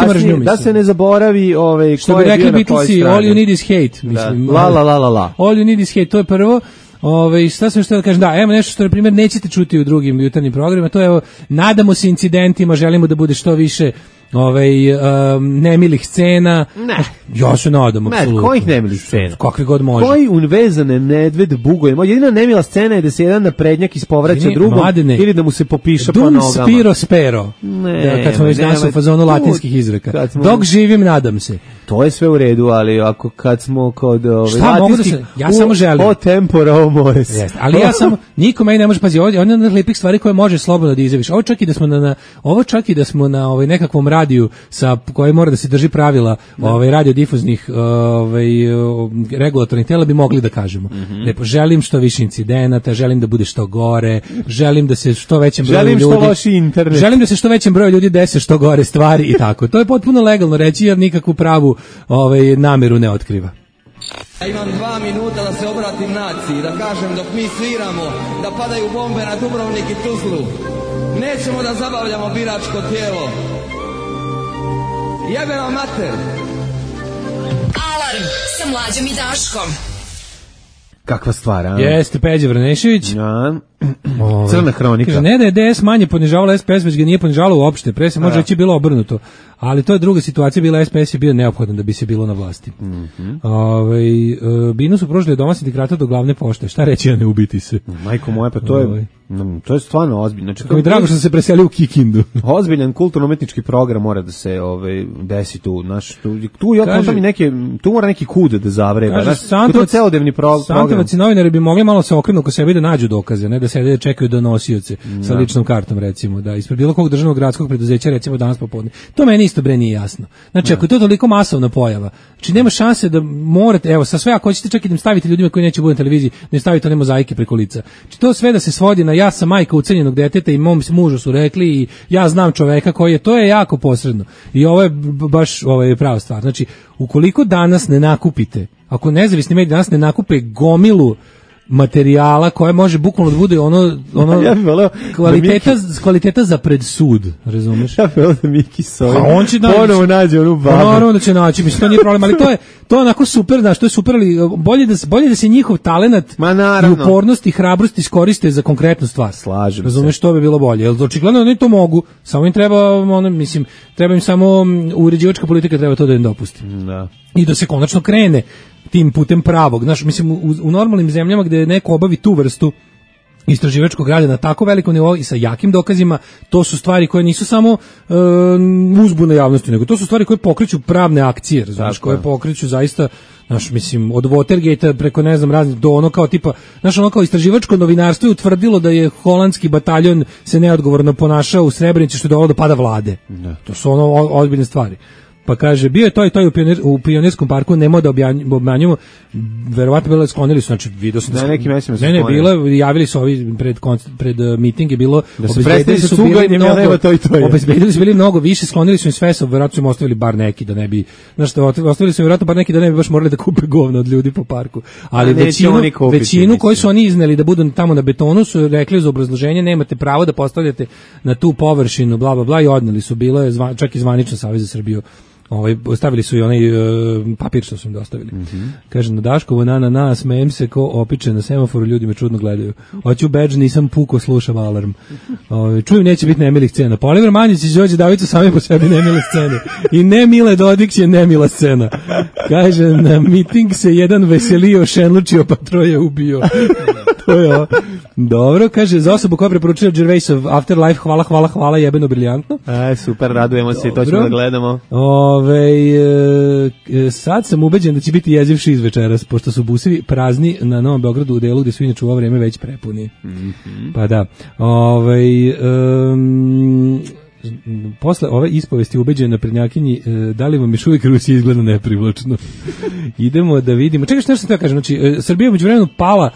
F: mržnju,
E: da se ne zaboravi ovaj
F: što bi rekli Beatlesi, all you need is hate, mislim.
E: Da. La la la la la.
F: All you need is hate, to je prvo. Ove, šta sam što da kažem, da, evo nešto što na primjer nećete čuti u drugim jutarnjim programima, to je evo, nadamo se incidentima, želimo da bude što više ovaj um, nemilih scena.
E: Ne.
F: Ja se nadam apsolutno.
E: Ne, kojih nemilih scena?
F: Kakve god može.
E: Koji unvezane medved bugojemo. Jedina nemila scena je da se jedan naprednjak ispovraća drugom Mladene, ili da mu se popiša po nogama.
F: Dum spiro spero. Ne, da, kad smo već danas u fazonu latinskih izreka. Smo... Dok živim, nadam se.
E: To je sve u redu, ali ako kad smo kod ove
F: Šta mogu da se, ja samo želim.
E: O tempora o mores.
F: Jeste, ali ja samo niko meni ne može pazi, ovdje on je od lepih stvari koje može slobodno da izjaviš. Ovo čak i da smo na, na ovo čak i da smo na ovaj nekakvom radiju sa koji mora da se drži pravila, ovaj radiodifuznih ovaj regulatornih tela bi mogli da kažemo.
E: Mm-hmm.
F: Lepo želim što više incidenata, želim da bude što gore, želim da se što većem broju
E: želim
F: ljudi.
E: Želim što loši internet.
F: Želim da se što većem broju ljudi dese što gore stvari i tako. To je potpuno legalno reći jer nikakvu pravu ovaj nameru ne otkriva.
I: Ja imam dva minuta da se obratim naciji, da kažem dok mi sviramo, da padaju bombe na Dubrovnik i Tuzlu. Nećemo da zabavljamo biračko tijelo. Jebe vam mater.
C: Alarm sa Mlađom i Daškom.
E: Kakva stvar, a?
F: Jeste Peđa Vrnešević.
E: Ja. Crna hronika.
F: Kaže, ne da je D S manje ponižavala S P S, već ga nije ponižavala uopšte. Pre se može reći bilo obrnuto. Ali to je druga situacija, bila S P S je bio neophodan da bi se bilo na vlasti.
E: Mm-hmm.
F: Ove, e, Binu su prošli od doma sindikata do glavne pošte. Šta reći, a ne ubiti se?
E: Majko moja, pa to je, Ove. to je stvarno ozbiljno. Znači,
F: kako mi drago što se preseli u Kikindu.
E: Ozbiljan kulturno-umetnički program mora da se ovaj, desi tu. Naš, tu, tu, ja kaže, mi neke, tu mora neki kud da zavreba. Kaže, to je celodnevni pro, program.
F: Santovac i novinari bi mogli malo se okrenu oko sebe da nađu dokaze, ne da se da čekaju donosioce no. sa ličnom kartom, recimo, da ispred bilo kog državnog gradskog preduzeća, recimo danas popodne. To meni isto bre nije jasno. Znači, no. ako je to toliko masovna pojava, znači nema šanse da morate, evo, sa sve, ako hoćete čak i da im stavite ljudima koji neće bude na televiziji, da im stavite one mozaike preko lica. Znači, to sve da se svodi na ja sam majka ucenjenog deteta i mom mužu su rekli i ja znam čoveka koji je, to je jako posredno. I ovo je baš ovo je prava stvar. Znači, ukoliko danas ne nakupite, ako nezavisni mediji danas ne nakupe gomilu materijala koje može bukvalno da bude ono ono
E: ja voleo,
F: kvaliteta Miki... kvaliteta za pred sud, razumeš?
E: Ja bih da Miki Soj.
F: A on će
E: ponovo nađe onu babu.
F: Naravno da će naći, mislim to nije problem, ali to je to je onako super, znaš, to je super, ali bolje da bolje da se njihov talenat i upornost i hrabrost iskoriste za konkretnu stvar.
E: Slažem
F: razumeš,
E: se.
F: To bi bilo bolje. Jel očigledno oni to mogu, samo im treba ono, mislim, treba im samo uređivačka politika treba to da im dopusti.
E: Da.
F: I da se konačno krene tim putem pravog. Znaš, mislim, u, u normalnim zemljama gde neko obavi tu vrstu istraživačkog rada na tako velikom nivou i sa jakim dokazima, to su stvari koje nisu samo e, uzbuna javnosti, nego to su stvari koje pokreću pravne akcije, znaš, koje pokreću zaista, znaš, mislim, od Watergate-a preko, ne znam, raznih, do ono kao tipa, znaš, ono kao istraživačko novinarstvo je utvrdilo da je holandski bataljon se neodgovorno ponašao u Srebrenici što je dovelo do pada vlade. Ne. To su ono ozbiljne stvari. Pa kaže, bio je to i to u, pionir, u Pionirskom parku, nemoj da obmanjujemo, verovatno bilo sklonili su, znači vidio sam da
E: ne, neki mesima
F: ne, ne, bilo, javili su ovi pred, pred uh, miting je bilo,
E: da obezbedili su, su bili mnogo, to i to je.
F: obezbedili su bili mnogo više, sklonili su im sve, verovatno su im ostavili bar neki da ne bi, znaš što, ostavili su im verovatno bar neki da ne bi baš morali da kupe govno od ljudi po parku, ali većinu, kupiti, većinu koji su oni izneli da budu tamo na betonu su rekli za obrazloženje, nemate pravo da postavljate na tu površinu, bla, bla, bla, i odneli su, bilo je zva, čak i zvanično Savez za Srbiju. Ovaj ostavili su i onaj uh, papir što su im dostavili. Mm-hmm. Kaže na Daškovo na na na smejem se ko opiče na semaforu, ljudi me čudno gledaju. Hoću bedž, nisam puko, slušam alarm. Ovaj čujem neće biti nemilih scena. Pa Oliver Manjić i Đorđe Davica sami po sebi nemile scene. I ne Mile Dodik je nemila scena. Kaže na miting se jedan veselio, šenlučio, pa troje ubio. To je ovo. Dobro, kaže za osobu koja preporučila Gervaisov Afterlife, hvala, hvala, hvala, jebeno briljantno.
E: Aj, super, radujemo se i to ćemo da gledamo.
F: Ove, e, sad sam ubeđen da će biti jeziv šiz večeras, pošto su busevi prazni na Novom Beogradu u delu gde su inače u ovo vreme već prepuni. Mm-hmm. Pa da. Ove, um, posle ove ispovesti ubeđena naprednjakinji, e, da li vam još uvijek Rusija izgleda neprivlačno? Idemo da vidimo. Čekaj, što sam te kažem, znači, e, Srbija međuvremenu pala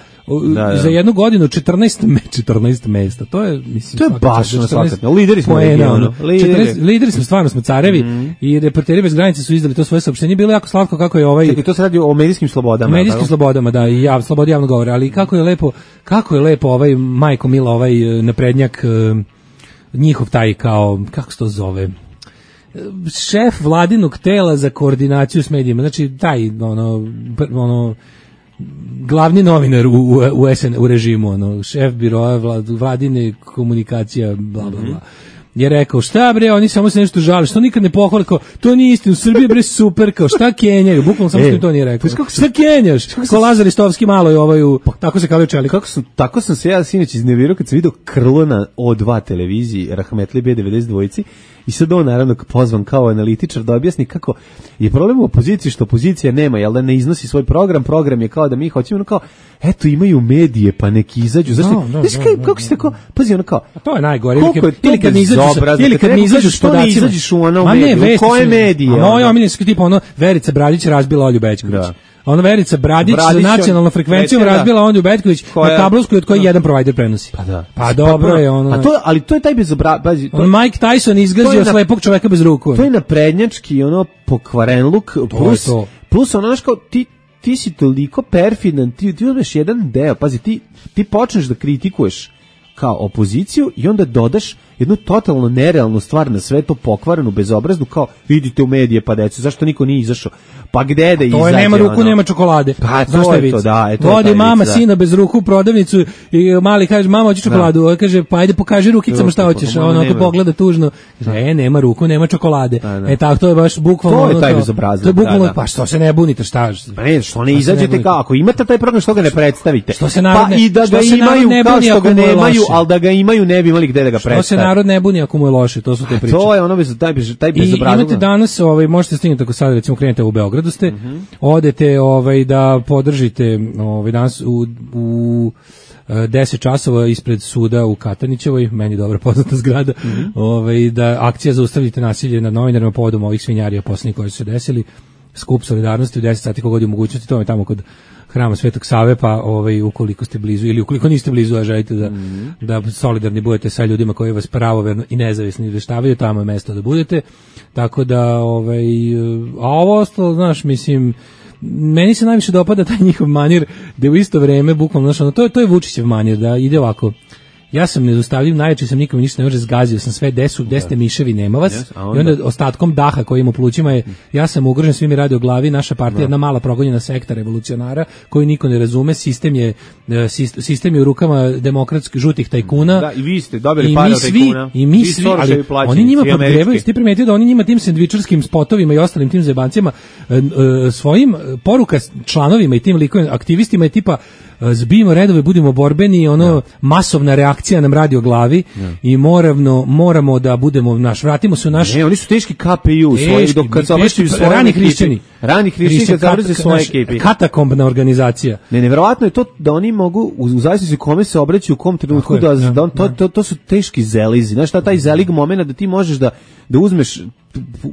F: da, da. za jednu godinu četrnaest, četrnaest mesta. To je, mislim,
E: to je baš na svakatno. Lideri smo regionu.
F: Lideri. lideri smo, stvarno smo carevi mm. i Reporteri bez granica su izdali to svoje saopštenje. Bilo jako slatko kako je ovaj...
E: Čekaj, to se radi o medijskim slobodama.
F: Medijskim tako? slobodama, da, i jav, slobodi javno govore, ali kako je lepo, kako je lepo ovaj Majko Mila, ovaj naprednjak, njihov taj kao, kako se to zove, šef vladinog tela za koordinaciju s medijima, znači taj ono, ono glavni novinar u, u, u, S N, u režimu, ono, šef biroa vlad, vladine komunikacija, bla, bla, bla. Je rekao, šta bre, oni samo se nešto žale, što nikad ne pohvale, kao, to nije istina, u Srbiji bre super, kao, šta kenjaju, bukvalno samo što to nije rekao. Šta kenjaš? Ko Lazar Istovski malo je ovaj, u, tako se kao čeli.
E: Kako su, tako sam se ja sinoć iznervirao kad sam vidio Krlo na O dva televiziji, Rahmetli B devedeset dva I sad on naravno pozvan kao analitičar da objasni kako je problem u opoziciji što opozicija nema, jel da ne iznosi svoj program, program je kao da mi hoćemo, ono kao, eto imaju medije, pa neki izađu, zašto,
F: no, no,
E: znaš
F: no,
E: kaj,
F: no,
E: kako se tako, pazi ono kao,
F: a to je najgore,
E: koliko je to
F: ili kad ne izađeš,
E: bezobrazno,
F: ili kad ne izađeš
E: što ne izađeš u ono mediju, u koje medije?
F: A moja omiljenska tipa ono, Verica Bradić razbila Olju Bećković. Da. Ono Verica Bradić, Bradić za nacionalnu frekvenciju razbila Olju Bećković na kablovskoj od koje jedan provider prenosi.
E: Pa da.
F: Pa dobro je ono.
E: A to, ali to je taj bezobrazno.
F: On Mike Tyson izgazio slepog čoveka bez ruku.
E: To je naprednjački ono pokvarenluk plus plus ono znaš kao ti ti si toliko perfidan, ti ti uzmeš jedan deo, pazi ti ti počneš da kritikuješ kao opoziciju i onda dodaš jednu totalno nerealnu stvar na sve to pokvarenu, bezobraznu, kao vidite u medije pa decu, zašto niko nije izašao? Pa gde da izađe?
F: To je nema ruku,
E: ono?
F: Nema čokolade.
E: Pa to je to, da. Je to
F: vodi mama
E: vic,
F: sina bez ruku u prodavnicu i mali kaže, mama hoće čokoladu. Da. Kaže, pa ajde pokaži rukicama šta hoćeš. A ono ako pogleda tužno, kaže, e, nema ruku, nema čokolade. Da, da. E tako, to je baš bukvalno.
E: To je taj bezobrazno.
F: To je bukvalno, da, da. Pa što se ne bunite, šta?
E: Pa ne, što ne izađete kao, ako imate taj program, što ga ne predstavite?
F: Što se narod ne,
E: pa i da ga imaju, kao što ga nemaju, ali da ga imaju, ne bi imali gde da ga predstave.
F: Što se narod ne buni ako mu je loše, to su te priče.
E: To je ono bez taj taj bezobrazno.
F: I imate danas, ovaj možete stignuti ako sad recimo krenete u Beogradu ste, mm-hmm. odete ovaj da podržite ovaj danas u u deset časova ispred suda u Katanićevoj, meni dobro poznata zgrada, mm-hmm. ovaj da akcija zaustavite nasilje nad novinarima povodom ovih svinjarija poslednjih koji su se desili, skup solidarnosti u deset sati kogod je mogućnosti, to je tamo kod Hrama Svetog Save, pa ovaj ukoliko ste blizu ili ukoliko niste blizu, a želite da mm-hmm. da solidarni budete sa ljudima koji vas pravoverno i nezavisno izveštavaju, tamo je mesto da budete. Tako da ovaj a ovo ostalo, znaš, mislim, meni se najviše dopada taj njihov manir da u isto vreme bukvalno, znaš, ono, to je to je Vučićev manir da ide ovako. Ja sam nezaustavljiv, najjači sam, nikome ništa ne može, zgazio sam sve, desu, desete miševi, nema vas, yes, onda? I onda ostatkom daha koji ima u plućima je, ja sam ugrožen, svi mi radi o glavi, naša partija je jedna mala progonjena sekta revolucionara, koju niko ne razume, sistem je, sistem je u rukama demokratskih žutih tajkuna.
E: Da, i vi ste dobili pare od tajkuna.
F: I mi svi, ali plaćeni, oni njima podgrevaju, ti primetio da oni njima tim sendvičarskim spotovima i ostalim tim zebancijama, svojim poruka članovima i tim likovima, aktivistima je tipa, zbijemo redove, budemo borbeni, ono ja. Masovna reakcija nam radi o glavi ja. I moravno, moramo da budemo naš, vratimo se u naš.
E: Ne, oni su teški K P U, svoji, dok kad se obraćaju svoje
F: rani hrišćani.
E: Rani hrišćani kad se obraćaju svoje ekipi.
F: Katakombna organizacija.
E: Ne, nevjerovatno je to da oni mogu, u, u zavisnosti kome se obraćaju, u kom trenutku, da, ja, da on, to, to, to su teški zelizi. Znaš šta, taj zelig moment da ti možeš da, da uzmeš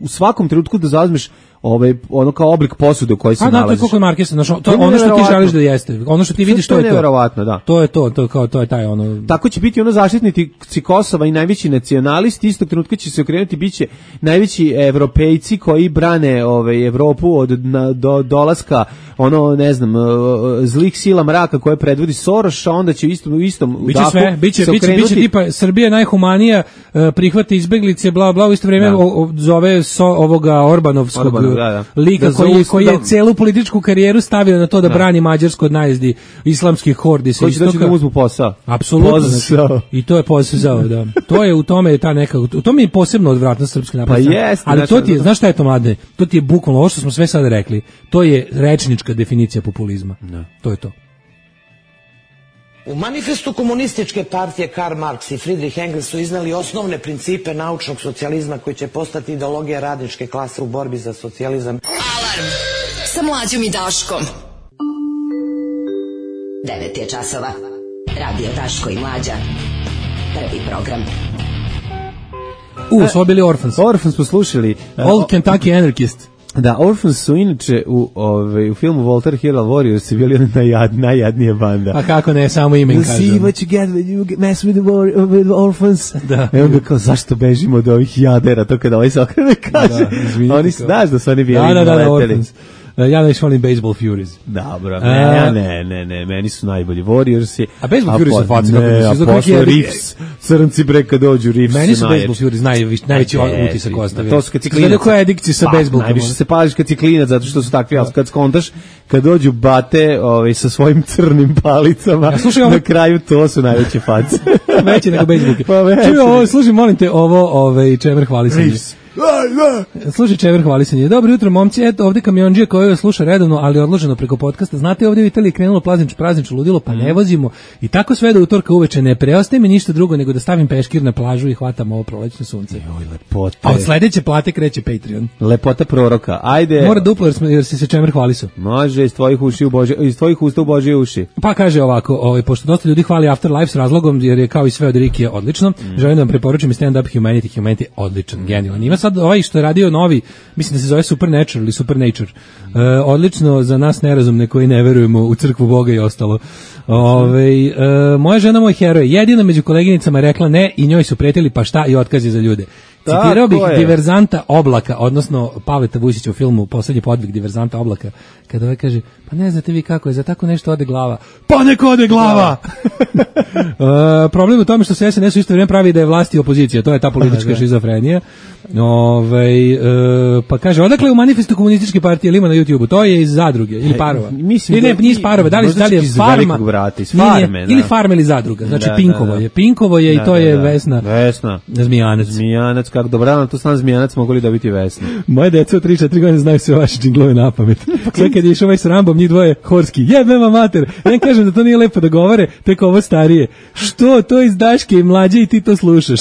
E: u svakom trenutku da zauzmeš ovaj ono kao oblik posude u kojoj se nalaziš. A da, to je koliko Markesa, znači to je ono što ti želiš da jeste. Ono što ti vidiš, to, to je to. Neverovatno, da.
F: To je to, to kao to je taj ono.
E: Tako će biti ono zaštitnici Kosova i najveći nacionalisti, istog trenutka će se okrenuti, biće najveći evropejci koji brane ovaj Evropu od na, do dolaska ono, ne znam, zlih sila mraka koje predvodi Soros, a onda će istom u istom
F: biće dahu sve, biće biće biće tipa Srbija najhumanija, prihvata izbeglice, bla bla, u isto vrijeme da. o, zove so, ovoga Orbanovskog Orban, da, da. lika da, koji, koji je celu političku karijeru stavio na to da, da. brani Mađarsku od najezdi islamskih hordi sa
E: istoka. Koji će doći da uzmu posao.
F: Apsolutno. Posao. I to je posao, da. To je u tome je ta neka, u tome je posebno odvratno srpski napad.
E: Pa jest,
F: ali znači, to ti je, znaš šta je to, mladine? To ti je bukvalno ovo što smo sve sada rekli. To je rečnička definicija populizma. Da. To je to.
J: U manifestu komunističke partije Karl Marx i Friedrich Engels su iznali osnovne principe naučnog socijalizma koji će postati ideologija radničke klase u borbi za socijalizam.
C: Alarm sa Mlađom i Daškom. devet je časova. Radio Daško i Mlađa. Prvi program.
F: U, smo bili Orphans.
E: Orphans smo slušali.
F: Old Kentucky Anarchist.
E: Da, Orphans su inače u, ove, u filmu Walter Hero Warriors bili najjad, najjadnije banda.
F: A kako ne, samo ime im kažem.
E: See what you get when you get mess with, the war, with Orphans. Da. E onda kao, zašto bežimo od ovih jadera, to kada ovaj se okrene kaže. Da, oni znaš da su oni bili
F: da, da, da, da, Orphans. Ja ne volim Baseball Furies.
E: Dobro, ne, ne, ne, ne, meni su najbolji Warriorsi.
F: A Baseball Furies su faci,
E: kako su. A posle Riffs, crnci bre kad dođu Riffs.
F: Meni su Baseball Furies najveći, najveći utisak ostavili.
E: To su kad si klinac.
F: Kada koja adikcija sa baseballom.
E: Najviše se pališ kad si klinac, zato što su takvi, ali kad skontaš, kad dođu bate ovaj, sa svojim crnim palicama, na kraju to su najveće face.
F: Veće nego baseballke. Čuj, ovo, slušaj, molim te, ovo, ovaj, čemer hvali se. Slušaj, Čever, hvali se nje. Dobro jutro, momci, eto ovde kamionđija koji sluša redovno, ali odloženo preko podcasta. Znate, ovde u Italiji krenulo praznično praznično ludilo, pa ne vozimo. I tako sve do utorka uveče ne preostaje mi ništa drugo nego da stavim peškir na plažu i hvatam ovo prolećno sunce.
E: Joj, lepota.
F: A od sledeće plate kreće Patreon.
E: Lepota proroka. Ajde.
F: Mora duplo jer, smo, jer si se Čemer hvali su.
E: Može, iz tvojih uši u Božje, iz tvojih usta u Božje uši.
F: Pa kaže ovako, ovaj, pošto dosta ljudi hvali Afterlife s razlogom, jer je kao i sve od Rikija odlično, mm. želim da vam preporučim Stand Up Humanity. Humanity odličan, genijalan. Ima sad ovaj što je radio novi, mislim da se zove Supernatural ili Supernature. E, odlično za nas nerazumne koji ne verujemo u crkvu Boga i ostalo. Ove, e, moja žena, moj heroj, jedina među koleginicama je rekla ne i njoj su pretili pa šta i otkazi za ljude. Citirao bih diverzanta Oblaka, odnosno Pavleta Vujsića u filmu Poslednji podvig diverzanta Oblaka, kada ovaj kaže, pa ne znate vi kako je, za tako nešto ode glava. Pa neko ode glava! uh, problem u tome što se S N S u isto vrijeme pravi da je vlast i opozicija, to je ta politička šizofrenija. Ove, uh, pa kaže, odakle u manifestu komunističke partije ili ima na YouTubeu, to je iz zadruge ili parova.
E: Mislim
F: ili ne, nije iz parova, da li, da li je farma,
E: brata, iz farme,
F: ili farma ili zadruga, znači
E: da,
F: Pinkovo
E: da, da.
F: je, Pinkovo je da, i to
E: da,
F: je
E: da.
F: Vesna.
E: Vesna.
F: Zmijanac.
E: Zmijanac, kako dobro, na to stan Zmijanac mogu li dobiti Vesnu.
F: Moje deca od tri četiri godine znaju sve vaše džinglove na pamet. Sve kad je išao ovaj s Rambom, njih dvoje horski, jebema mater. Ja kažem da to nije lepo da govore, tek ovo starije. Što, to iz Daške i mlađe i ti to slušaš.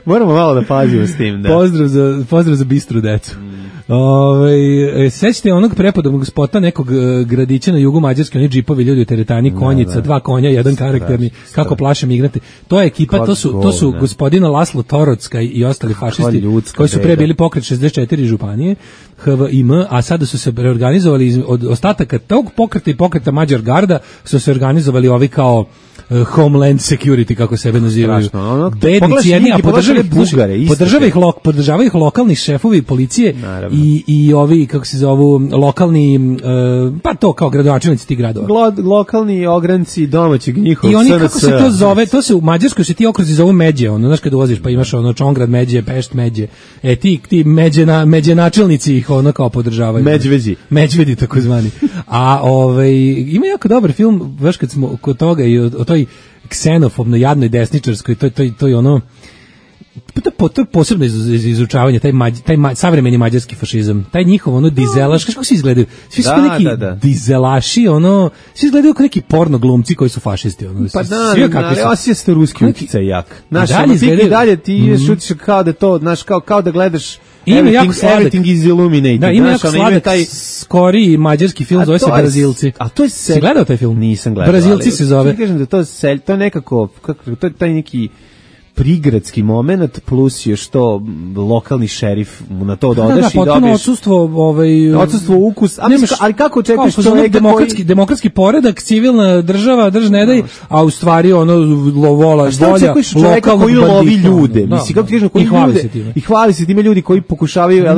E: Moramo malo da pazimo s tim, da.
F: Pozdrav za, pozdrav za bistru decu. Mm. Ove, sećate onog prepodobnog spota nekog uh, gradića na jugu Mađarske, oni džipovi, ljudi u teretani, konjica, da, da. dva konja, jedan straš, karakterni, straš. Kako plaše migrante. To je ekipa, Kod to su, to su gospodina Laslo Torocka i ostali fašisti koji su pre bili pokret šezdeset četiri županije, H V I M, a sada su se reorganizovali iz, od ostataka tog pokreta i pokreta Mađar Garda su se organizovali ovi kao Uh, Homeland Security, kako sebe nazivaju.
E: Ono,
F: bednici jedni, a podržava ih, podržava ih, lok, podržava ih lokalni šefovi policije i, i ovi, kako se zovu, lokalni, uh, pa to kao gradonačelnici tih gradova.
E: Glo, lokalni ogranci domaćeg njihovog
F: I oni,
E: S N S.
F: kako se to zove, to se u Mađarskoj se ti okruzi zovu međe, ono, znaš kad ulaziš pa imaš ono Čongrad međe, Pešt međe, e ti, ti međe, na, međe načelnici ih ono kao podržavaju.
E: Međvedi.
F: Međvedi, tako zvani. A ovaj, ima jako dobar film, baš kad smo kod toga i o, o toj ksenofobno, jadnoj desničarskoj, to, to, to je ono, to, to je posebno iz, iz, izučavanje, taj, mađ, taj ma, savremeni mađarski fašizam, taj njihov ono dizelaš, kako svi izgledaju? Svi su da, neki da, da. dizelaši, ono, svi izgledaju kao neki porno glumci koji su fašisti. Ono,
E: pa da,
F: svi
E: da, ali osjećate ruski utjecaj jak. Znaš,
F: dalje
E: ti i dalje ti mm -hmm. šutiš kao da to, znaš, kao, kao da gledaš everything, everything is illuminated.
F: Da, ima jako sladak, taj skoriji mađarski film, zove se Brazilci.
E: A to je sel...
F: Si gledao taj film?
E: Nisam gledao.
F: Brazilci se zove.
E: Ti kažem da to, sel... to je nekako, kako, to je taj neki prigradski moment plus još to lokalni šerif na to dodaš
F: da, da,
E: i dobiješ
F: odsustvo ovaj
E: odsustvo ukus, a nemaš, ali kako čekaš
F: čovjeka demokratski koji... demokratski poredak, civilna država, drž ne daj, a u stvari ono lovola volja lokalnog
E: koji lovi ljude, da, mislim kako ti kažeš, koji ljude i hvali se time ljudi koji pokušavaju da,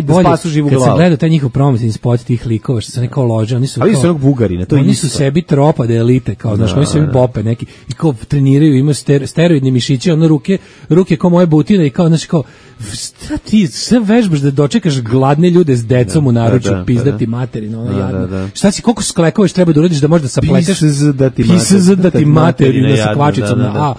E: da spasu živu glavu.
F: Kad sam gledao taj njihov promotivni spot tih likova što se neko lože, oni su
E: ali su onog Bugarina, to
F: oni su sebi propade elite, kao znaš, oni su sebi bope neki i kao treniraju, imaju steroidne mišiće, ono ruke, ruke kao moje butine i kao, znači kao, šta ti sve vežbaš da dočekaš gladne ljude s decom da, u naručju, da, da, pizdati da, materinu, ono da, jadno. Da, da. Šta si, koliko sklekavaš treba da uradiš da možda sapleteš?
E: Pizdati
F: Pizdati materinu sa kvačicom na A.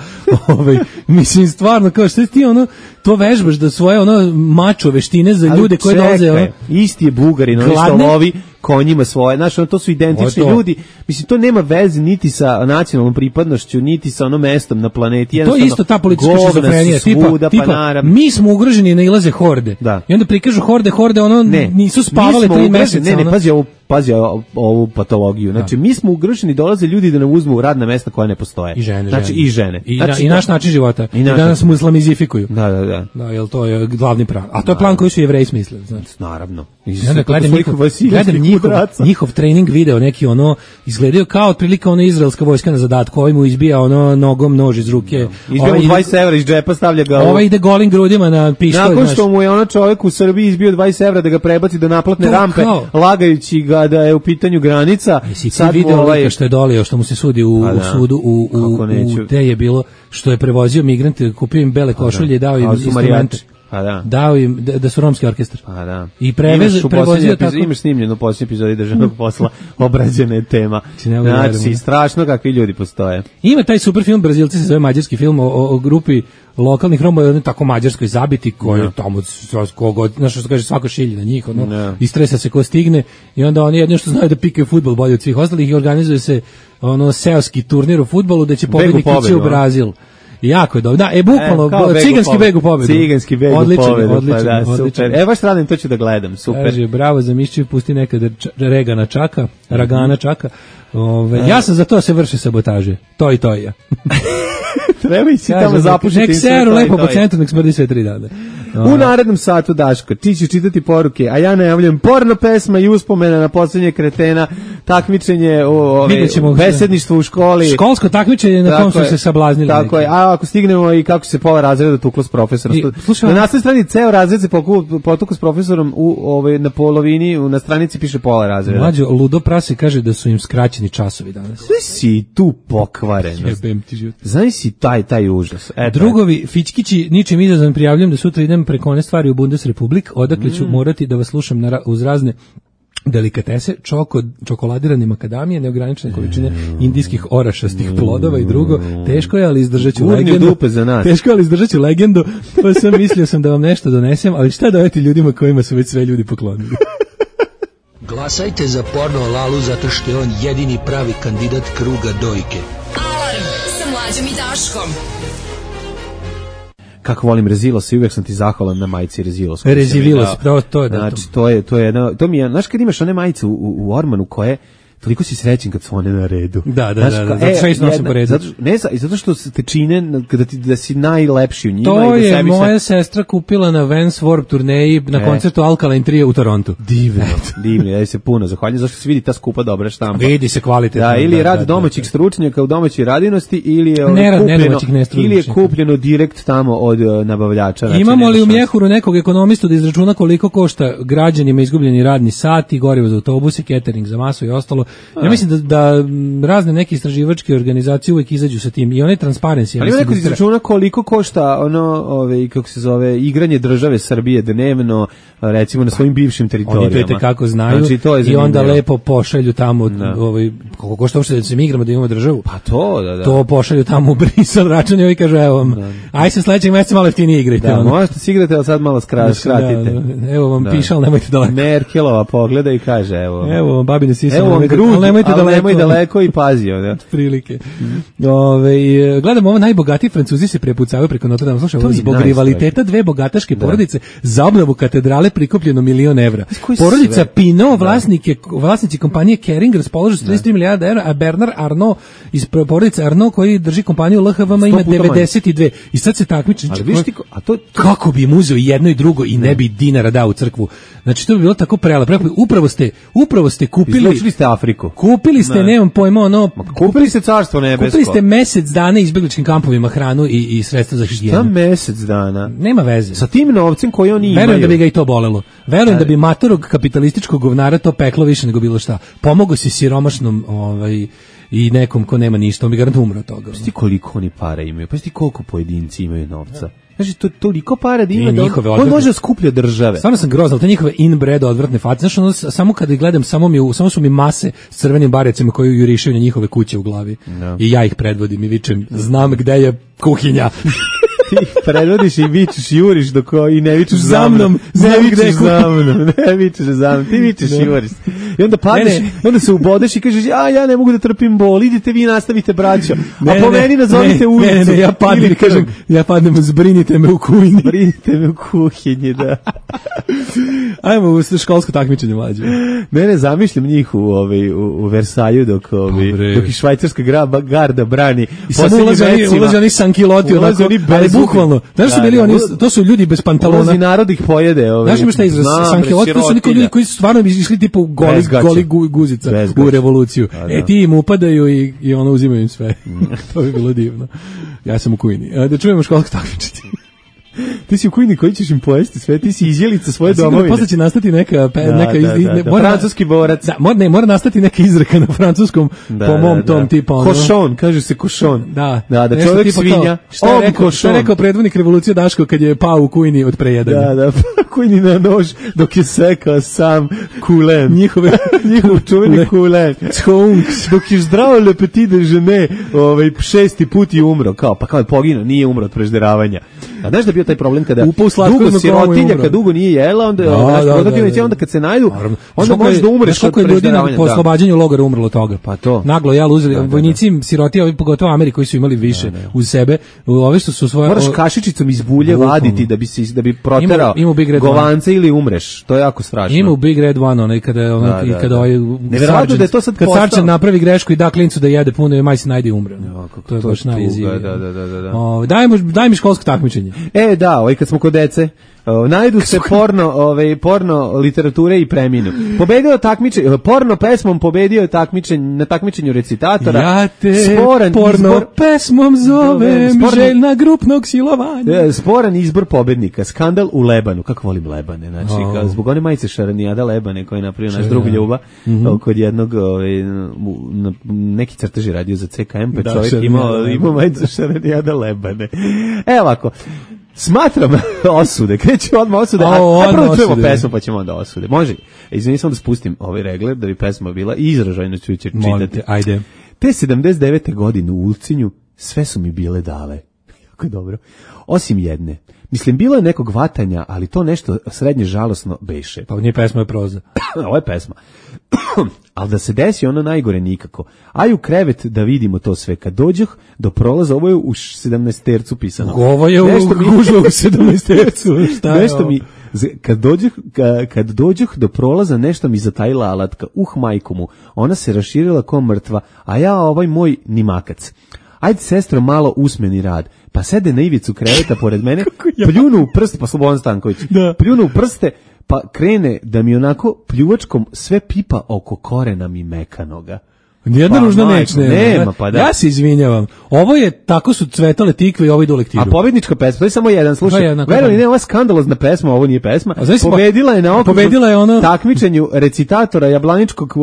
F: Ovaj, mislim, stvarno, kao šta ti ono, to vežbaš da svoje ono mačo veštine za ljude koji dolaze. Ono,
E: isti je Bugarin, ono što lovi konjima svoje, znači to su identični to. ljudi. Mislim, to nema veze niti sa nacionalnom pripadnošću, niti sa onom mestom na planeti.
F: To je isto ta politička šizofrenija, tipa, tipa
E: pa
F: mi smo ugroženi, ne ilaze horde.
E: Da.
F: I onda prikažu horde, horde, ono
E: ne,
F: nisu spavale tri meseca.
E: Ne, ne, ono. pazi ovo, pazi ovu patologiju. Znači, da. mi smo ugroženi, dolaze ljudi da nam uzmu radna mesta koja ne postoje.
F: I žene,
E: znači,
F: žene.
E: i žene.
F: I,
E: znači,
F: i naš način života. I, I da nas muslimizifikuju.
E: Da, da, da.
F: Da, jel to je glavni plan. A to je plan koji su Jevreji smislili, znači.
E: Naravno.
F: I onda gledam njihov, gledam njihov, njihov trening video, neki ono, izgledaju kao otprilike ono izraelska vojska na zadatku, ovaj mu izbija ono nogom nož iz ruke.
E: No. Izbija mu dvadeset evra iz džepa, stavlja ga.
F: Ovaj ide golim grudima na pištolj.
E: Nakon što mu je ono čovjek u Srbiji izbio dvadeset evra da ga prebaci do naplatne to rampe, kao, lagajući ga da je u pitanju granica.
F: Jesi ti video ovaj što je dolio, što mu se sudi u, da, u sudu, u, u, u, gde je bilo, što je prevozio migrante, kupio im bele košulje i dao im instrumente.
E: Pa da.
F: Dao im da, da su romski orkestar.
E: Pa da.
F: I prevez, prevozio tako.
E: Imaš snimljeno u posljednjoj epizodi državnog posla obrađena tema. Znači, strašno kakvi ljudi postoje.
F: Ima taj super film, Brazilci se zove mađarski film o, o, o grupi lokalnih Roma, jedno tako mađarskoj zabiti koji no. tamo kogod, znaš što kaže, svako šilji na njih, ono, no. istresa se ko stigne i onda oni jedno što znaju da pikaju fudbal bolje od svih ostalih i organizuje se ono seoski turnir u fudbalu da će pobednik ići u Brazil. Jako je dobro. Da, e bukvalno e, ciganski beg u pobedu.
E: Ciganski beg u
F: odličan,
E: pobedu.
F: Odličan,
E: pa da,
F: odličan.
E: Super. E baš radim, to ću da gledam. Super.
F: Kaže, bravo za Mišćev, pusti nekada Regana Čaka, Ragana Čaka. Ove, ja sam za to se vrše sabotaže. To i to i ja.
E: Treba ići tamo zapušiti.
F: Nek seru lepo po centru, nek smrdi sve tri dana.
E: U narednom satu, Daško, ti ćeš čitati poruke, a ja najavljam porno pesma i uspomena na poslednje kretena, takmičenje, o, ove, besedništvo u školi.
F: Školsko takmičenje na kom su se sablaznili.
E: Tako neki. Je, a ako stignemo i kako se pola razreda tuklo s profesorom. I, slušaj, na naslednoj strani ceo razred se potuklo s profesorom u, ove, na polovini, na stranici piše pola razreda.
F: Mlađo, Ludo Prase kaže da su im skraćeni časovi danas.
E: Znaš si tu pokvarenost. Znaš si taj, taj užas.
F: E, drugovi, Fićkići, ničim izazvan prijavljam da sutra idem preko one stvari u Bundesrepublik, odakle ću mm. morati da vas slušam na, uz razne delikatese, čoko, čokoladirane makadamije, neograničene količine indijskih orašastih plodova i drugo. Teško je, ali izdržaću legendu.
E: Dupe za nas.
F: Teško je, ali izdržaću legendu. Pa sam mislio sam da vam nešto donesem, ali šta dajete ljudima kojima su već sve ljudi poklonili?
K: Glasajte za Porno Lalu zato što je on jedini pravi kandidat kruga dojke.
C: Alarm sa Mlađom i Daškom.
E: Kako volim Rezilos i uvijek sam ti zahvalan na majici Rezilos.
F: Rezilos, to, to je da.
E: Znači, to je, to je jedna, to mi je, znaš kad imaš one majice u, u, u Ormanu koje, toliko si srećen kad su one na redu.
F: Da, da, znaš, da, da, zato što ih nosim po redu.
E: Zato, ne, zato što te čine da, ti, da si najlepši u njima.
F: To
E: i da
F: je
E: sebi
F: moja
E: se...
F: sestra kupila na Vans Warped turneji na e. koncertu Alkaline Trio u Torontu.
E: Divno, divno, ja se puno zahvaljujem, zašto se vidi ta skupa dobra štampa.
F: Vidi se kvalitetno.
E: Da, ili je rad da, domaćih da, stručnjaka u domaćoj radinosti, ili je,
F: ne,
E: kupljeno,
F: ne
E: ili je kupljeno direkt tamo od uh, nabavljača. Znači,
F: imamo li u Mjehuru nekog ekonomistu da izračuna koliko košta građanima izgubljeni radni sati, gorivo za autobuse, catering za masu i ostalo? Ja mislim da da razne neke istraživačke organizacije uvijek izađu sa tim i one transparency.
E: Ali ima neko izračuna koliko košta ono, ove, kako se zove, igranje države Srbije dnevno, recimo na svojim bivšim teritorijama.
F: Oni to kako znaju znači, to je i onda lepo pošalju tamo, da. ovaj, koliko košta uopšte da se mi igramo da imamo državu.
E: Pa to, da, da.
F: To pošalju tamo u Brisel račun i ovi kažu, evo vam, da. aj se sledećeg meseca malo jeftinije igrajte.
E: Da, ono. Možete se igrati, ali sad malo skra, skratite. Da,
F: da. Evo vam da. pišal, nemojte daleko.
E: Merkelova pogleda i kaže, evo.
F: Evo vam babine sisa,
E: evo vam grud, ali nemojte daleko. daleko i pazio, da.
F: Prilike. Mm. Ove, gledamo ovo, najbogatiji Francuzi se prepucavaju preko Notre Dame. Slušaj, zbog rivaliteta dve bogataške da. porodice za obnovu katedrale prikupljeno milion evra. Porodica sve? Pinot, vlasnike, vlasnici kompanije Kering raspolažu s trideset tri milijarde evra, a Bernard Arnault iz porodice Arnault koji drži kompaniju L H V M ima devedeset dve. I sad se takmiči.
E: A to, to...
F: Kako bi im uzeo jedno i drugo i ne, ne bi dinara dao u crkvu. Znači to bi bilo tako prelepo. Upravo ste, upravo ste kupili.
E: Izlučili ste Afriku.
F: Kupili ste, ne. nemam pojma, ono,
E: kupili ste carstvo nebesko.
F: Kupili ste mesec dana izbegličkim kampovima hranu i, i sredstva za higijenu.
E: Šta mesec dana?
F: Nema veze.
E: Sa tim novcem koji oni imaju.
F: Verujem da bi ga i to bolelo. Verujem da bi matorog kapitalističkog govnara to peklo više nego bilo šta. Pomogo si siromašnom ovaj, i nekom ko nema ništa, on bi garant umro od toga.
E: Pa ti koliko oni para imaju, pa ti koliko pojedinci imaju novca. Znači, to toliko para da ima da on, on može skuplja države.
F: Stvarno sam grozal, te njihove inbred odvratne face. Znaš, ono, samo kada gledam, samo, mi, samo su mi mase s crvenim barecima koji jurišaju na njihove kuće u glavi. No. I ja ih predvodim i vičem, znam gde je kuhinja.
E: Ti predvodiš i vičeš, juriš dok i ne vičeš
F: za mnom.
E: Ne vičeš za mnom, ne vičeš za mnom, ti vičeš i juriš. I onda padneš, ne, ne. onda se ubodeš i kažeš, a ja ne mogu da trpim bol, idite vi nastavite braćo. A ne, po meni nazovite ulicu.
F: Ne, ne, ja padnem, kažem, ja padnem, zbrinite me u kuhinji.
E: Zbrinite me u kuhinji, da.
F: Ajmo u školsko takmičenje mlađe.
E: Ne, ne, zamišljam njih u, ovaj, u, u Versalju dok, ovaj, dok i švajcarska graba, garda brani.
F: I samo ulaze oni, ulaze oni sankiloti, onako, ali bukvalno. Znaš su bili oni, to su ljudi bez pantalona.
E: Ulazi narod ih pojede. Ovaj.
F: Znaš ima šta izraz sankiloti, to su neki ljudi koji su stvarno išli tipu goli, goli guzica u revoluciju. E ti im upadaju i, i ono uzimaju im sve. To bi bilo divno. Ja sam u kujini. Da čujemo školsko takmičenje.
E: Ti si u Kujni koji ćeš im pojesti sve, ti si izjelica svoje domovine.
F: Posle će nastati neka, pe,
E: da,
F: neka iz,
E: da, da,
F: ne,
E: da,
F: mora,
E: francuski borac.
F: Da, mora, ne, mora nastati neka izreka na francuskom
E: da,
F: po mom
E: da,
F: tom
E: da.
F: tipa. Ono,
E: košon, kaže se košon.
F: Da,
E: da, da
F: nešto
E: čovjek
F: tipa
E: svinja.
F: To, šta, je rekao, šta je rekao predvodnik revolucije Daško kad je pao u Kujni od prejedanja?
E: Da, da, Kujni na nož dok je sekao sam kulen.
F: Njihove,
E: njihov čuveni kulen. Dok je zdravo le petit déjeuner, ovaj, šesti put je umro. Kao, pa kao je poginuo, nije umro od prežderavanja. A znaš da je bio taj problem kada dugo sirotinja, kad dugo nije jela, onda, da, znaš, da, da, da, da. onda kad se najdu, onda možeš da umreš od prežderavanja.
F: Po oslobađanju logora umrlo od toga.
E: Pa to.
F: Naglo jel uzeli, da, da, vojnici siroti, ovi pogotovo Ameri koji su imali više da, da. uz sebe, ove što su svoje...
E: Moraš kašičicom iz bulje vaditi da bi, si, da bi proterao ima, ima govance ili umreš. To je jako strašno.
F: Ima u Big Red One, onaj kada, onaj, da, da, kada ovaj...
E: Neverovatno da je to sad
F: kad sarčan napravi grešku i da klincu da jede puno i maj se najde i umre. To je baš najjezivije.
E: Da, da, da, da.
F: Daj mi, daj mi školsko takmičenje.
E: E, da, ovaj kad smo kod dece, o, najdu se porno, ovaj porno literature i preminu. Pobedio takmičenje, porno pesmom pobedio je takmičenje na takmičenju recitatora.
F: Ja te sporan porno izbor, pesmom zovem, sporan, željna grupnog silovanja.
E: Sporan izbor pobednika, skandal u Lebanu. Kako volim Lebane, znači oh. zbog one majice Šaranijada Lebane koje je napravio naš drug Ljuba, mm-hmm. kod jednog ovaj, na, neki crteži radio za C K M, pa da, čovjek imao ima majicu Šaranijada Lebane. Evo ovako. Smatram osude, kreću odmah osude, a, a prvo čujemo pesmu pa ćemo onda osude. Može, izvini samo da spustim ovaj regler da bi pesma bila i izražajno ću će čitati.
F: Ajde.
E: Te sedamdeset devete godine u Ulcinju sve su mi bile dale. Jako dobro. Osim jedne. Mislim, bilo je nekog vatanja, ali to nešto srednje žalosno beše.
F: Pa nije pesma, je proza.
E: Ovo je pesma. Ali da se desi ono najgore nikako. Aj u krevet da vidimo to sve. Kad dođoh do prolaza, ovo je u sedamnaestercu pisano.
F: Ovo je nešto u mi... gužlo u sedamnaestercu. Šta je
E: nešto mi, kad dođoh, kad dođoh do prolaza, nešto mi zatajila alatka. Uh, majku mu. Ona se raširila ko mrtva, a ja ovaj moj nimakac. Ajde, sestro, malo usmeni rad. Pa sede na ivicu kreveta pored mene, pljunu u prste, pa Slobodan Stanković, da. pljunu u prste, pa krene da mi onako pljuvačkom sve pipa oko korena mi mekanoga.
F: Nijedna pa, ružna neč nema.
E: nema pa da.
F: Ja se izvinjavam. Ovo je, tako su cvetale tikve i ovo ide u lektiru.
E: A pobednička pesma, to je samo jedan, slušaj. Verujem, ne, ovo je skandalozna pesma, ovo nije pesma. Pobedila je na okrugu,
F: pobedila je ono...
E: takmičenju recitatora Jablaničkog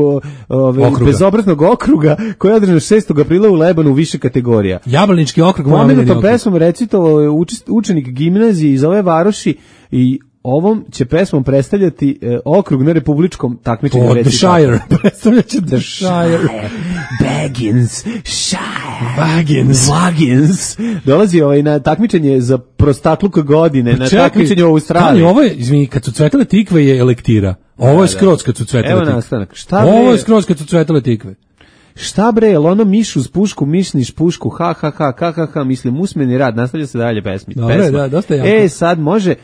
E: ove, okruga. bezobraznog okruga, koji je održan šestog aprila u Lebanu u više kategorija.
F: Jablanički okrug.
E: Pomenutom pesmom recitovao je učenik gimnazije iz ove varoši i ovom će pesmom predstavljati e, okrug na republičkom takmičenju
F: recitatora. The Shire. Predstavljaće The Shire.
E: Baggins. Shire.
F: Baggins.
E: Baggins. Dolazi ovaj na takmičenje za prostakluk godine, pa na čekaj, takmičenje u Australiji.
F: Ovo je, izvini, kad su cvetale tikve je lektira. Ovo je skroz kad su cvetale tikve.
E: Evo nastanak. Šta
F: ovo je skroz kad su cvetale tikve.
E: Šta bre, jel ono miš uz pušku, mišniš pušku, ha, ha, ha, ha, ha, ha, mislim, usmeni rad, nastavlja se dalje pesmi.
F: Dobre, pesma. Da, dosta jako.
E: E, sad može,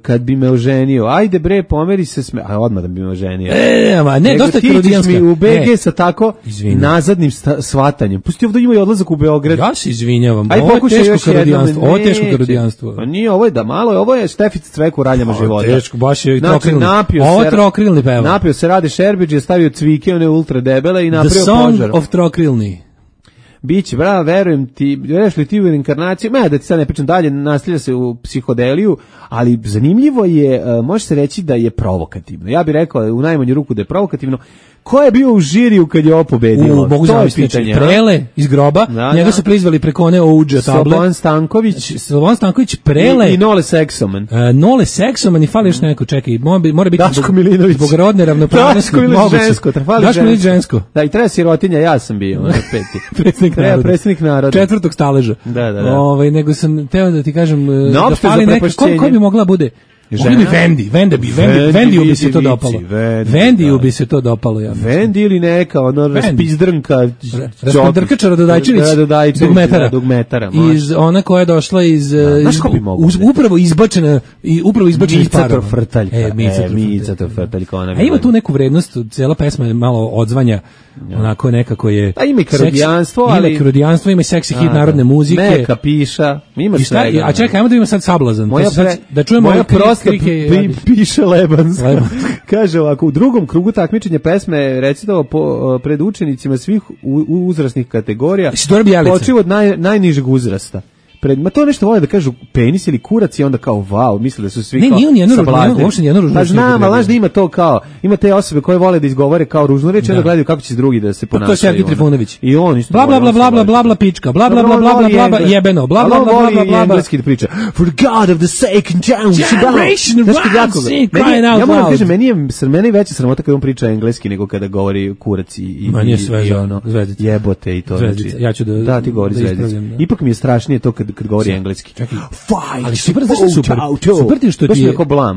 E: kad bi me oženio, ajde bre, pomeri se sme, a odmah da bi me oženio.
F: E, ma, ne,
E: nego
F: dosta krodijanska.
E: Mi u B G ne. Sa tako Izvinjam. nazadnim sta, svatanjem. Pusti ovdje ima i odlazak u Beograd.
F: Ja se izvinjavam, aj, ovo je teško krodijanstvo, ovo je teško krodijanstvo.
E: Pa nije, ovo je da malo, ovo je Štefica Cvek u raljama o, života.
F: Teško, baš je
E: znači,
F: trokrilni. Ovo je trokrilni peva.
E: Napio se Rade Šerbeđ, je stavio cvike, one ultra debele i napravio
F: požar. The
E: požar.
F: Song of Trokrilni.
E: Biće, bravo, verujem ti, vjeruješ li ti u reinkarnaciju? Ma, da ti sad ne pričam dalje, nastavlja se u psihodeliju, ali zanimljivo je, može se reći da je provokativno. Ja bih rekao u najmanju ruku da je provokativno. Ko je bio u žiriju kad je ovo pobedilo?
F: U, mogu to je pitanje. Prele iz groba, da, njega da. su prizvali preko one ouđa table.
E: Slobodan Stanković.
F: Slobodan Stanković, Prele.
E: I, i Nole Seksoman.
F: Uh, Nole Seksoman i fali još neko, čekaj, mora, mora biti
E: Daško Milinović.
F: Zbog rodne ravnopravnosti.
E: Daško Milinović žensko.
F: Daško Milinović žensko.
E: Da, i treba sirotinja, ja sam bio. Peti.
F: Predsjednik naroda.
E: Predsjednik naroda.
F: Četvrtog staleža.
E: Da, da, da.
F: Ove, nego sam teo da ti kažem,
E: no,
F: da fali neka, ko, ko bi mogla bude? Žena? Vendi, Vendi bi, Vendi, Vendiju bi se to dopalo. Vendiju bi se to dopalo, ja.
E: Vendi ili neka, ono, raspizdrnka,
F: raspizdrkača Radodajčević, dugmetara.
E: Dugmetara,
F: iz, ona koja je došla iz, iz upravo izbačena, i upravo izbačena iz parova.
E: Micator Frtalj.
F: E,
E: Micator Frtalj, kao ona.
F: A ima tu neku vrednost, cijela pesma je malo odzvanja, onako nekako je...
E: A ima i karodijanstvo, ali...
F: Ima karodijanstvo, ima i seksi hit narodne muzike.
E: Neka piša, ima svega.
F: A čekaj, ajmo da ima sad Sablazan. Da čujemo
E: Pi, piše Lebans. Lebans. Kaže ovako, u drugom krugu takmičenja pesme recitovao po, pred učenicima svih u, u uzrasnih kategorija.
F: Počeo
E: od naj, najnižeg uzrasta. pred, ma to nešto vole da kažu penis ili kurac i onda kao wow, misle da su svi
F: ne,
E: kao
F: nije on jedno ružno, uopšte nije jedno ružno.
E: Pa znam, ali znaš da ima to kao, ima te osobe koje vole da izgovore kao ružnu reč, onda gledaju kako će drugi da se ponašaju.
F: To je Sergij Trifunović.
E: I on isto.
F: Bla bla bla bla bla bla bla pička, bla bla bla bla bla bla jebeno, bla bla bla bla bla
E: engleski da priča. For the God of the sake and
F: generation
E: around. Ja moram kažem, meni je meni veća sramota kad on priča engleski nego kada govori kurac i i ono jebote i to.
F: Ja ću da
E: da ti govori zvezdice. Ipak mi je strašnije to kad kad govori engleski.
F: Ali super, zašto super? Super ti što ti je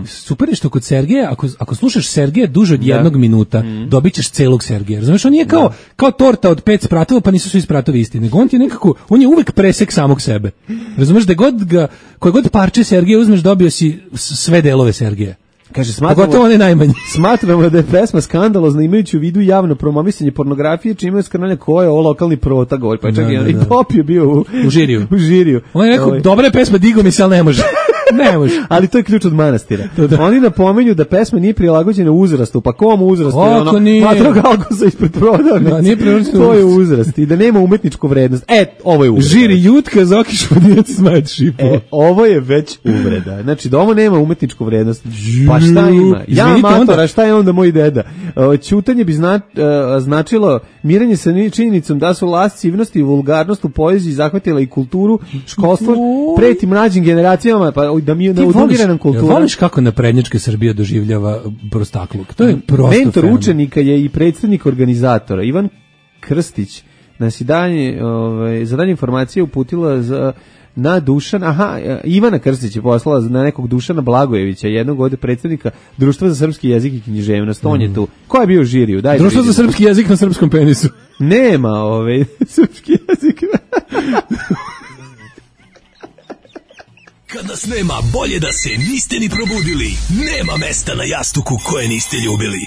F: super što kod Sergeja, ako ako slušaš Sergeja duže od jednog minuta, dobićeš celog Sergeja. Razumeš, on nije kao kao torta od pet spratova, pa nisu svi spratovi isti, nego on ti je nekako, on je uvek presek samog sebe. Razumeš, da god ga, koje god parče Sergeja uzmeš, dobio si sve delove Sergeja.
E: Kaže, smatramo,
F: pogotovo one najmanje.
E: Smatramo da je pesma skandalozna imajući u vidu javno promovisanje pornografije, čime je skrnanje ko je ovo lokalni protagonist. Pa čak da, i, da, i Pop je bio u,
F: u žiriju.
E: U žiriju.
F: On je rekao, ovaj. Dobra je pesma, digo mi se, ali ne može. Ne može.
E: Ali to je ključ od manastira. Da, da. Oni napomenju da pesma nije prilagođena uzrastu, pa kom uzrastu?
F: Oko nije.
E: Matro Galgosa ispred prodavnice.
F: Da, nije prilagođena.
E: To je uzrast. I da nema umetničku vrednost. E, ovo je uvreda.
F: Žiri jutka, zokiš podijeci smajet šipo.
E: E, ovo je već uvreda. Znači, da ovo nema umetničku vrednost. Pa šta ima? Ja, matora, šta je onda moj deda? Ćutanje bi zna, značilo mirenje sa činjenicom da su lascivnost i vulgarnost u poeziji zahvatila i kulturu, školstvo, preti mlađim generacijama, pa da mi je neodugirana kultura.
F: Voliš kako naprednjačka Srbija doživljava prostakluk? To je prosto
E: mentor fenomen. Učenika je i predstavnik organizatora. Ivan Krstić nas i danje, ovaj, za danje informacije uputila za na Dušan, aha, Ivana Krstić je poslala na nekog Dušana Blagojevića, jednog od predstavnika Društva za srpski jezik i književnost, on je tu. Ko je bio u žiriju? Daj
F: Društvo za srpski jezik na srpskom penisu.
E: Nema, ovaj, srpski jezik.
K: Kad nas nema, bolje da se niste ni probudili. Nema mesta na jastuku koje niste ljubili.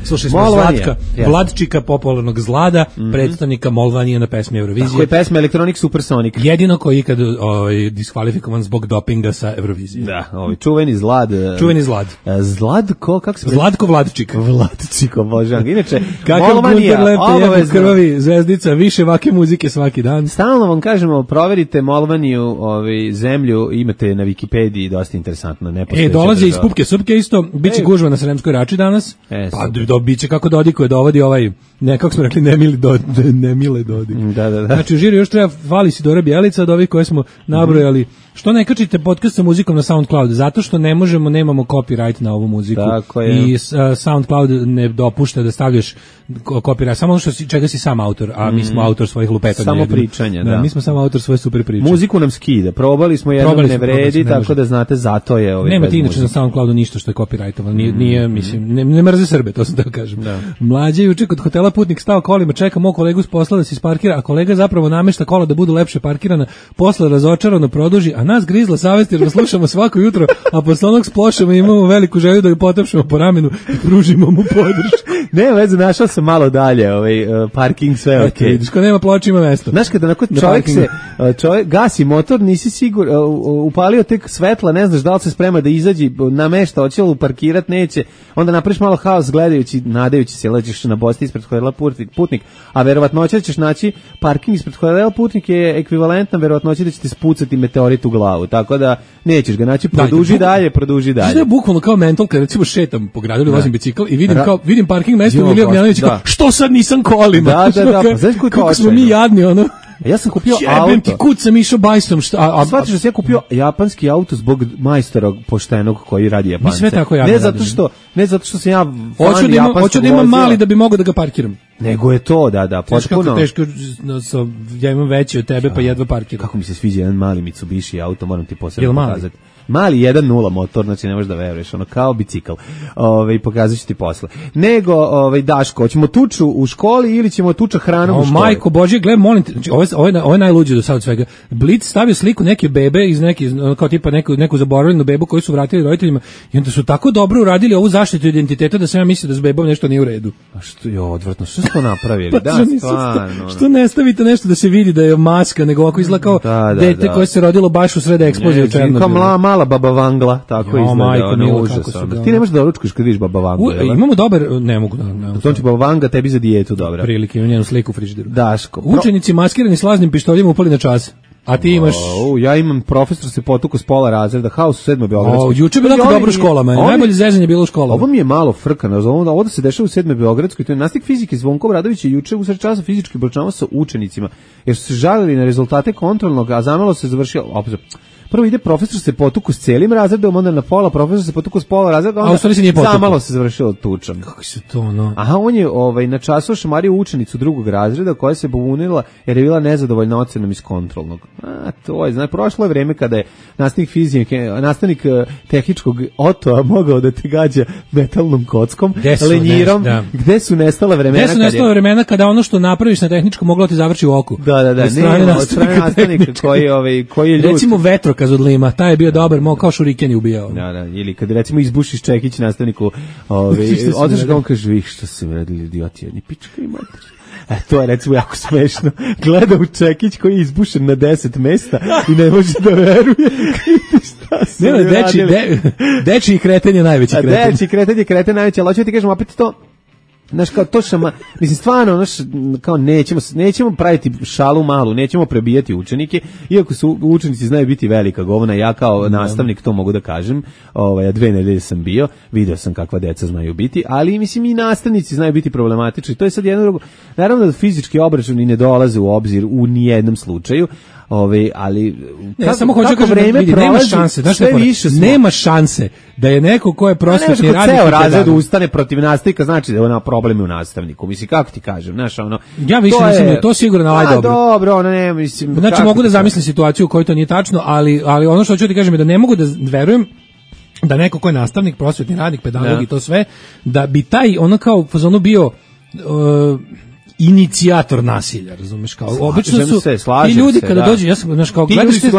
F: Slušaj smo Zlatka, Vladčika, popularnog Zlada, mm-hmm. predstavnika Molvanije na pesmi Eurovizije.
E: Tako je pesma Electronic Supersonic.
F: Jedino koji ikad ovaj, diskvalifikovan zbog dopinga sa Eurovizije.
E: Da, ovaj, čuveni Zlad.
F: Čuveni Zlad.
E: Zladko, kako se...
F: Zlatko Vladčik.
E: Vladčik, obožavam. Inače,
F: kakav Gunter Lepte je krvavi zvezdica, više vake muzike svaki dan.
E: Stalno vam kažemo, proverite Molvaniju, ovaj, zemlju, imate na Wikipediji, dosta interesantno.
F: E, dolaze iz Pupke Supke isto, biće e. gužva na Sremskoj Rači danas. E, pa do, biće kako Dodikuje dovodi ovaj, ne, kako smo rekli, nemili do, nemile Dodik.
E: Da, da, da.
F: Znači, u žiri još treba fali Sidora Bjelica od ovih koje smo nabrojali. Mm-hmm. Što ne kačite podcast sa muzikom na SoundCloud? Zato što ne možemo, nemamo copyright na ovu muziku.
E: Tako je.
F: I uh, SoundCloud ne dopušta da stavljaš copyright, samo ono što si, čega si sam autor, a mi smo autor svojih lupetanja.
E: Samo pričanja, da.
F: da. Mi smo samo autor svoje super priče.
E: Muziku nam skida, probali smo jednom, probali ne vredi, ne tako može. Da znate, zato je ovaj.
F: Nema ti inače na SoundCloudu ništa što je copyrightovano, nije, mm. nije mislim, ne, ne mrze Srbe, to sam da kažem. Da. Mlađe juče kod hotela Putnik stao kolima, čeka mog kolegu s posla da se isparkira, a kolega zapravo namešta kola da budu lepše parkirana, posle razočarano produži, a nas grizla savest jer ga slušamo svako jutro, a posle onog splošamo i imamo veliku želju da ga potapšemo po ramenu i pružimo mu podršku.
E: Ne, veze, našao sam malo dalje, ovaj uh, parking sve okej. Okay.
F: Vidiš, ko nema ploča ima mesto.
E: Znaš kada onako čovjek se čovjek gasi motor, nisi sigur, uh, upalio tek svetla, ne znaš da li se sprema da izađe, namešta, hoće li parkirat, neće. Onda napraviš malo haos gledajući, nadajući se, leđeš na Bosti ispred hotela Putnik, a verovatnoća ćeš naći parking ispred hotela Putnik je ekvivalentna verovatnoći da će ti spucati meteorit u glavu. Tako da nećeš ga naći, produži da, dalje, produži dalje.
F: Znaš da je bukvalno kao mental, kad recimo šetam po gradu ili vozim bicikl i vidim, kao, vidim parking mesto u Ilija Ognjanović, kao, što sad nisam kolima?
E: Da, da, da, pa znaš
F: kako smo mi jadni, ono.
E: Ja sam kupio
F: Jebem auto. Jebem ti kud sam išao bajsom. Šta, a, a,
E: Shvatiš da sam ja kupio japanski auto zbog majstora poštenog koji radi Japance.
F: Mi sve tako
E: ne zato što, ne zato što sam ja
F: fan da japanskog hoću da imam mali da bi mogao da ga parkiram.
E: Nego je to, da, da, potpuno.
F: Teško, teško, ja imam veći od tebe, pa jedva parkiram.
E: Kako mi se sviđa jedan mali Mitsubishi auto, moram ti posebno pokazati. Mali jedan nula motor, znači ne možeš da veruješ, ono kao bicikl. Ovaj pokazat ću ti posle. Nego, ovaj Daško, hoćemo tuču u školi ili ćemo tuča hranom
F: o,
E: u školi?
F: Majko Božje, gle, molim te, znači, ovo je, ovo je, ovo je najluđe do sada svega. Blic stavio sliku neke bebe iz neke, kao tipa neku, neku zaboravljenu bebu koju su vratili roditeljima i onda su tako dobro uradili ovu zaštitu identiteta da sam ja mislio da s bebom nešto nije u redu.
E: A što je odvratno, što su to napravili?
F: Pa,
E: da,
F: stvarno. Što ne stavite nešto da se vidi da je maska, nego ovako izgleda kao da, da, dete da. koje se rodilo baš u sred eksplozije u Černobilu.
E: Kao mala, mala baba Vangla. Tako jo, izgleda, ono užas. Ti ne možeš da ručkaš kad vidiš Baba Vangu.
F: Imamo dobar, ne mogu da. Ne,
E: to će Baba Vanga tebi za dijetu, dobra.
F: Prilike, imam njenu sliku u frižideru.
E: Daško.
F: Učenici maskirani s laznim pištoljima upali na čas. A ti imaš...
E: O, ja imam profesor se potuko s pola razreda, haos u sedmoj Beogradskoj.
F: O, juče je bilo jako dobro u školama, najbolje zezanje je bilo u školama.
E: Ovo mi je malo frkano, ovo, ovo da se dešava u sedmoj Beogradskoj, to je nastavnik fizike Zvonko Obradović je juče usred časa fizički obračunavao sa učenicima, jer su se žalili na rezultate kontrolnog, a zamalo se završio... Opet, prvo ide profesor se potuku s celim razredom, onda na pola profesor se potuku s pola razreda, onda
F: se nije
E: zamalo se završilo tučom.
F: Kako se to, no?
E: Aha, on je ovaj, na času šamario učenicu drugog razreda koja se pobunila jer je bila nezadovoljna ocenom iz kontrolnog. A, to je, znači, prošlo je vreme kada je nastavnik fizike, nastavnik uh, tehničkog Otoa mogao da te gađa metalnom kockom,
F: su,
E: lenjirom,
F: ne, da.
E: Gde su nestala vremena?
F: Gde su nestala vremena kada ono što napraviš na tehničkom moglo ti završi u oku?
E: Da, da, da,
F: od strane
E: ne, od strane nastavnika koji, ovaj, koji je ljud.
F: Recimo vetrokaz od Lima, taj je bio dobar, mo kao šuriken je ubijao.
E: Da, da, ili kad recimo izbušiš čekić nastavniku, ovaj, otiš ga on kaže, vi što se radili idioti, jedni pička i mater. E, to je recimo jako smešno. Gleda u čekić koji je izbušen na deset mesta i ne može da veruje. Šta su
F: ne, deči, de, deči kreten je najveći kreten.
E: A deči kreten je kreten najveći, ali hoću ti kažem, opet to, znaš, kao to šama, mislim, stvarno, znaš, kao nećemo, nećemo praviti šalu malu, nećemo prebijati učenike, iako su učenici znaju biti velika govna, ja kao nastavnik to mogu da kažem, ovaj, dve nedelje sam bio, video sam kakva deca znaju biti, ali mislim i nastavnici znaju biti problematični, to je sad jedno drugo, naravno da fizički obračun i ne dolaze u obzir u nijednom slučaju, Ove, ali
F: ne, kako, samo hoću kažem, vreme vidi, nema šanse, znaš sve više smo. Nema šanse da je neko ko je prosvetni radnik
E: ceo razred ustane protiv nastavnika, znači da je ona problem u nastavniku. Mislim, kako ti kažem, znaš, ono
F: ja više
E: to
F: mislim
E: je,
F: da to sigurno ovaj dobro.
E: Dobro, ono ne, mislim.
F: Znači mogu da zamislim situaciju u kojoj to nije tačno, ali ali ono što hoću ti kažem je da ne mogu da verujem da neko ko je nastavnik, prosvetni radnik, pedagog i to sve, da bi taj ono kao fazonu bio uh, inicijator nasilja, razumeš, kao obično su
E: se,
F: ti ljudi
E: se,
F: kada
E: da.
F: dođu, ja sam, znaš, kao
E: ti
F: gledaš,
E: su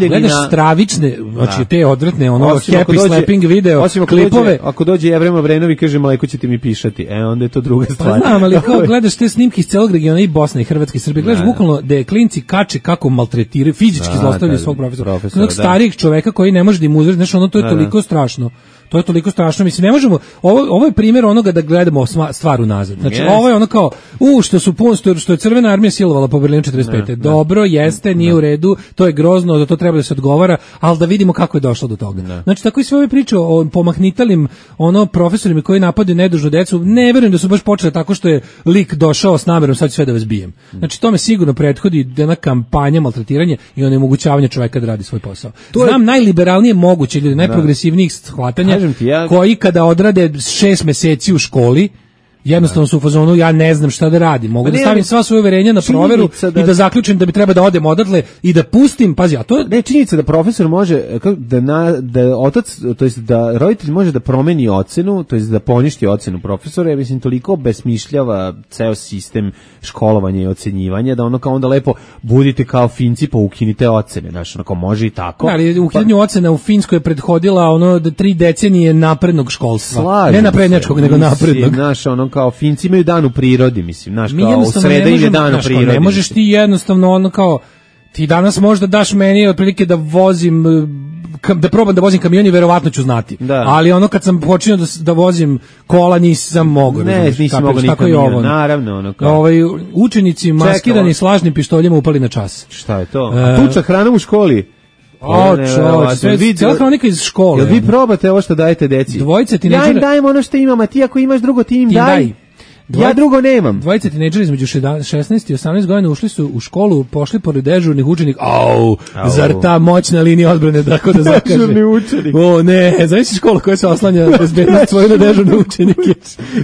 F: gledaš
E: na...
F: stravične, znači te odvratne, ono,
E: osim
F: happy
E: dođe,
F: slapping video,
E: osim ako
F: klipove.
E: Dođe, ako dođe Jevrema Vrenovi i kaže, mleko ćete mi pišati, e, onda je to druga stvar.
F: Pa znam, ali kao gledaš te snimke iz celog regiona i Bosne i Hrvatske i Srbije, gledaš da, bukvalno da je klinci kače kako maltretiraju, fizički zlostavljaju svog profesora. profesora Onog starijeg čoveka koji ne može da im uzre, znaš, ono, to je da, toliko da. strašno. To je toliko strašno, mislim, ne možemo, ovo, ovo je primjer onoga da gledamo stvar unazad. Znači, yes. ovo je ono kao, u, što su pun, što, što je Crvena armija silovala po Berlinu četrdeset pete. Ne, dobro, ne, jeste, nije ne. u redu, to je grozno, da to treba da se odgovara, ali da vidimo kako je došlo do toga. Ne. Znači, tako i sve ove priče o pomahnitalim ono profesorima koji napadaju nedužnu decu, ne verujem da su baš počele tako što je lik došao s namerom, sad ću sve da vas bijem. Znači, tome sigurno prethodi jedna kampanja maltretiranja i onemogućavanja čoveka da radi svoj posao. To Znam je... najliberalnije moguće ljudi, najprogresivnijih shvatanja Ja... koji kada odrade šest meseci u školi jednostavno su u fazonu ja ne znam šta da radim, mogu da stavim sva svoje uverenja na proveru da... i da zaključim da bi treba da odem odatle i da pustim, pazi, a to je
E: ne činjenica da profesor može da na, da otac, to jest da roditelj može da promeni ocenu, to jest da poništi ocenu profesora, ja mislim toliko besmišljava ceo sistem školovanja i ocenjivanja da ono kao onda lepo budite kao Finci pa ukinite ocene, znači onako može i tako.
F: Da, ali ukidanju pa... ocena u Finskoj je prethodila ono da tri decenije naprednog školstva. Slažim ne naprednjačkog, nego naprednog.
E: Naš ono kao Finci imaju dan u prirodi, mislim, znaš, kao u sreda im je dan u prirodi.
F: Ne možeš ti jednostavno ono kao, ti danas možda daš meni otprilike da vozim, da probam da vozim kamion i verovatno ću znati. Da. Ali ono kad sam počinio da, da vozim kola nisam mogao.
E: Ne, razumiješ, nisi mogao ni kamion, naravno. Ono kao.
F: Ovaj, učenici maskirani s lažnim pištoljima upali na čas.
E: Šta je to? A tuča hrana u školi?
F: O, čovječ, sve, cijela hronika iz škole.
E: Jel vi probate ovo što dajete deci?
F: Dvojice tineđera...
E: Ja im dajem ono što imam, a ti ako imaš drugo, ti im ti daj. daj. Dvojice, ja drugo nemam.
F: Dvojice tineđera između šesnaest i osamnaest godina ušli su u školu, pošli pored dežurnih učenika. Au, Au. Zar ta moćna linija odbrane tako da zakaže.
E: Dežurni učenik.
F: O ne, znaš škola koja se oslanja bezbednost svoje na dežurne učenike.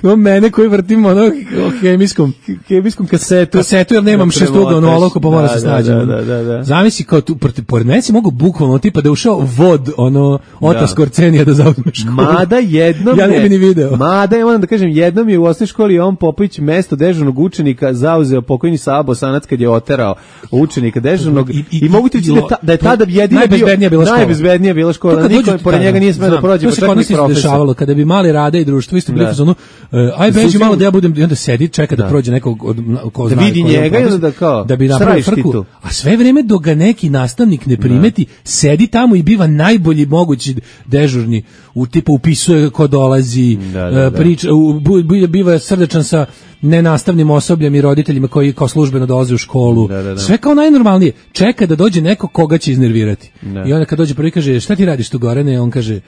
F: Imam mene koji vrtim ono o hemijskom, hemijskom kasetu. Kasetu jer nemam šestugavnu olovku pa mora se snađi.
E: Da, da, da, da.
F: Zamisli kao tu, pored mene si mogu bukvalno tipa da je ušao vod, ono, Ota Skorcenija da zauzme školu.
E: Mada jednom
F: ja ne bi ni video.
E: Mada, ja moram da kažem, jednom je u osnovnoj školi on Popović mesto dežurnog učenika zauzeo pokojni Sabo Bosanac kad je oterao učenika dežurnog i, i, i mogu ti reći da, da je tada jedina
F: najbezbednija bila škola.
E: Najbezbednija bila škola. Niko pored njega nije smeo da prođe,
F: pa čak ni profesor. To se dešavalo kada bi mali Rade i društvo isto bili u fazonu, aj beži malo da ja budem i onda sedi čeka da prođe nekog od ko
E: zna. Da vidi njega i da kao
F: da bi napravio frku. A sve vreme dok ga neki nastavnik ne primeti, sedi tamo i biva najbolji mogući dežurni, u tipa upisuje ko dolazi, priča, biva srdačan pričam sa nenastavnim osobljem i roditeljima koji kao službeno dolaze u školu.
E: Da, da, da.
F: Sve kao najnormalnije. Čeka da dođe neko koga će iznervirati.
E: Da.
F: I onda kad dođe prvi kaže, šta ti radiš tu Gorane? On kaže,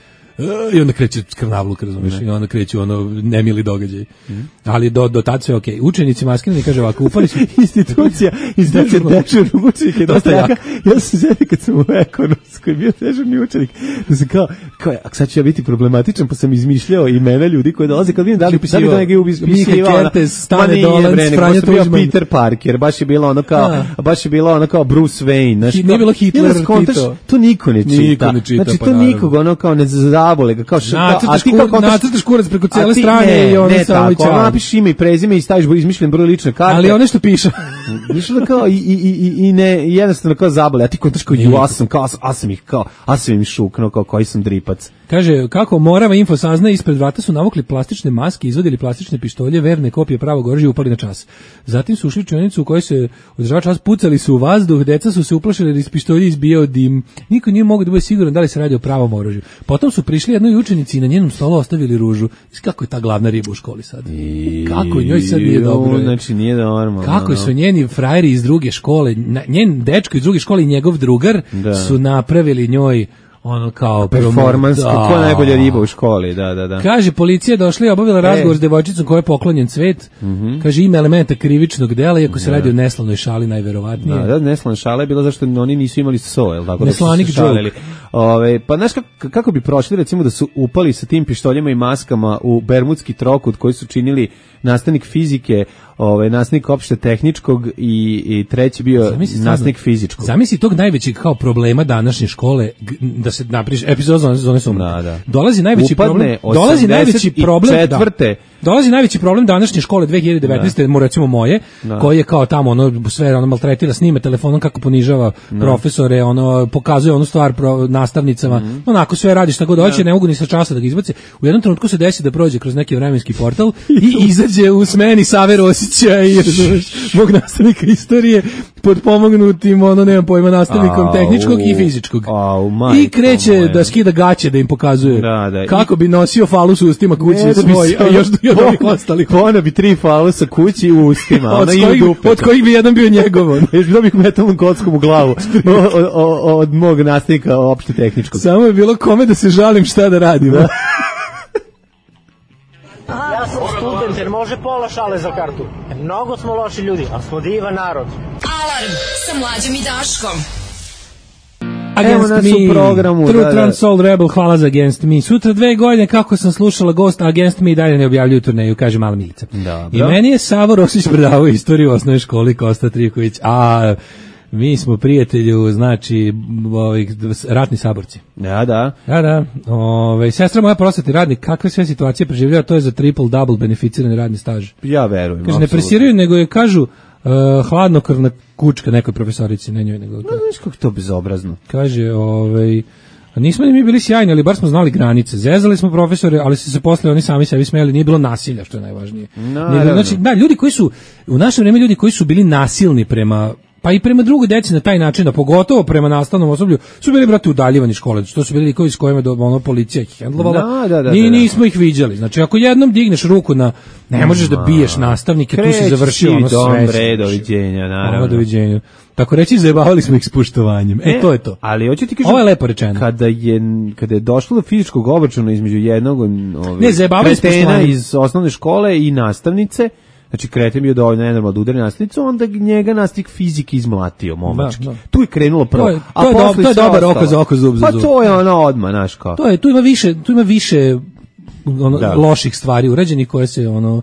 F: i onda kreće skrnavluk, razumiješ, i onda kreće ono nemili događaj. Mm. Ali do, do tad sve okej. Okay. Učenici maskirani kaže ovako, upali su
E: institucija, institucija dežurnog učenika je dosta jaka. Ja sam zeli kad sam u ekonomskoj bio dežurni učenik, da sam kao, kao, a sad ću ja biti problematičan, pa sam izmišljao imena ljudi koji dolaze, kad vidim da li, da li to neki upisivao.
F: Miha Kertes, Stane Dolanc, Franja
E: Tuđman. Bio Peter Parker, baš je bilo ono kao, a. baš je bilo ono kao Bruce Wayne. Znaš,
F: nije bilo Hitler, Tito.
E: To niko ne čita.
F: Niko ne čita,
E: znači,
F: pa
E: to nikog ono kao ne zabole ga, kao što,
F: a ti kako nacrtaš kurac preko cele strane
E: ne,
F: i ono
E: ne,
F: samo i
E: tako, napiši ime i prezime i staviš izmišljen broj lične karte.
F: Ali ono što piše.
E: Išlo kao i, i, i, i ne, jednostavno kao zabole, a ti kontaš kao, ju, a sam kao, a sam ih kao, a sam im šuknuo kao koji sam dripac.
F: Kaže, kako Morava info sazna, ispred vrata su navukli plastične maske, izvadili plastične pištolje, verne kopije pravog oružja i upali na čas. Zatim su ušli u učionicu u kojoj se održava čas, pucali su u vazduh, deca su se uplašili da iz pištolja izbijao dim. Niko nije mogao da bude siguran da li se radi o pravom oružju. Potom su prišli jednoj učenici i na njenom stolu ostavili ružu. Kako je ta glavna riba u školi sad?
E: I,
F: kako njoj sad nije dobro?
E: Znači nije normalno.
F: Kako su njeni frajeri iz druge škole, njen dečko iz druge škole i njegov drugar da. su napravili njoj ono kao
E: performans, kako najbolja riba u školi, da, da, da.
F: Kaže, policija došla i obavila razgovor e. s devojčicom kojoj je poklonjen cvet. Mm -hmm. Kaže, ima elementa krivičnog dela, iako se da. radi o neslavnoj šali najverovatnije.
E: Da, da, neslavna šala je bila zašto oni nisu imali so, jel tako?
F: Neslanik joke.
E: Ove, pa znaš kako, kako bi prošli recimo da su upali sa tim pištoljima i maskama u bermudski trokut koji su činili nastavnik fizike, ovaj nastavnik opšte tehničkog i i treći bio nastavnik fizičkog.
F: Zamisli tog najvećeg kao problema današnje škole da se napriš epizod zone zone sumraka. Da, da. Dolazi najveći Upadne problem. Dolazi najveći problem
E: četvrte.
F: Da, dolazi najveći problem današnje škole dve hiljade devetnaeste, mu recimo moje, da. koji je kao tamo ono sve ono maltretira, snima telefonom kako ponižava da. profesore, ono pokazuje onu stvar pro, nastavnicama. Mm -hmm. Onako sve radi šta god hoće, da. ne mogu ni sa časa da ga izbace. U jednom trenutku se desi da prođe kroz neki vremenski portal i izađe u smeni Save Rosića i mog nastavnika istorije pod pomognutim, ono, nemam pojma, nastavnikom tehničkog i fizičkog.
E: Au,
F: I kreće da skida gaće da im pokazuje
E: da, da.
F: kako bi nosio falus u ustima kući svoj, a još do ovih ostalih.
E: Ona bi tri falusa kući u ustima,
F: od, kojih, od kojih bi jedan bio njegov.
E: Još bi dobio metalnom kockom u glavu od, od, od mog nastavnika opšte tehničkog.
F: Samo je bilo kome da se žalim šta da radim. Da.
L: Ja sam student, jer može pola šale za kartu. Mnogo smo loši ljudi, ali smo divan narod.
C: Alarm sa Mlađom i Daškom.
F: Against Me, programu, True da, Trans Soul Rebel, hvala za Against Me. Sutra dve godine kako sam slušala Ghost, Against Me dalje ne objavljuju turneju, kaže Mala Milica.
E: Dobro.
F: I meni je Savo Rosić predavao istoriju u osnovnoj školi, Kosta Triković, a mi smo prijatelju, znači, ovih ratni saborci.
E: Ja, da.
F: Ja, da. Ove, sestra moja prosvetni radnik, kakve sve situacije preživljava, to je za triple double beneficirani radni staž.
E: Ja verujem.
F: Kaže, ne presiraju, nego je, kažu, uh, hladnokrvna kučka nekoj profesorici, ne njoj, nego...
E: No, znaš kako to bezobrazno.
F: Kaže, ovaj... Nismo ni mi bili sjajni, ali bar smo znali granice. Zezali smo profesore, ali su se posle oni sami sebi smejali, nije bilo nasilja, što je najvažnije.
E: No,
F: nije, znači, da, ljudi koji su, u naše vreme ljudi koji su bili nasilni prema, pa i prema drugoj deci na taj način, da pogotovo prema nastavnom osoblju, su bili, brate, udaljivani škole. To su bili likovi s kojima do, ono, policija ih hendlovala.
E: Da, da, da,
F: Ni,
E: da, da.
F: nismo ih viđali. Znači, ako jednom digneš ruku na, ne možeš da biješ nastavnike, tu si završio ono sve.
E: Kreći doviđenja, naravno.
F: Doviđenja. Tako reći, zajebavali smo ih s poštovanjem. E,
E: e,
F: to je to.
E: Ali hoću ti kažem,
F: ovo je lepo rečeno.
E: Kada je, kada je došlo do fizičkog obračuna između jednog ovih
F: ne, zajebavali
E: kretena iz osnovne škole i nastavnice, znači kreten bio dovoljno nenormalno da udari nastavnicu, onda njega nastavnik fizike izmlatio momački. Da, da. Tu je krenulo prvo.
F: To je, to je, do, to je dobar oko za oko, zub za zub.
E: Pa to je ono odmah, znaš kao.
F: To je, tu ima više, tu ima više ono, loših stvari urađenih koje se ono...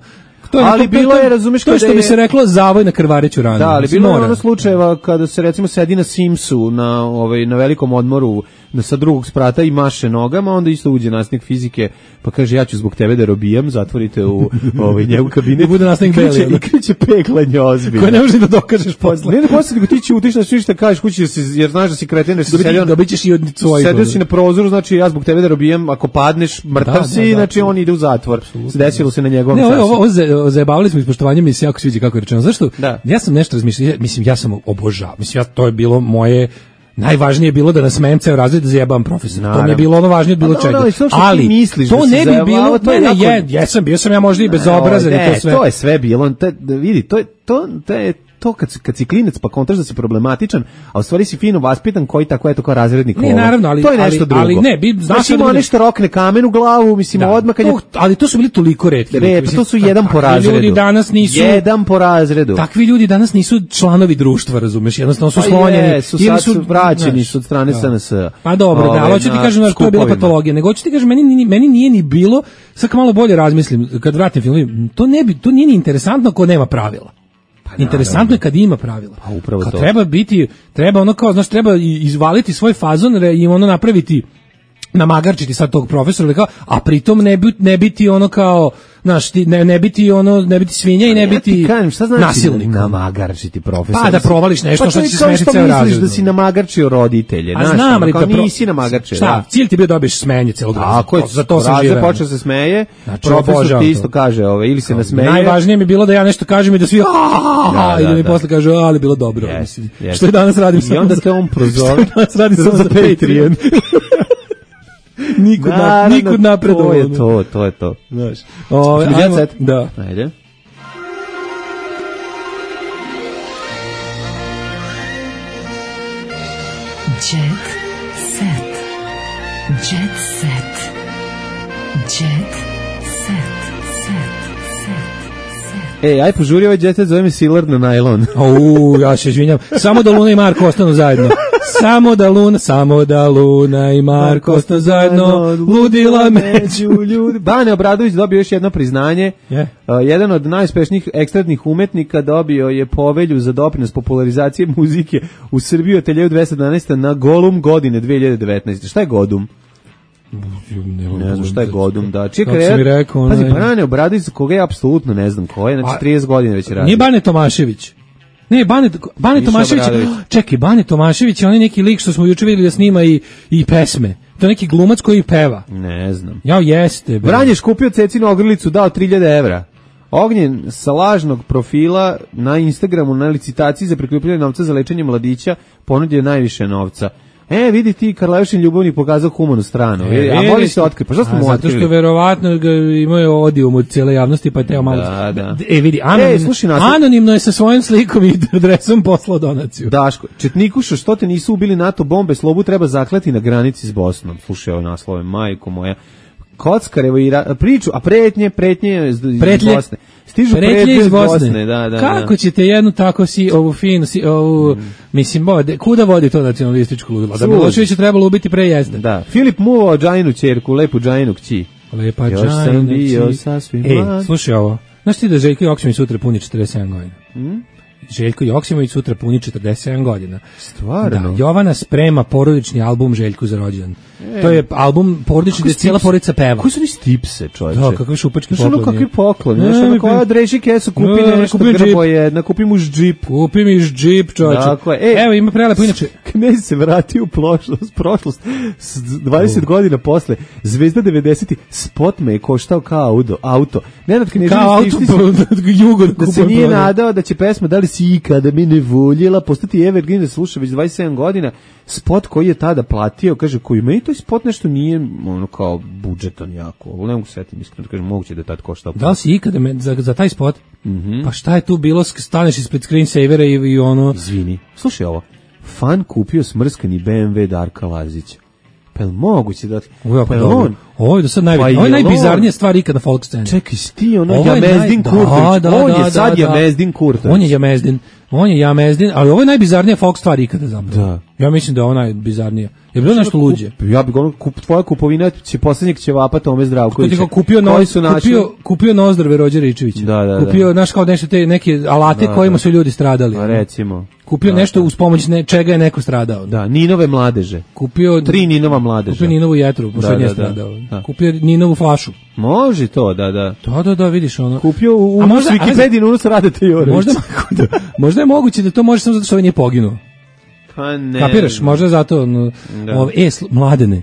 F: To je,
E: ali
F: to,
E: bilo
F: to,
E: je, razumeš,
F: to je što bi se reklo zavoj na krvareću ranu.
E: Da, ali bilo je ono slučajeva kada se recimo sedi na Simsu na ovaj na velikom odmoru na sa drugog sprata i maše nogama, onda isto uđe nastavnik fizike pa kaže ja ću zbog tebe da robijam, zatvorite u ovaj njegov kabinet.
F: Bude nastavnik beli,
E: i kreće peglanje ozbiljno.
F: Koje ne možeš da dokažeš posle.
E: Ne, ne posle nego ti ćutiš na sve što kažeš kući se jer znaš da si kreten, da si sedio,
F: da bićeš i od svojih.
E: Sedio si na prozoru, znači ja zbog tebe da robijam, ako padneš mrtav da, si, da, da, znači da, on ide u zatvor. Desilo se na njegovom
F: času.
E: Ne,
F: ovo, ovo zajebavali smo ispoštovanjem i se jako sviđa kako je rečeno. Zašto?
E: Da.
F: Ja sam nešto razmišljao, mislim ja sam obožavao. Mislim ja to je bilo moje Najvažnije je bilo da nas smem ceo razred da zajebam profesora. To mi je
E: Naravno.
F: bilo ono važnije od bilo
E: Pa
F: čega.
E: dobro, ali to što ti
F: Ali
E: misliš
F: to
E: da si
F: ne bi
E: zajebavao,
F: bilo,
E: to je
F: ne, ne,
E: jako-
F: je, jesam, bio sam ja možda i bezobrazan i
E: Ne,
F: to sve.
E: to je sve bilo. Te, vidi, to je to, to je to kad, si- kad si klinac pa kontraš da si problematičan, a u stvari si fino vaspitan koji tako je to kao razrednik.
F: Ne,
E: kola.
F: naravno, ali-
E: to je nešto
F: ali-
E: drugo.
F: ali ne, bi- znaš
E: Znači,
F: da
E: ima
F: bude-
E: nešto rokne kamen u glavu, mislim,
F: Da.
E: odmah kad je...
F: To- ali to su bili toliko retki.
E: Re,
F: ljudi,
E: pa
F: mislim,
E: to su jedan po
F: takvi
E: razredu.
F: Ljudi danas nisu
E: Jedan po razredu.
F: Takvi ljudi danas nisu članovi društva, razumeš? Jednostavno su
E: Pa
F: slonjeni.
E: jesu,
F: ili
E: sad su vraćeni
F: znaš,
E: su od strane
F: da.
E: S N S.
F: Pa dobro, da,
E: Ove,
F: ali hoću ti
E: na
F: kažem, znaš, to je bila
E: skupovima.
F: patologija. Nego hoću ti kažem, meni, ni- meni nije ni bilo, sad kad malo bolje razmislim, kad vratim film, to, ne bi, to nije ni interesantno ako nema pravila. Interesantno je kad ima pravila.
E: Pa upravo
F: kad
E: to.
F: treba biti, treba ono kao, znaš, treba i- izvaliti svoj fazon re- i ono napraviti, namagarčiti sad tog profesora, ili kao, a pritom ne, bi, ne biti ono kao, znaš, ti, ne, ne biti ono, ne biti svinja i ne
E: Ja ti
F: biti
E: kažem, šta znači
F: nasilnik.
E: namagarčiti profesor?
F: Pa da provališ nešto
E: Pa
F: što
E: to je
F: će
E: kao
F: smešiti
E: što
F: ceo
E: misliš
F: razred.
E: da si namagarčio roditelje,
F: A
E: znaš,
F: znam,
E: ono,
F: ali
E: kao
F: da pro-
E: nisi namagarčio.
F: Šta,
E: da.
F: cilj ti je bio dobiješ smenje celog razreda.
E: Tako je,
F: Za to sam
E: razred
F: živeo.
E: počeo se smeje,
F: Znači,
E: profesor
F: obožavam
E: ti
F: to.
E: isto kaže, ove, ili se nasmeje.
F: Najvažnije mi je bilo da ja nešto kažem i da svi
E: Da,
F: i da
E: da,
F: mi
E: da.
F: posle kažu, ali bilo dobro.
E: Yes,
F: Mislim,
E: yes.
F: Što i danas radim
E: I
F: samo
E: onda
F: za-
E: te on prozove.
F: što i danas radim samo za Patreon. Nikud, na,
E: Naravno,
F: nikud napred.
E: To je to, to je to.
F: Znaš. Ove,
E: Hoćemo
F: ajmo-
E: jet set?
F: Da.
E: Ajde.
C: Jet set. Jet set. Jet set. Set. Set.
E: Ej, aj požuri ovaj jet set, zove me Silard na najlon.
F: Au, ja se izvinjam. Samo da Luna i Marko ostanu zajedno. Samo da Luna, samo da Luna i Marko ostanu zajedno. Ludila među
E: ljudi. Bane Obradović dobio još jedno priznanje.
F: Je.
E: Uh, jedan od najuspešnijih ekstradnih umetnika dobio je povelju za doprinos popularizacije muzike u Srbiji od hiljadu dvesta jedanaest. na Golum godine dve hiljade devetnaeste. Šta je Godum? Ne znam šta je Godum, da. Čija
F: Kako
E: karijera-
F: si mi rekao,
E: Pazi,
F: onaj-
E: Bane Obradović, za koga ja apsolutno ne znam ko je, znači
F: A-
E: trideset godina već radi.
F: Nije Bane Tomašević. Ne, Bane, Bane
E: Miša
F: Tomašević.
E: Obradović.
F: Čekaj, Bane Tomašević je onaj neki lik što smo juče vidjeli da snima i, i pesme. To je neki glumac koji peva.
E: Ne znam.
F: Ja, jeste. bre.
E: Vranješ kupio Cecinu ogrlicu, dao tri hiljade evra. Ognjen sa lažnog profila na Instagramu na licitaciji za prikupljanje novca za lečenje mladića ponudio najviše novca. E, vidi ti, Karleušin ljubavnik pokazao humanu stranu. E, a moli se otkriti. Pa što smo
F: A,
E: mu
F: zato
E: otkrili?
F: što verovatno ga imaju odijum od cijele javnosti, pa je teo malo...
E: Da, da.
F: E, vidi, anonim,
E: E, slušaj, naslov-
F: anonimno je sa svojim slikom i adresom poslao donaciju.
E: Daško, Četnikušo, što te nisu ubili NATO bombe, Slobu treba zaklati na granici s Bosnom. Slušaj ovo naslove, majko moja. Kockarevo i ra- priču, a pretnje, pretnje iz, iz
F: Pretlje.
E: Bosne. Stižu
F: Pretlje
E: pretnje
F: iz
E: iz
F: Bosne.
E: Bosne, da, da.
F: Kako
E: da.
F: ćete jednu tako si, ovu finu, si, ovu, mislim, bo, de- kuda vodi to nacionalističko ludilo? Da
E: Sud.
F: Milošević je trebalo ubiti pre jezda.
E: Da, Filip muvao Džajinu ćerku, lepu Džajinu kći.
F: Lepa
E: Još sam
F: Džajina
E: bio
F: či-
E: sasvim
F: Ej,
E: mlad.
F: slušaj ovo. Znaš ti da Željko Joksimović sutra puni četrdeset sedam godina?
E: Hmm?
F: Željko Joksimović sutra puni četrdeset sedam godina.
E: Stvarno?
F: Da, Jovana sprema porodični album Željku za rođendan.
E: E.
F: To je album porodični
E: Kako
F: gde cijela
E: stips-
F: porodica peva.
E: Koji su ni stipse, čovječe?
F: Da, kakvi šupački
E: Znaš ono
F: pokloni.
E: kakvi pokloni,
F: Ne,
E: znaš ono
F: mi
E: koja
F: pri-
E: Dreži Kesu kupi
F: Ne,
E: nešto,
F: kupim džip.
E: grbo jedna, kupi mu džip.
F: Kupi mi džip, čovječe.
E: Tako je. E,
F: Evo, ima prelepo, inače...
E: Knez se vratio u prošlost, prošlost s dvadeset godina posle. Zvezda devedesetih, spot me je koštao kao auto. auto. Nenad Knežević
F: Kao auto,
E: stišti se-
F: po- jugo da
E: da se
F: kupujem
E: nije
F: prodaj.
E: nadao da će pesma Da li si ikada me ne voljela postati evergreen da sluša već dvadeset sedam godina. Spot koji je tada platio, kaže, koji meni to spot nešto nije ono kao budžetan jako. Ovo ne mogu setim, iskreno da kažem, moguće da je tad koštao.
F: Da li si ikada me, za, za taj spot?
E: Mhm.
F: Pa šta je tu bilo, sk- staneš ispred screensavera i, i ono...
E: Izvini, slušaj ovo. Fan kupio smrskani B M W Darka Lazića. Pa je li moguće da...
F: Ovo je jako
E: pa je
F: dobro.
E: on...
F: Ovo je do sad
E: Pa
F: najbolje. Ovo je
E: jel on-
F: najbizarnija stvar ikada na folk sceni.
E: Čekaj, si ti ono
F: Ovo je
E: Jamezdin
F: naj-
E: Kurtović.
F: Da, da,
E: on
F: da,
E: je sad
F: da, da.
E: Jamezdin Kurtović.
F: On je Jamezdin. On je Jamezdin, ali ovo je najbizarnija folk stvar ikada zapravo.
E: Da.
F: Ja mislim da je ona najbizarnija. Je bilo nešto luđe?
E: Ja bih ono, kup, tvoja kupovina će posljednjeg ćevapa Tome
F: Ko ti
E: Zdravkovića.
F: kao kupio, no,
E: Koji su našli-
F: kupio, kupio nozdrave Rođe Ričevića.
E: Da, da, da.
F: Kupio, znaš, kao nešto te neke alate
E: Da,
F: kojima
E: da.
F: su ljudi stradali.
E: Pa recimo.
F: Kupio
E: Da,
F: nešto
E: da.
F: uz pomoć ne, čega je neko stradao.
E: Da, Ninove mladeže.
F: Kupio
E: Tri Ninova mladeža.
F: Kupio Ninovu jetru, pošto
E: Da,
F: je nije
E: da, da.
F: stradao.
E: Da.
F: Kupio Ninovu flašu.
E: Može to, da, da.
F: Da, da, da, vidiš ono.
E: Kupio u,
F: A
E: u
F: možda-
E: Wikipediji unus Radeta Jorović.
F: Možda, možda je moguće da to može samo zato što ovaj nije poginuo.
E: Pa ne.
F: Kapiraš, možda zato ono,
E: Da.
F: ove, e, sl- mladene.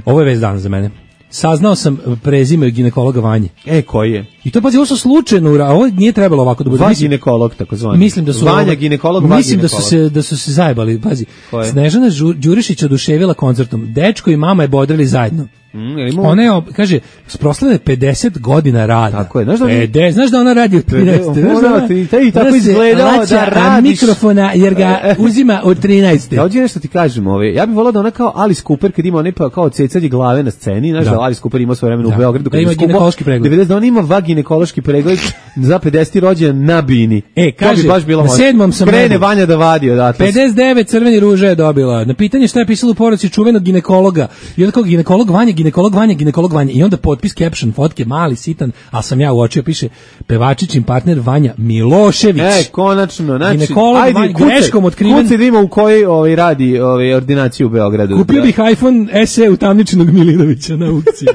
F: Ovo je već dan za mene. saznao sam prezime ginekologa Vanje.
E: E, koji je?
F: I to, pazi, ovo su slučajno, a ovo nije trebalo ovako da bude.
E: Va ginekolog, tako zvani.
F: Mislim da su
E: Vanja
F: ovo,
E: ginekolog, va
F: mislim
E: ginekolog.
F: da su se da su se zajebali, pazi. Snežana Đurišić oduševila koncertom. Dečko i mama je bodrili zajedno.
E: Mm,
F: ona je, kaže, proslavila pedeset godina rada.
E: Tako je, znaš da,
F: Pede, znaš da ona radi od trinaeste.
E: Znaš da ona ti tako izgledao da radiš.
F: Mikrofona, jer ga uzima od trinaeste.
E: Ja ovdje nešto ti kažem, ove, ja bih volao da ona kao Alice Cooper, kad ima onaj pa kao cecanje glave na sceni, znaš da, da Alice Cooper ima svoje vremena u Beogradu.
F: Da ima ginekološki pregled.
E: devedeset da on ima va ginekološki pregled za pedeseti rođendan na bini.
F: E, kaže,
E: bi baš bilo
F: na sedmom sam
E: krene Vanja da vadi odatle.
F: pedeset devet crveni ruže je dobila. Na pitanje šta je pisalo u poruci čuvenog ginekologa. I onda kao ginekolog Vanja, ginekolog Vanja, ginekolog Vanja. I onda potpis, caption, fotke, mali, sitan, a sam ja uočio, piše pevačićin partner Vanja Milošević.
E: E, konačno, znači,
F: ginekolog
E: ajde,
F: Vanja,
E: kuce,
F: greškom otkriven.
E: Kuce da ima u kojoj ovaj, radi ovaj, ordinaciju u Beogradu.
F: Kupio bih iPhone S E utamničenog Milinovića na aukciji.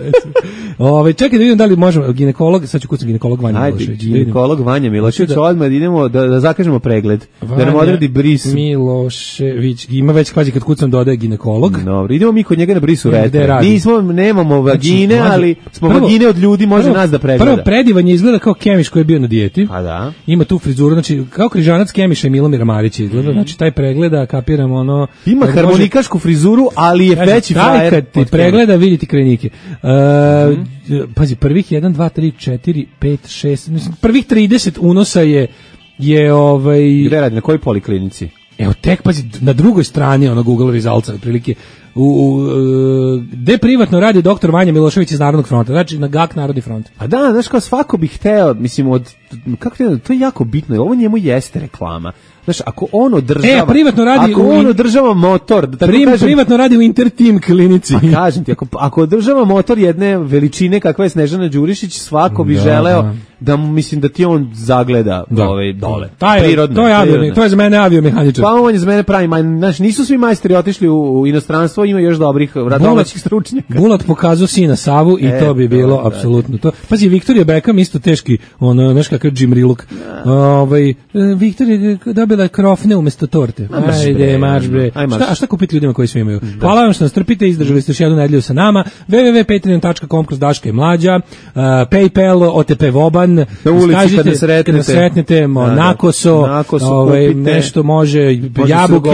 F: Ove, čekaj da vidim da li možemo, ginekolog, sad ću kucam ginekolog Vanja
E: ajde,
F: Milošević.
E: Ginekolog Vanja Milošević,
F: da,
E: odmah idemo da, da zakažemo pregled.
F: Vanja
E: da nam odredi bris.
F: Milošević, ima već, pazi, kad kucam dodaje ginekolog.
E: Dobro, idemo mi kod njega na brisu
F: Ne,
E: retre. Nismo, nemamo vagine, znači, ali smo prvo, vagine od ljudi, može prvo, nas da pregleda.
F: Prvo predivanje izgleda kao Kemiš koji je bio na dijeti.
E: Pa da.
F: Ima tu frizuru, znači kao križanac Kemiša i Milomira Marića izgleda, mm. znači taj pregleda, kapiramo ono...
E: Ima harmonikašku može, frizuru, ali je
F: znači,
E: veći frajer.
F: Kad ti pregleda, vidite krajnike. Uh, mm. Pazi, prvih jedan, dva, tri, četiri, pet, šest, mislim, prvih trideset unosa je, je ovaj...
E: Gde radi, na kojoj poliklinici?
F: Evo, tek, pazi, na drugoj strani ono Google Resultsa, otprilike, u, u, gde privatno radi doktor Vanja Milošević iz Narodnog fronta, znači na G A K Narodni front.
E: A da, znaš kao svako bi hteo, mislim, od, kako te, to je jako bitno, ovo njemu jeste reklama. Znaš, ako on održava...
F: E, privatno radi
E: ako
F: u,
E: on održava motor... Da
F: prim,
E: kažem,
F: privatno radi u Interteam klinici.
E: Pa kažem ti, ako, ako održava motor jedne veličine kakva je Snežana Đurišić, svako bi da, želeo da. da, mislim, da ti on zagleda da. Ove, dole.
F: Taj,
E: prirodno.
F: To je, avio, to je za mene aviomehaničar.
E: Pa on je za mene pravi, znaš, nisu svi majstori otišli u, u inostranstvo, ima još dobrih domaćih stručnjaka.
F: Bulat pokazao sina Savu i e, to bi bilo to, apsolutno to. Pazi, Viktorija Beckham isto teški, ono, znaš kakav Jim Riluk. Ovaj, Viktorija dobila krofne umesto torte. Ajde, marš bre. Šta, a šta kupiti ljudima koji sve imaju? Da. Hvala vam što nas trpite, izdržali ste još jednu nedelju sa nama. w w w tačka patreon tačka com kroz Daška i Mlađa, uh, PayPal, O T P Voban.
E: Na ulici skažite, kad nas sretnete.
F: Kad nas sretnete, mo, da, nakoso,
E: nakoso
F: ovaj, nešto može, može jabuke,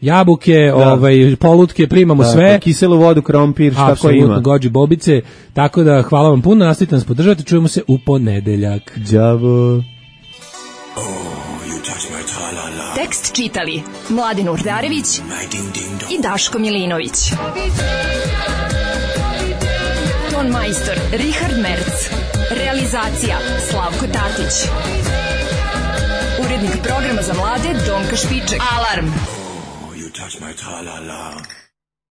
F: jabuke, da. ovaj, polutke, primamo da, sve.
E: Kiselu vodu, krompir, šta ko ima.
F: Apsolutno, gođi bobice. Tako da, hvala vam puno, nastavite nas podržati, čujemo se u ponedeljak.
E: Đavo.
C: Tekst čitali Mladin Urdarević i Daško Milinović. Ton majstor Richard Merc. Realizacija Slavko Tatić. Urednik programa za mlade Donka Špiček. Alarm! Oh, you touch my tra-la-la.